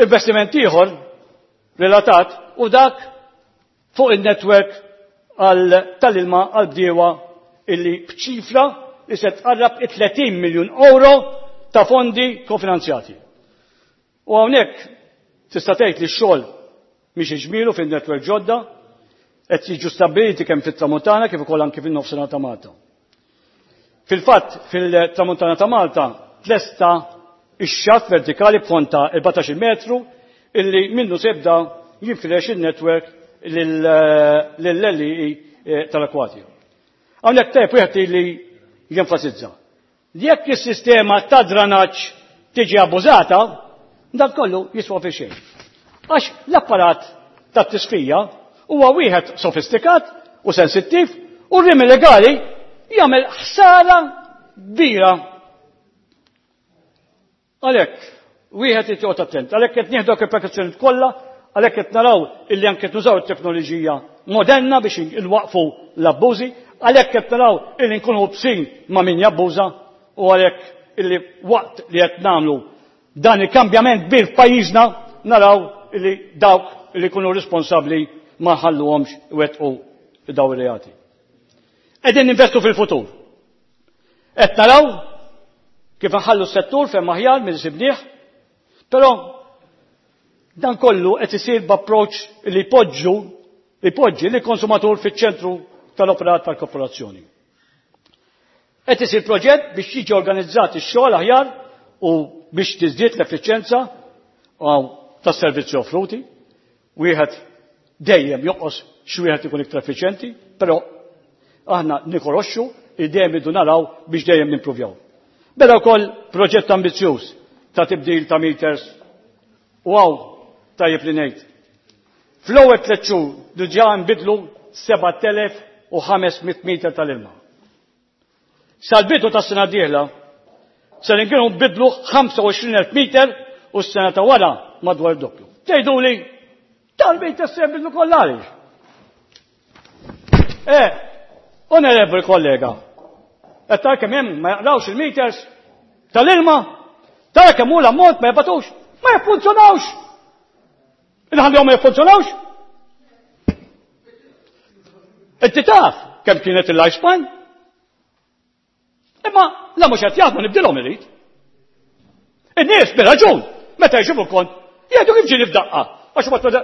Investiment ieħor relatat u dak fuq il-network tal-ilma għal-bdiewa illi b'ċifra li se tqarrab it-tletin miljun euro ta' fondi kofinanzjati. U hawnhekk tista' tgħid li x-xogħol mhix iġmielu fin-network ġodda qed jiġu stabbiliti kemm fit-Tramuntana kif ukoll anke fin-nofsinhar ta' Malta. Fil-fatt fil-Tramuntana ta' Malta tlesta ix-xatt vertikali b'fond ta' erbatax-il metru illi minnu se jibda jinfirex il-network lill-L E tal-Akwatja. Hawnhekk tajjeb wieħed li jenfasizza. Jekk is-sistema ta' dranaġġ tiġi abbużata, dan kollu jiswa fi xejn. Għax l-apparat tat-tisfija huwa wieħed sofistikat u sensittiv u r-rimi legali jagħmel ħsara kbira. Għalhekk wieħed irid joqgħod attent, għalhekk qed nieħdu il-prekawzjonijiet kollha, għalhekk qed naraw illi anke nużaw it-teknoloġija moderna biex inwaqfu l-abbużi, għalhekk qed naraw illi nkunu bsin ma' min jabbuża u għalhekk illi waqt li qed nagħmlu dan il-kambjament kbir f'pajjiżna naraw illi dawk illi jkunu responsabbli ma nħalluhomx iwettqu daw ir-reati. Qegħdin ninvestu fil-futur. Qed naraw kif nħallu s-settur fejn aħjar milli sibnieh, però dan kollu qed isir b'approċċ li jpoġġu jpoġġi li konsumatur fiċ-ċentru tal-operat tal-korporazzjoni. Qed isir proġett biex jiġi organizzat ix-xogħol aħjar u biex tiżdied l-effiċjenza tas-servizzi offruti. Wieħed dejjem joqos xi wieħed ikun iktar effiċjenti, però aħna nikoroxxu li dejjem idu naraw biex dejjem nimpruvjaw. Beda wkoll proġett ambizzjuż ta' tibdil ta' meters u hawn tajjeb li ngħid. Fl-ewwel tliet xhur diġà nbidlu sebat elef u ħames mitt meter tal-ilma. Sal-bidu tas-sena d-dieħla se nkunu nbidlu ħamsa u għoxrin elf meter u s-sena ta' wara madwar doppju. Tgħiduli tal-meters se nbidlu kollha għaliex? Eh, onorevoli kollega, qed tara kemm hemm ma jaqrawx il-meters tal-ilma, tara kemm hu l-ammont ma jibgħatux, ma jiffunzjonawx. Inħallihom ma jiffunzjonawx? Inti taf kemm kienet il-lifespan? Imma la mhux qed jaħdmu nibdilhom irid. In-nies bir-raġun, meta jġibu kont, jgħidu kif ġieli f'daqqa, għax ma tmeda.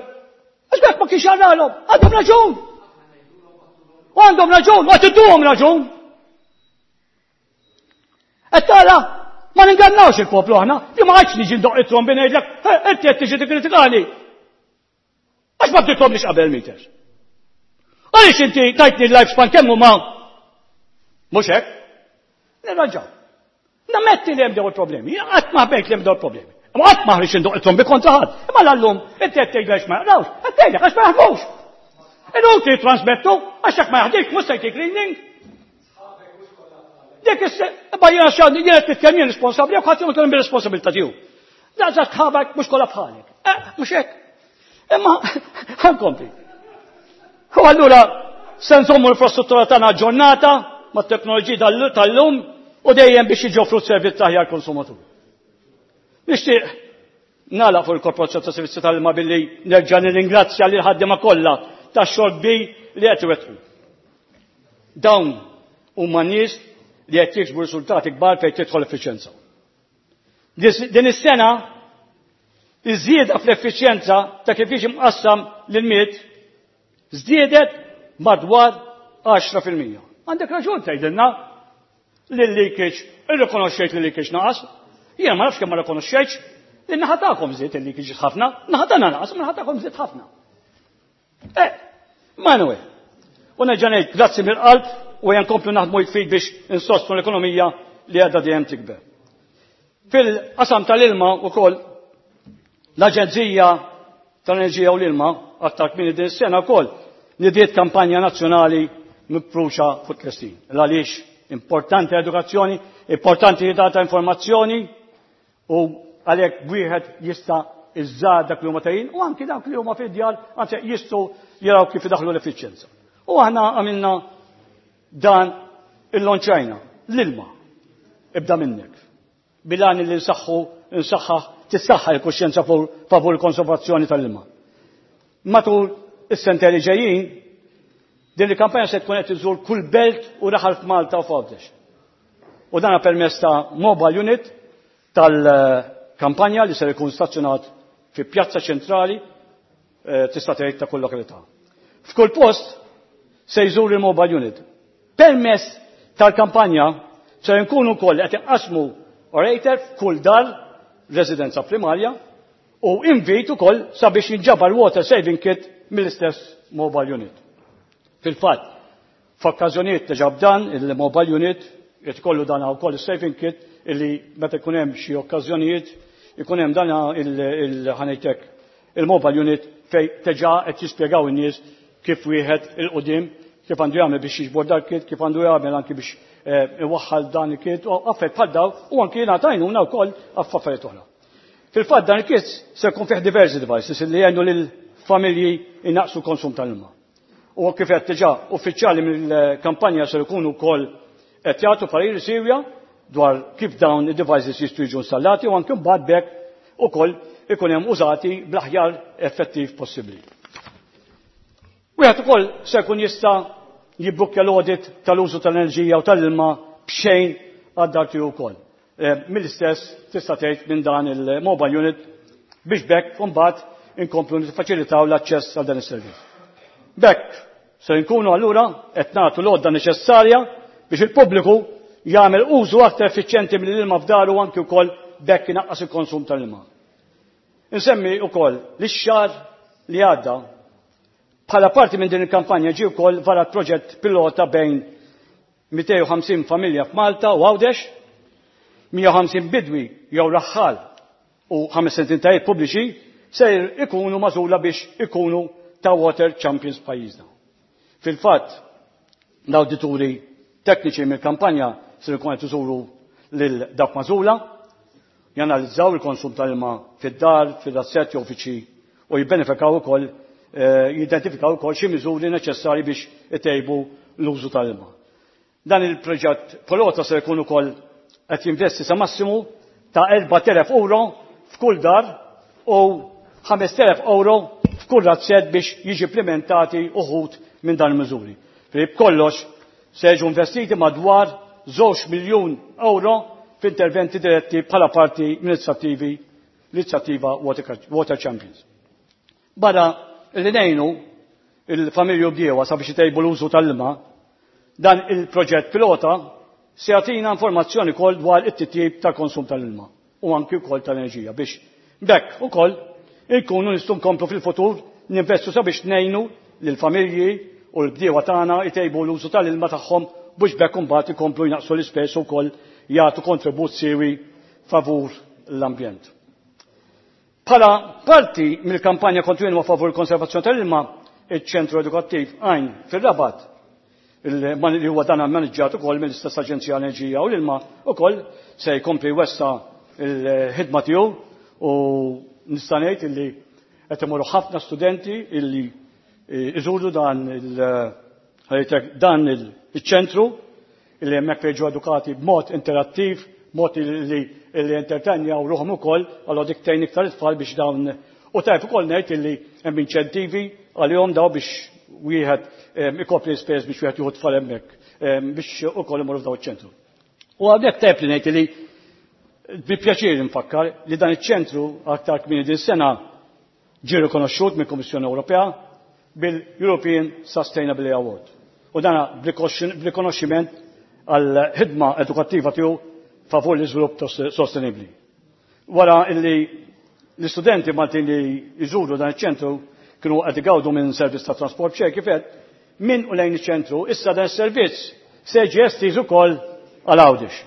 Għax bekk ma kienx jaralhom, għandhom raġun. U għandhom raġun, u għad idduhom raġun. Qed tara Ma ningannawx il-poplu aħna, li ma għadx niġi ndoq it-trombi ngħidlek, inti qed tiġi tikkritikani. Għax ma bdilthomlix qabel meters. Għaliex inti tajtni l-life span kemm huma mhux hekk? Nirranġaw. Nammetti li hemm dawn il-problemi, qatt ma ħbejt li hemm dawn il-problemi. Ma qatt ma ħriġ indoq it-trombi kontra ħadd. Imma l-allum inti qed tgħid għax ma jaqrawx, qed tgħidlek għax ma jaħdmux. Inutli trasmettu għax jekk ma jaħdix mhux se jtik reading. Dik is imma jiena x'għandi jien qed nitkellem jien responsabbli jekk ħadd jitkellem bir-responsabilità tiegħu. Da sħabek mhux kollha bħalek. Eh, mhux hekk. Imma ħankompli. U allura se nżommu l-infrastruttura tagħna aġġornata mat-teknoloġija tal-lum u dejjem biex jiġi offrut servizz aħjar konsumatur. Nixtieq nagħlaq fuq il-Korporazzjoni ta' Servizzi tal-Ilma billi nerġa' nirringrazzja lil ħaddiema kollha tax-xogħol kbir li qed iwettqu. Dawn huma nies li qed jiksbu riżultati kbar fejn tidħol effiċjenza. Din is-sena iż-żieda fl-effiċjenza ta' kif jiġi mqassam l-ilmiet żdiedet madwar għaxra fil-mija. Għandek raġun tgħidilna li l-leakage, irrikonoxxejt li l-leakage naqas. Jiena ma nafx kemm ma rikonoxxejtx, li naħa tagħkom żied il-leakage ħafna, naħa tagħna naqas, ma naħa tagħkom żied ħafna. Eh, Manuel, u nerġa' ngħid grazzi mill-qalb u nkomplu naħdmu jitfid biex insostnu l-ekonomija li għadha dejjem tikber. Fil-qasam tal-ilma wkoll l-Aġenzija tal-Enerġija u l-Ilma aktar kmieni din is-sena wkoll nidiet kampanja nazzjonali mifruxa fuq tlestin. Għaliex importanti edukazzjoni, importanti li tagħta informazzjoni u għalhekk wieħed jista' iżżar dak li huma tajjin u anki dak li huma fid-djar anzi jistgħu jaraw kif idaħlu l-effiċjenza. U aħna għamilna dan il-lonċajna, l-ilma, ibda minnek. Bilan li nsaħħu, nsaħħaħ, tissaħħa l-kuxjenza favur il-konservazzjoni tal-ilma. Matul is-sentej li ġejjin, din il-kampanja se tkun qed iżur kull belt u raħal f'Malta u f'Għawdex. U dan permezz ta' mobile unit tal-kampanja li ser ikun stazzjonat fi pjazza ċentrali tista' tgħid ta' kull lokalità. F'kull post se jżur il-mobile unit. Permezz tal-kampanja se nkunu wkoll qed inqasmu orator f'kull dar residenza primarja u invit ukoll sabiex jinġabar water saving kit mill-istess mobile unit. Fil-fatt, f'okkażjonijiet diġà b'dan il-mobile unit qed ikollu dan wkoll is-saving kit illi meta jkun hemm xi okkażjonijiet ikun hemm dan il-ħanejtek il-mobile unit fej diġà qed jispjegaw in-nies kif wieħed il-qudiem kif għandu jagħmel biex jiġbor dak kit, kif għandu jagħmel anki biex iwaħħal dan il-kit, u affarijiet bħal daw, u anki jingħata għajnuna wkoll f'affarijiet oħra. Fil-fatt dan il-kit se jkun fih diversi devices li jgħinu lill-familji jnaqqsu l-konsum tal-ilma. U kif qed diġà uffiċjali mill-kampanja se jkunu wkoll qed jagħtu pariri siewja dwar kif dawn id-devices jistgħu jiġu installati u anke mbagħad b'hekk ukoll ikun hemm użati bl-aħjar effettiv possibbli. Wieħed ukoll se jkun jista' jibbukkja l-audit tal-użu tal-enerġija u tal-ilma b'xejn għad-dar tiegħu wkoll. Mill-istess tista' tgħid minn dan il-mobile unit biex b'hekk imbagħad inkomplu niffaċilitaw l-aċċess għal dan is-servizz. B'hekk se nkunu allura qed nagħtu l-għodda neċessarja biex il-pubbliku jagħmel użu aktar effiċjenti mill-ilma f'daru anki wkoll b'hekk inaqqas il-konsum tal-ilma. Insemmi wkoll li x-xahar li għadda bħala parti minn din il-kampanja ġie wkoll varat proġett pilota bejn mitejn u ħamsin familja f'Malta u Għawdex, mija u ħamsin bidwi jew raħħal u ħames entitajiet pubbliċi se ikunu magħżula biex ikunu ta' Water Champions pajjiżna. Fil-fatt, l-awdituri tekniċi mill-kampanja se jkunu qed iżuru lil dawk magħżula, janalizzaw il-konsum tal-ilma fid-dar, fil-razzett jew uffiċċji u jibbenefikaw ukoll, jidentifikaw ukoll xi miżuri neċessarji biex itejbu l-użu tal-ilma. Dan il-proġett pilota se jkun ukoll qed jinvesti sa massimu ta' erbat elef euro f'kull dar u ħames elef euro f'kull razzett biex jiġi implementati uħud minn dan il-miżuri. B'kollox se jiġu investiti madwar żewġ miljun euro f'interventi diretti bħala parti mill-inizjattivi l-inizjattiva Water Champions. Barra li ngħinu il-familji u bdiewa sabiex itejbu l-użu tal-ilma, dan il-proġett pilota se jagħtina informazzjoni wkoll dwar it-titjib tal-konsum tal-ilma u anki wkoll tal-enerġija biex b'hekk ukoll inkunu nistgħu nkomplu fil-futur ninvestu sabiex ngħinu lill-familji u l-bdiewa tagħna jtejbu l-użu tal-ilma tagħhom biex b'hekk imbagħad ikomplu jnaqsu l-ispejjeż ukoll jagħtu kontribut siewi favur l-ambjent. Bħala parti mill-kampanja kontinwa favur il-konservazzjoni tal-ilma, iċ-ċentru edukattiv Għajn fir-Rabat, li huwa dan ammaniġġjat ukoll mill-istess Aġenzija Enerġija u l-Ilma ukoll se jkompli wessa l-ħidma tiegħu u nista' ngħid illi qed imorru ħafna studenti illi iżuru dan il dan il-ċentru illi hemmhekk jiġu edukati b'mod interattiv, b'mod li li entertainjaw ruħhom ukoll, allura dik tgħin iktar it-tfal biex dawn u tajb ukoll ngħid illi hemm inċentivi għalihom daw biex wieħed ikopri l-ispejjeż biex wieħed jieħu tfal hemmhekk biex ukoll imorru f'daw iċ-ċentru. U għalhekk tajb li ngħid li bi pjaċir nfakkar li dan iċ-ċentru aktar kmieni din sena ġie rikonoxxut mill-Kummissjoni Ewropea bil-European Sustainability Award. U dana b'rikonoxximent għal ħidma edukattiva tiegħu favur l-iżvilupp sostenibbli. Wara illi l-istudenti Maltin li jżuru dan iċ-ċentru kienu qed igawdu minn servizz ta' trasport b'xejn kif qed minn u lejn iċ-ċentru, issa dan is-servizz se jiġi estiż ukoll għal Għawdex.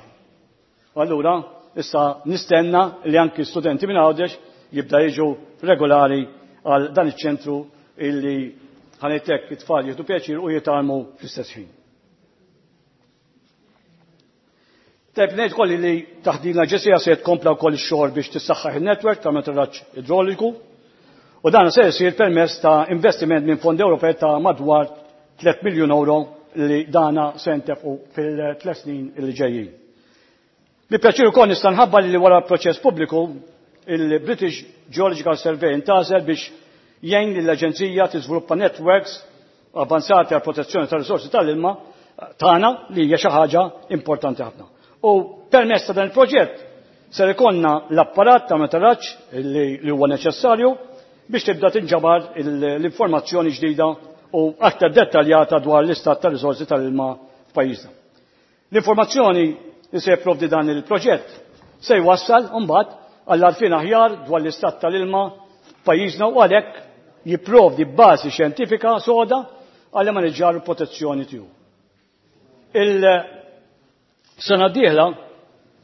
Allura issa nistenna li anki studenti minn Għawdex jibda jiġu regolari għal dan iċ-ċentru illi ħanejtek it-tfal jieħdu pjaċir u jitgħallmu fl-istess ħin. Tajb ngħid kolli li taħt din l-aġenzija se tkompla wkoll ix-xogħol biex tissaħħaħ in-netwerk ta' monitoraġġ idroliku u dan se jsir permezz ta' investiment minn fondi Ewropej ta' madwar tliet miljun euro li dana se ntefqu fil-tliet snin li ġejjin. Bi pjaċir ukoll nista' nħabbar li wara proċess pubbliku il-British Geological Survey intgħażel biex jgħin lill-aġenzija tiżviluppa networks avanzati għal protezzjoni tar-risorsi tal-ilma tagħna li hija xi ħaġa importanti ħafna. U permezz ta' dan il-proġett ser ikollna l-apparat ta' monitoraġġ li huwa neċessarju biex tibda tinġabar l-informazzjoni ġdida u aktar dettaljata dwar l-istat ta' risorsi tal-ilma f'pajjiżna. L-informazzjoni li se jipprovdi dan il-proġett se jwassal mbagħad għall-għarfien aħjar dwar l-istat tal-ilma f'pajjiżna u għalhekk jipprovdi bażi xjentifika soda għal maniġġar u protezzjoni tiegħu. Il-sena d-dieħla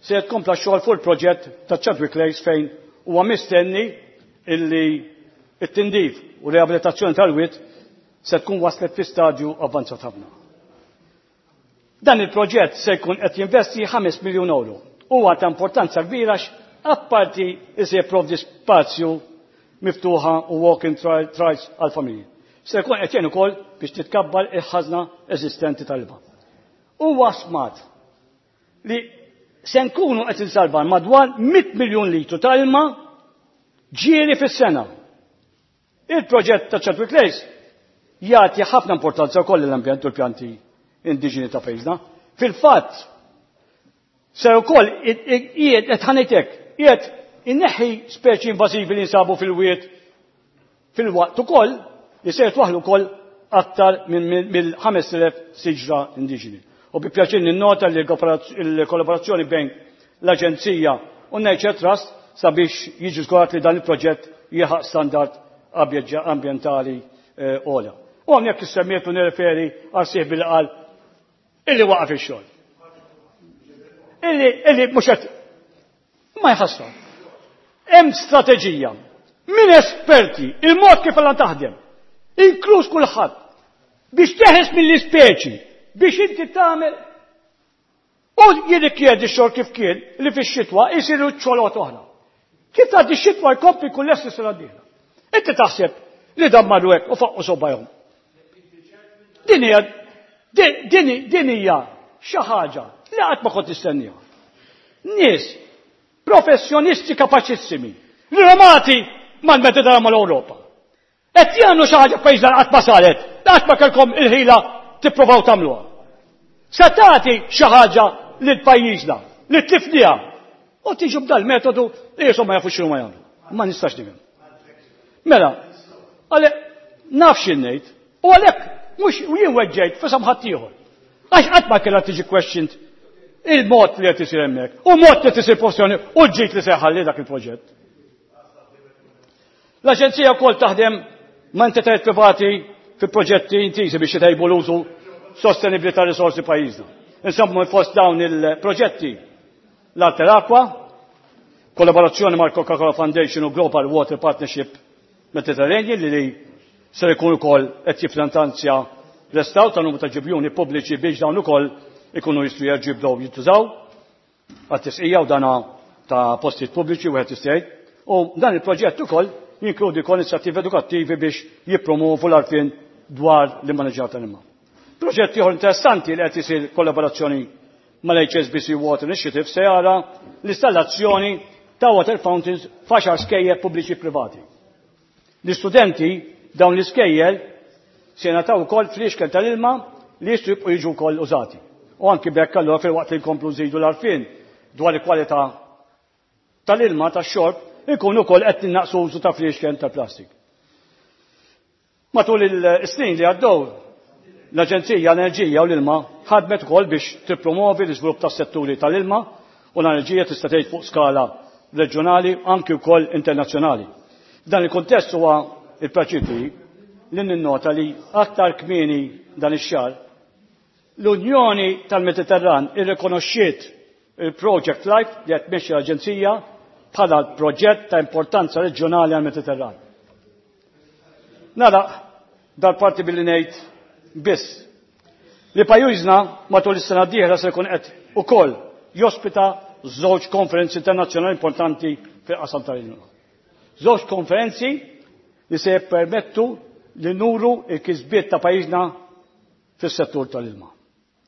se tkompla x-xogħol fuq il-proġett ta' Chadwick Lakes fejn huwa mistenni illi it-tindif u riabilitazzjoni tal-wied se tkun waslet fi stadju avvanzat ħafna. Dan il-proġett se jkun qed jinvesti ħames miljun euro. Huwa ta' importanza kbira apparti li se jipprovdi spazju miftuħa u walking trails għal familji. Se jkun qed jgħin ukoll biex titkabbar il-ħażna eżistenti tal-ilma. Huwa stmat li se nkunu qed insalvar madwar mitt miljun litru ta' ilma ġieri fis-sena. Il-proġett ta' Chadwick Lakes jagħti ħafna importanza wkoll lill-ambjent u l-pjanti indiġeni ta' pajjiżna. Fil-fatt, se wkoll qiegħed qed ħanejtek, qiegħed inneħħi speċi invażivi li nsabu fil-wied fil-waqt ukoll li se jitwaħlu wkoll aktar minn mill-ħames elef siġra indiġeni. U bi pjaċir ninnota li l-kollaborazzjoni bejn l-Aġenzija u Nature Trust sabiex jiġi żgurat li dan il-proġett jilħaq standard ambjentali ogħla. U hawnhekk issemmiet u nirreferi għal sieħbi li qal illi waqaf ix-xogħol. Illi, illi mhux qed ma jħassar. Hemm strateġija minn esperti, il-mod kif għandha taħdem, inkluż kulħadd, biex teħes mill-ispeċi, biex inti tagħmel u jirrikjedi x-xogħol kif kien li fix-xitwa jsiru ċolot oħra. Kif tgħaddi x-xitwa jkompli kull lesti sena d-dieħla. Inti taħseb li dan marru hekk u faqqu sobajhom. Din hija din din hija xi ħaġa li qatt ma kont nistenniha. Nies professjonisti kapaċissimi, rinomati mal-Mediterran mal-Ewropa. Qed jagħmlu xi ħaġa f'pajjiżna qatt ma saret, qatt ma kellkom il-ħila tippruvaw tagħmluha. Se tagħti xi ħaġa lil pajjiżna li tlifniha u tiġu b'dal metodu li jisom ma jafux x'inhu ma jagħmlu. Ma nistax nifhem. Mela, għalhekk naf xi ngħid u għalhekk mhux jien weġġejt f'isem ħadd ieħor. Għax qatt ma kellha tiġi questioned Il-mod li qed isir hemmhekk, u mod li qed isir professjoni u l-ġid li se jħalli dak il-proġett. L-Aġenzija wkoll taħdem ma' entitajiet privati fi proġetti intiżi biex jtejbu l-użu sostenibbli ta' risorsi pajjiżna. Insomma, fost dawn il-proġetti l-Alter Aqua, kollaborazzjoni mal Coca-Cola Foundation u Global Water Partnership Mediterranean li li ser ikun ukoll qed jiffinanzja restawr ta' numru ta' ġibjuni pubbliċi biex dawn ukoll ikunu jistgħu jerġgħu jibdew jintużaw għat-tisqija u dana ta' postijiet pubbliċi wieħed jista' jgħid. U dan il-proġett ukoll jinkludi wkoll inizjattivi edukattivi biex jippromovu l-għarfien dwar l-immaniġġar tal-ilma. Proġett ieħor interessanti li qed isir kollaborazzjoni mal-H S B C Water Initiative se jara l-installazzjoni ta' water fountains f'għaxar skejjel pubbliċi privati. L-istudenti dawn l-iskejjel se jingħataw ukoll fliexken tal-ilma li jistgħu jibqgħu jiġu wkoll użati. U anki b'hekk allura filwaqt li nkomplu nżidu l-għarfien dwar il-kwalità tal-ilma tax-xorb, ikunu wkoll qed innaqsu użu ta' fliexken tal-plastik. Matul il-snin li għaddew, l-Aġenzija l-Enerġija u l-Ilma ħadmet ukoll biex tippromovi l-iżvilupp tas-setturi tal-ilma u l-enerġija, tista' tgħid, fuq skala reġjonali, anki wkoll internazzjonali. Dan il-kuntest huwa il-pjaċir li ninnota li aktar kmieni dan ix-xahar l-Unjoni tal-Mediterran irrikonoxxiet il-Project Life li qed tmexxi l-Aġenzija bħala proġett ta' importanza reġjonali għal-Mediterran. Nara, dal-parti billi ngħid biss li pajjiżna matul is-sena d-dieħla se jkun qed ukoll jospita żewġ konferenzi internazzjonali importanti fil-qasam tal-ilma. Żewġ konferenzi li se jippermettu li nuru il-kisbiet ta' pajjiżna fis-settur tal-ilma.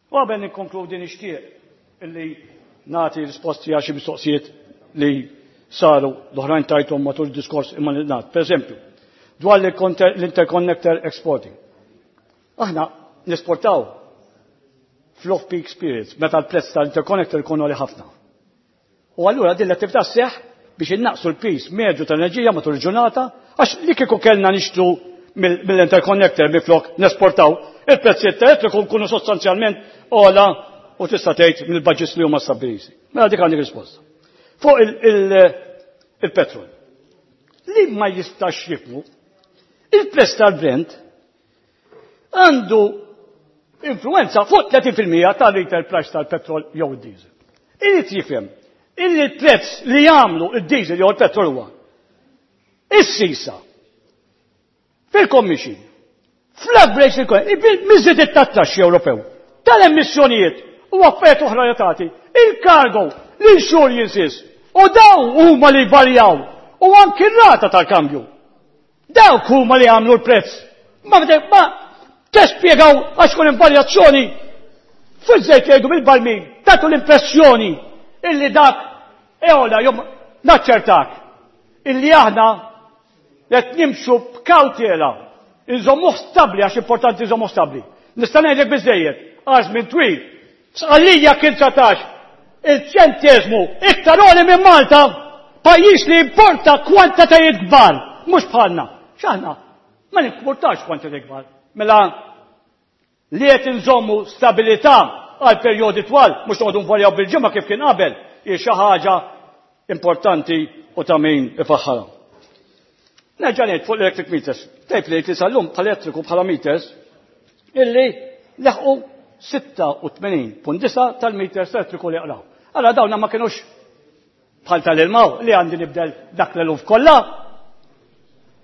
U qabel nikkonkludi nixtieq illi nagħti risposti għal xi mistoqsijiet li saru, l-oħrajn tajthom matul id-diskors imma nagħti. Per eżempju, dwar l-interconnector exporting. Aħna nesportaw fl-off-peak periods, meta l-prezz tal-interconnector ikun għoli ħafna. U allura din l-attività sseħħ biex innaqsu l-piż medju tal-enerġija matul il-ġurnata, għax li kieku kellna nixtru mill-interconnector minflok nesportaw, il-prezzijiet tal-elettriku nkunu sostanzjalment ogħla u tista' tgħid mill-budgets li huma stabbiliti. Mela dik għandek risposta. Fuq il-petrol. Li ma jistax jifhmu, il-prezz tal-Brent għandu influenza fuq tletin fil-mija tal-retail price tal-petrol jew id-diesel. Irid jifhem illi l-prezz li jagħmlu id-diesel jew il-petrol huwa is-sisa fil-commission, fl-average fil-miżiet it-taxxi Ewropew, tal-emissjonijiet u affarijiet oħra relatati, il-cargo, l-insurances, u daw huma li varjaw, u anki r-rata tal-kambju. Dawk huma li għamlu l-prezz. Ma ma tespjegaw għax kun varjazzjoni fil-żejt jgħidu bil-barmil, tagħtu l-impressjoni illi dak eola jom. Naċċertak illi aħna qed nimxu b'kawtela, inżommuh stabli għax importanti nżommuh stabli. Nista' ngħidlek biżejjed, għax minn twil, Sqallija kien dsatax il-ċentesmu iktar għoli minn Malta, pajjiż li importa kwantitajiet kbar, mhux bħalna. X'aħna? Ma nimportax kwantitajiet kbar. Mela li qed inżommu stabilità għal perjodi twal, mhux noqogħdu nvarjaw bil-ġimgħa kif kien qabel, hi xi ħaġa importanti u ta' min ifaħħarha. Nerġa' ngħid fuq l-electric meters. Tgħid li li sal-lum bħal-elettriku bħala meters illi leħqu sitta u tmenin punt disgħa tal-meters elettriku li jaqraw. Allora dawna ma kienux bħal tal-ilma li għandi nibdel dak l-eluf kollha.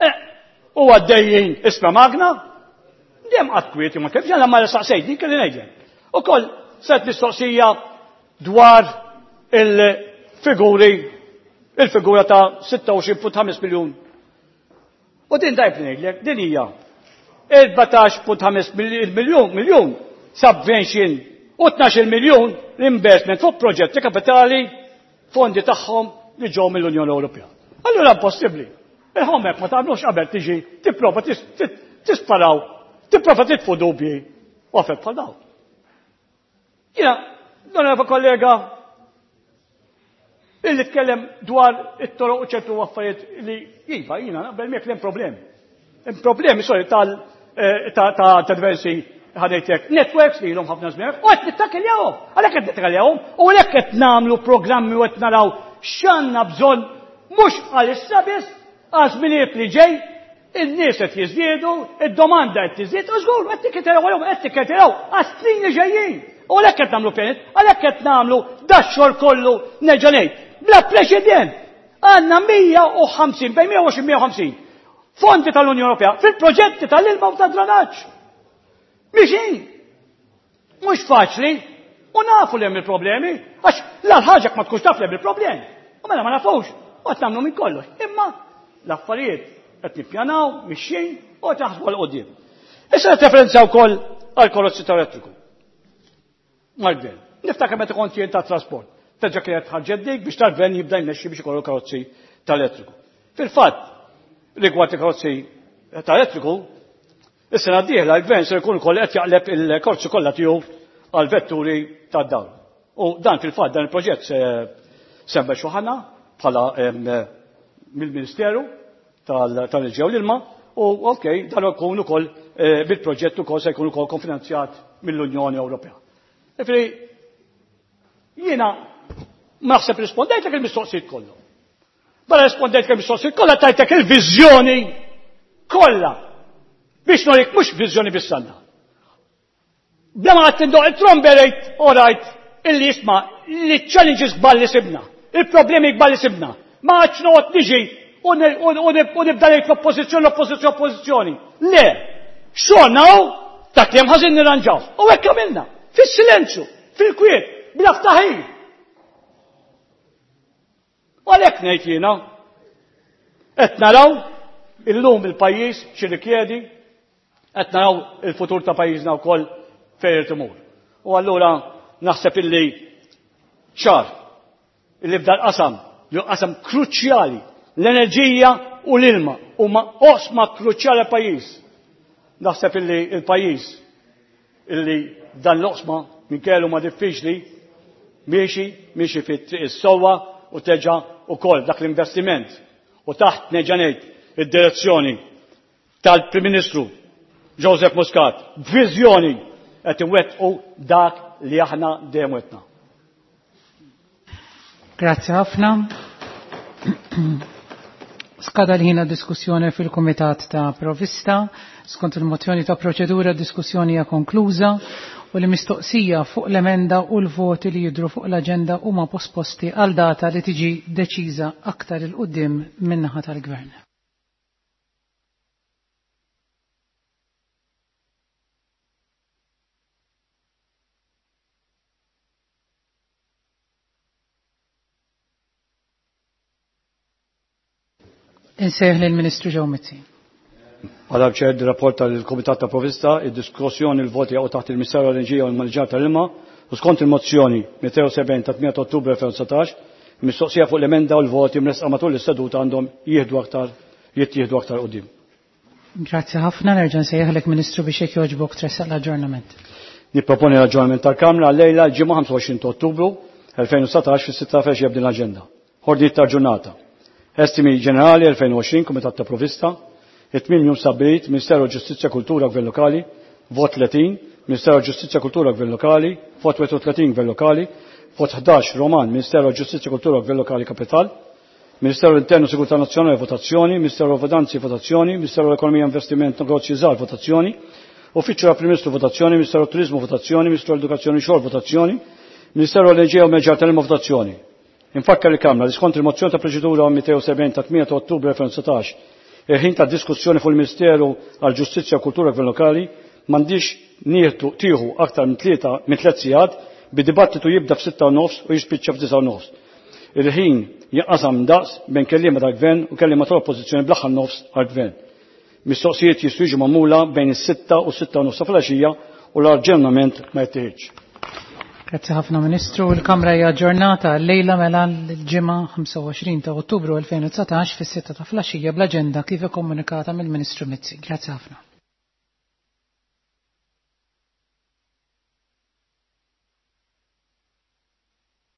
Eh, u għaddejjin isma magna, dejjem qatt kwieti ma kif ġalla ma saqsejt din kelli ngħidlek. Ukoll set mistoqsija dwar il-figuri, il-figura ta' sitta u għoxrin punt ħamsa miljun. U din dajb ngħidlek, din hija erbatax punt ħamsa miljun miljun subvention u tnax-il miljun l-investment fuq proġetti kapitali, fondi tagħhom li ġew mill-Unjoni Ewropea. Allura impossibbli. Il-homework ma tagħmlux qabel tiġi tipprova tisparaw, tipprova titfu dubji u affarijiet bħal dawn. Jiena, l kollega illi tkellem dwar it-toroq u ċertu affarijiet li iva, jiena naqbel miegħek li hemm problemi. Hemm problemi, sorry, tal eh, ta' ta' diversi ħadejtek networks li ilhom ħafna żmien u qed nittakkeljawhom. Għalhekk qed nittakkeljawhom u għalhekk qed nagħmlu programmi u qed naraw x'għandna bżonn mhux għalissa biss għal żminijiet li ġej, in-nies qed jiżdiedu, id-domanda qed tiżdied, u żgur qed tikketeraw għalihom qed tikketeraw għas-snin li ġejjin. U għalhekk qed nagħmlu pjanet, għalhekk qed nagħmlu dax-xogħol kollu nerġa' ngħid. Bla preċedent għandna mija u ħamsin, bejn mija u għoxrin mija u ħamsin fondi tal-Unjoni Ewropea fil-proġetti tal-ilma u tad-dranaġġ. Mixin! Mhux faċli, u nafu li hemm il-problemi, għax l-ħaġa ma tkunx taf li hemm il-problemi. U mela ma nafux, u qed nagħmlu minn kollox. Imma l-affarijiet qed nippjanaw, mixin, u qed naħsbu għal qudiem. Issa referenza wkoll għal karozzi tal-elettriku. Mal-gvern. Niftakar meta kont jien tat-trasport. Terġa' kienet ħarġet dik biex tal-gvern jibda jmexxi biex ikollu karozzi tal-elettriku. Fil-fatt, rigward il-karozzi tal-elettriku, is-sena d-dieħla l-gvern se jkun ukoll qed jaqleb il-karozzi kollha tiegħu għal vetturi tad-dawl. U dan fil-fatt dan il-proġett se semmexxu ħana bħala, em, mill-Ministeru tal-Enerġija u l-Ilma, u ok, dan ikun ukoll, eh, bil-proġett ukoll se jkun ukoll konfinanzjat mill-Unjoni Ewropea. Ġifieri, jiena ma naħseb rispondejtlek il-mistoqsijiet kollu. Barra rispondejtlek il-mistoqsijiet kollha tajtek il-viżjoni kollha. Biex norik mhux viżjoni biss għandna. Bla ma qed tindoq it-tromberejt u rajt illi jisma' li challenges kbar li sibna, il-problemi kbar li sibna. Ma għadx noqgħod niġi u nibda ngħid l-oppożizzjoni, l-oppożizzjoni, l-oppożizzjoni. Le, xogħolna hu dak li hemm ħażin nirranġaw. U hekk għamilna, fis-silenzju, fil-kwiet, bla ftaħir. U għalhekk ngħid jiena, qed naraw illum il-pajjiż x'irrikjedi, qed naraw il-futur ta' pajjiżna wkoll fejn irid imur. U allura naħseb illi ċar illi f'dal qasam, li hu qasam kruċjali, l-enerġija u l-ilma huma oqsma kruċjali għall-pajjiż. Naħseb illi il-pajjiż illi dan l-oqsma minkejja huma diffiċli miexi, miexi fit-triq is-sewwa u teġa' ukoll dak l-investiment. U taħt nerġa' ngħid id-direzzjoni tal-Prim Ministru Joseph Muscat, b'viżjoni qed iwettqu dak li aħna dejjem wettna. Grazzi ħafna. Skada l-ħin diskussjoni fil-Kumitat ta' Provista. Skont il-mozzjoni ta' proċedura, diskussjoni hija konkluża u li mistoqsija fuq l-emenda u l-voti li jidhru fuq l-aġenda huma posposti għal data li tiġi deċiża aktar il-qudiem min-naħa tal-Gvern. Insejħ lill-Ministru Joe Mizzi. Għadha ċed rapport tal-Kumitat ta' Provista, id-diskussjoni l-voti jaqgħu taħt il-Ministeru għall-Enerġija u l-Maniġġar tal-Ilma u skont il-mozzjoni mitejn u sebgħin ta' tmienja ta' Ottubru elfejn u dsatax, mistoqsija fuq l-emenda u l-voti mresqa matul l-istaduta għandhom jieħdu aktar, jittieħdu aktar qudiem. Grazzi ħafna, nerġa' nsejjaħlek Ministru biex jekk jogħġbok tressaq l-aġġornament. Nipproponi l-aġġornament tal-Kamra lejla l-ġimgħa ħamsa u għoxrin ta' Ottubru elfejn u dsatax fis-sitta filgħaxija b'din l-aġenda. Ordni ta' ġurnata. Estimi ġenerali elfejn u għoxrin, Kumitat ta' Provista, it-tmiem jum stabbilit, Ministeru Ġustizzja Kultura Gvern Lokali, vot tletin, Ministeru Ġustizzja Kultura Gvern Lokali, vot wieħed u tletin Gvern Lokali, vot ħdax Roman, Ministeru Ġustizzja Kultura Gvern Lokali Kapital, Ministeru Internu Sigurtà Nazzjonali votazzjoni, Ministeru Finanzi votazzjoni, Ministeru Ekonomija Investiment Negozji Żgħar votazzjoni, Uffiċċju tal-Prim Ministru votazzjoni, Ministeru Turizmu votazzjoni, Ministeru Edukazzjoni Xogħol votazzjoni, Ministeru Enerġija u Meġġar tal-Ilma votazzjoni. Infakkar il-Kamra li skont il-mozzjoni ta' proċedura mitejn u sebgħin ta' tmienja ta' Ottubru elfejn u dsatax, il-ħin ta' diskussjoni fuq il-Ministeru għall Ġustizzja u Kultura Gvern Lokali m'għandix nieħdu tieħu aktar minn tlieta minn tliet sigħat bi-dibattitu jibda f'sitta u nofs u jispiċċa f'disa' u nofs. Il-ħin jinqasam daqs bejn kelliema tal-Gvern u kelliema tal-Oppożizzjoni bl-aħħar nofs għall-Gvern. Mistoqsijiet jistgħu jiġu magħmula bejn is-sitta u s-sitta u nofs ta' filgħaxija u l-aġġornament ma jittieħidx. Grazzi ħafna Ministru. Il-Kamra hija aġġornata llejla mela l-ġimgħa ħamsa u għoxrin ta' Ottubru elfejn u dsatax fis-sitta ta' filgħaxija bl-aġenda kif ikkomunikata mill-Ministru Mizzi. Grazzi ħafna.